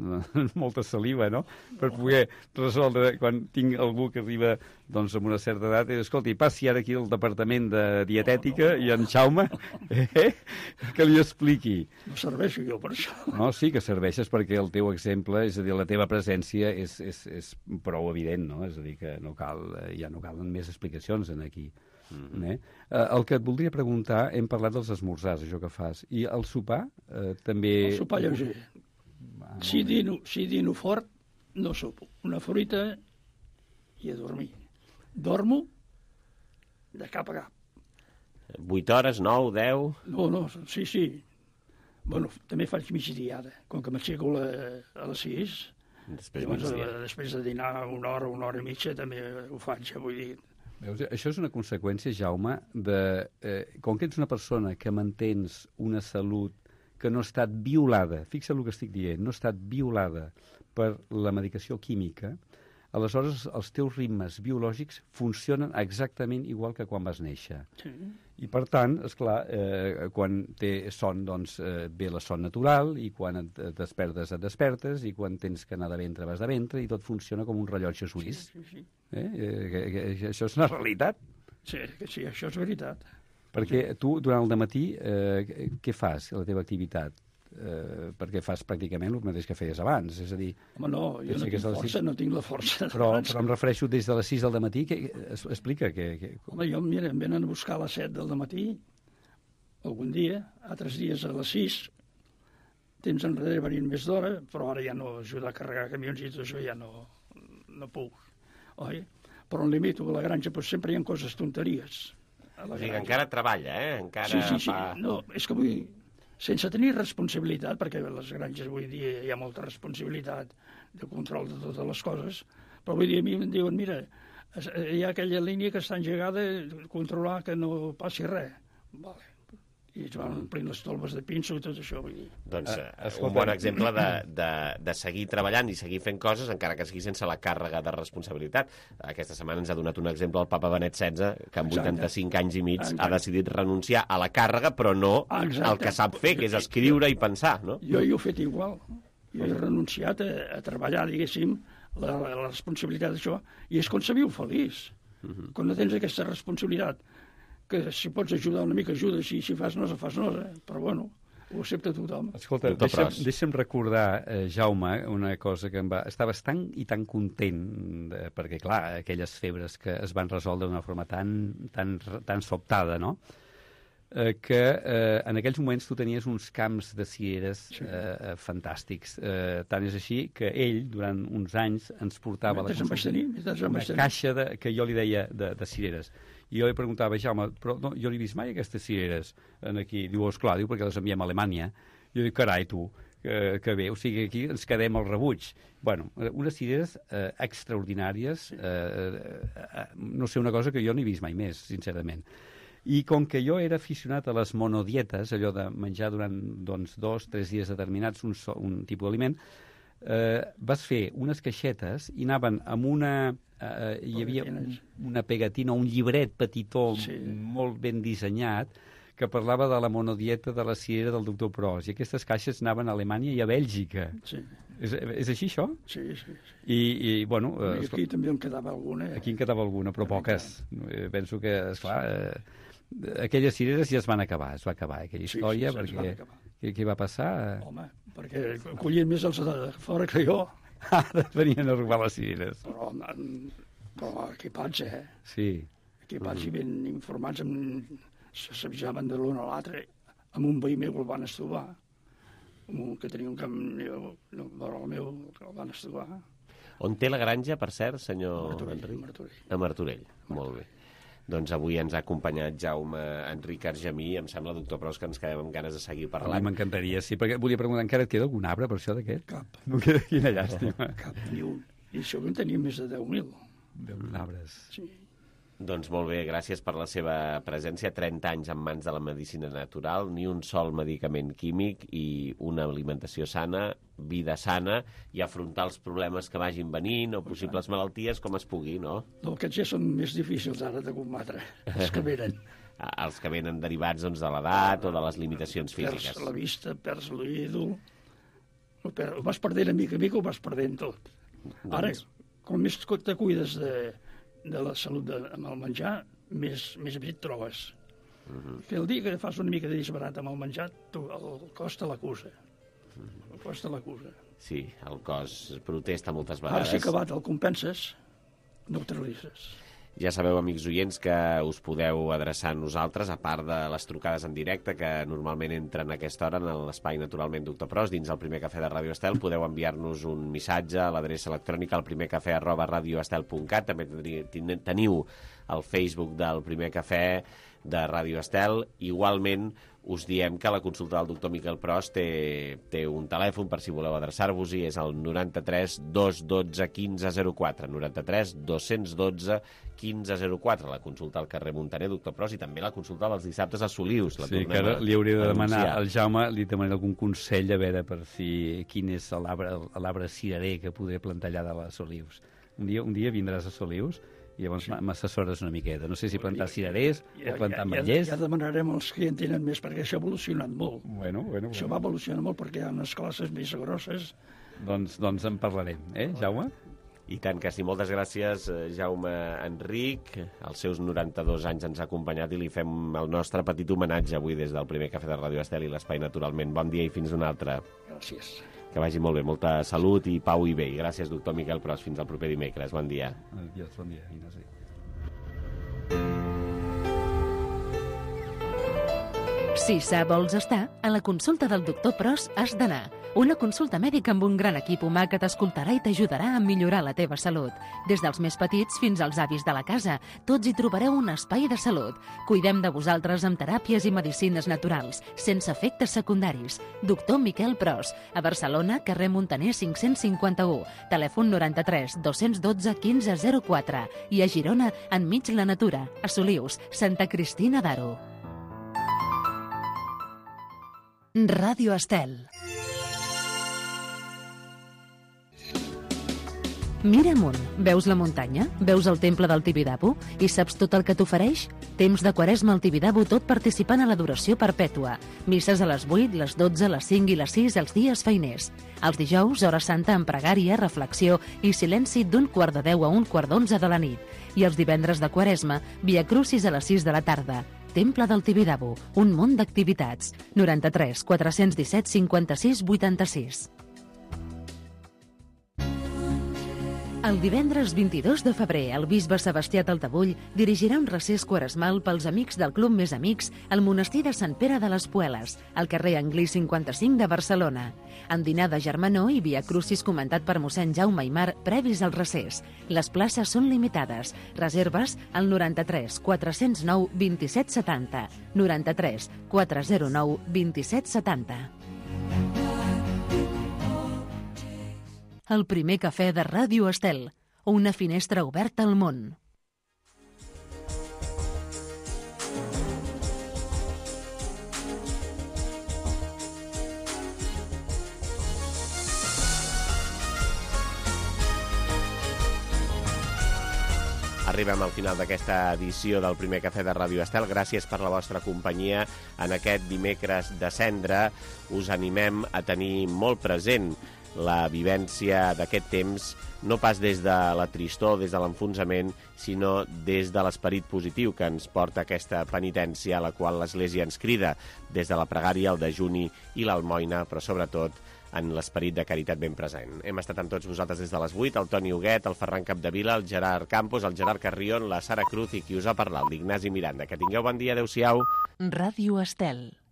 S15: molta saliva, no?, per poder resoldre quan tinc algú que arriba doncs amb una certa edat i escolti, passi ara aquí al departament de dietètica i en Jaume que li expliqui.
S14: No serveixo jo per això.
S15: No, sí que serveixes perquè el teu exemple, és a dir, la teva presència és prou evident, no? És a dir, que no cal, ja no calen més explicacions en aquí. El que et voldria preguntar, hem parlat dels esmorzars, això que fas, i el sopar també...
S14: El sopar lleuger. Si dino fort, no sopo. Una fruita i a dormir. Dormo de cap a cap.
S2: 8 hores, 9, 10...
S14: No, sí. Bueno, també faig migdiada. Com que m'aixeco a les 6, després de dinar una hora i mitja, també ho faig, vull dir...
S15: Veus, això és una conseqüència, Jaume, com que ets una persona que mantens una salut que no ha estat violada, fixa el que estic dient, no ha estat violada per la medicació química, aleshores els teus ritmes biològics funcionen exactament igual que quan vas néixer.
S14: Sí.
S15: I per tant, esclar, quan té son, doncs ve la son natural, i quan et despertes, i quan tens que anar de ventre, vas de ventre, i tot funciona com un rellotge suís.
S14: Sí.
S15: Això és una realitat.
S14: Sí, això és veritat.
S15: Perquè tu, durant el dematí, què fas, la teva activitat? Perquè fas pràcticament el mateix que feies abans, és a dir...
S14: Home, no, jo no tinc la força.
S15: Però em refereixo des de les 6 del matí, explica que...
S14: Home, mira, em venen a buscar a les 7 del matí, algun dia, altres dies a les 6, temps enrere venint més d'hora, però ara ja no ajudar a carregar camions i tot això ja no puc, oi? Però em limito a la granja, però sempre hi ha coses tonteries.
S2: O sigui, encara treballa, Encara
S14: sí. No, és que vull dir, sense tenir responsabilitat, perquè a les granges avui dia hi ha molta responsabilitat de control de totes les coses, però vull dir, a mi em diuen, mira, hi ha aquella línia que està engegada, controlar que no passi res. Vale. I es van omplint les tolves de pinso i tot això, vull dir.
S2: Doncs un bon exemple de seguir treballant i seguir fent coses, encara que sigui sense la càrrega de responsabilitat. Aquesta setmana ens ha donat un exemple el papa Benet XVI, que amb 85 anys i mig ha decidit renunciar a la càrrega, però no al que sap fer, que és escriure i pensar, no?
S14: Jo he fet igual. Jo he renunciat a treballar, diguéssim, la responsabilitat d'això, i és quan se viu feliç. Quan no tens aquesta responsabilitat, que si pots ajudar una mica, ajuda, si fas nosa, però bueno, ho accepta tothom.
S15: Escolta, deixa'm recordar, Jaume, una cosa que estaves tan i tan content, perquè, clar, aquelles febres que es van resoldre d'una forma tan sobtada, no?, que en aquells moments tu tenies uns camps de cireres fantàstics. Tant és així que ell, durant uns anys, ens portava una caixa que jo li deia de cireres. I jo li preguntava, Jaume, però no, jo no he vist mai aquestes cireres aquí. Diu, esclar, perquè les enviem a Alemanya. Jo dic, carai, tu, que bé, o sigui, aquí ens quedem al rebuig. Bueno, unes cireres extraordinàries, no sé, una cosa que jo no he vist mai més, sincerament. I com que jo era aficionat a les monodietes, allò de menjar durant 2 o 3 dies determinats un tipus d'aliment, vas fer unes caixetes i anaven amb una... hi havia una pegatina, un llibret petitó, molt ben dissenyat, que parlava de la monodieta de la cirera del doctor Pros, i aquestes caixes anaven a Alemanya i a Bèlgica. Sí. És així, això?
S14: Sí.
S15: I bueno...
S14: aquí també en quedava alguna.
S15: Aquí en quedava alguna, però poques. Penso que, esclar, aquelles cireres ja es van acabar, aquella història, perquè... Què va passar?
S14: Home, perquè collien més els de fora que jo.
S15: Ara venien a robar les cireres.
S14: Però equipats,
S15: Sí.
S14: Equipats i ben informats, s'avisaven de l'un a l'altre. Amb un veí meu el van estovar. Que tenia un camp vora el meu, que el van estovar.
S2: On té la granja, per cert, senyor Enric? A Martorell. Molt bé. Doncs avui ens ha acompanyat Jaume Enric Argemí. Em sembla, doctor Pros, que ens quedem amb ganes de seguir parlant.
S15: A mi m'encantaria, sí, perquè volia preguntar, encara et queda algun arbre per això d'aquest?
S14: Cap.
S15: No queda, quina llàstima.
S14: Cap, ni un. I això que en tenia més de 10.000.
S15: 10.000 arbres.
S14: Sí.
S2: Doncs molt bé, gràcies per la seva presència. 30 anys en mans de la medicina natural, ni un sol medicament químic i una alimentació sana, vida sana i afrontar els problemes que vagin venint o possibles malalties com es pugui, no?
S14: No, aquests ja són més difícils ara de combatre, els que venen.
S2: Els que venen derivats doncs, de l'edat o de les limitacions físiques.
S14: Perds la vista, perds l'oïdol, ho vas perdent a mica ho vas perdent tot. Ara, com més te cuides de la salut amb el menjar, més bé et trobes. Que el dia que fas una mica de disbarat amb el menjar, el cos te l'acusa. El cos te l'acusa.
S2: Sí, el cos protesta moltes vegades.
S14: Ara si acabat el compenses, neutralitzes.
S2: Ja sabeu, amics oients, que us podeu adreçar a nosaltres, a part de les trucades en directe, que normalment entren a aquesta hora en l'espai Naturalment Doctor Pros, dins el Primer Cafè de Ràdio Estel. Podeu enviar-nos un missatge a l'adreça electrònica alprimercafè@radioestel.cat. També teniu el Facebook del Primer Cafè de Ràdio Estel. Igualment, us diem que la consulta del doctor Miquel Pros té un telèfon per si voleu adreçar-vos-hi, és el 93 212 1504, 93 212 1504, la consulta al carrer Muntaner, doctor Pros, i també la consulta dels dissabtes a Solius.
S15: Sí, que ara li hauria de demanar al Jaume, li demanaré algun consell a veure per si quin és l'arbre cirerer que podré plantar allà de les Solius. Un dia vindràs a Solius i llavors m'assessores una miqueta. No sé si plantar cirerers o plantar ametllers.
S14: Ja demanarem als que en tenen més, perquè això ha evolucionat molt.
S15: Bueno.
S14: Això va evolucionar molt perquè hi ha unes classes més grosses.
S15: Doncs en parlarem, Jaume?
S2: I tant que sí. Moltes gràcies, Jaume Enric. Als seus 92 anys ens ha acompanyat i li fem el nostre petit homenatge avui des del Primer Cafè de Ràdio Estel i l'Espai Naturalment. Bon dia i fins un altre.
S14: Gràcies.
S2: Que vagi molt bé, molta salut i pau i bé. I gràcies, doctor Miquel Pros. Fins al proper dimecres. Bon dia.
S15: Adiós, bon dia, Ignasi.
S1: Si sa vols estar, a la consulta del doctor Pros has d'anar. Una consulta mèdica amb un gran equip humà que t'escoltarà i t'ajudarà a millorar la teva salut. Des dels més petits fins als avis de la casa, tots hi trobareu un espai de salut. Cuidem de vosaltres amb teràpies i medicines naturals, sense efectes secundaris. Doctor Miquel Pros, a Barcelona, carrer Montaner 551, telèfon 93 212 1504 i a Girona, enmig la natura, a Solius, Santa Cristina d'Aro. Ràdio Estel. Mira amunt, veus la muntanya? Veus el temple del Tibidabo? I saps tot el que t'ofereix? Temps de Quaresma al Tibidabo, tot participant a l'adoració perpètua. Misses a les 8, les 12, les 5 i les 6 els dies feiners. Els dijous, hora santa amb pregària, reflexió i silenci d'1 quart de 10 a 1 quart d'11 de la nit. I els divendres de Quaresma, via Crucis a les 6 de la tarda. Temple del Tibidabo, un munt d'activitats. 93 417 56 86. El divendres 22 de febrer, el bisbe Sebastià Taltabull dirigirà un recés quaresmal pels amics del Club Més Amics al monestir de Sant Pere de les Pueles, al carrer Anglí 55 de Barcelona. En dinar de germanor i via Crucis comentat per mossèn Jaume Aimar previs al recés. Les places són limitades. Reserves al 93 409 27 70. 93 409 27 70. El primer cafè de Ràdio Estel, una finestra oberta al món.
S2: Arribem al final d'aquesta edició del primer cafè de Ràdio Estel. Gràcies per la vostra companyia en aquest dimecres de cendra. Us animem a tenir molt present la vivència d'aquest temps, no pas des de la tristor, des de l'enfonsament, sinó des de l'esperit positiu que ens porta aquesta penitència a la qual l'Església ens crida, des de la pregària, el dejuni i l'almoina, però sobretot en l'esperit de caritat ben present. Hem estat amb tots vosaltres des de les 8, el Toni Huguet, el Ferran Capdevila, el Gerard Campos, el Gerard Carrion, la Sara Cruz i qui us ha parlat, l'Ignasi Miranda. Que tingueu bon dia, adeu-siau.
S1: Ràdio Estel.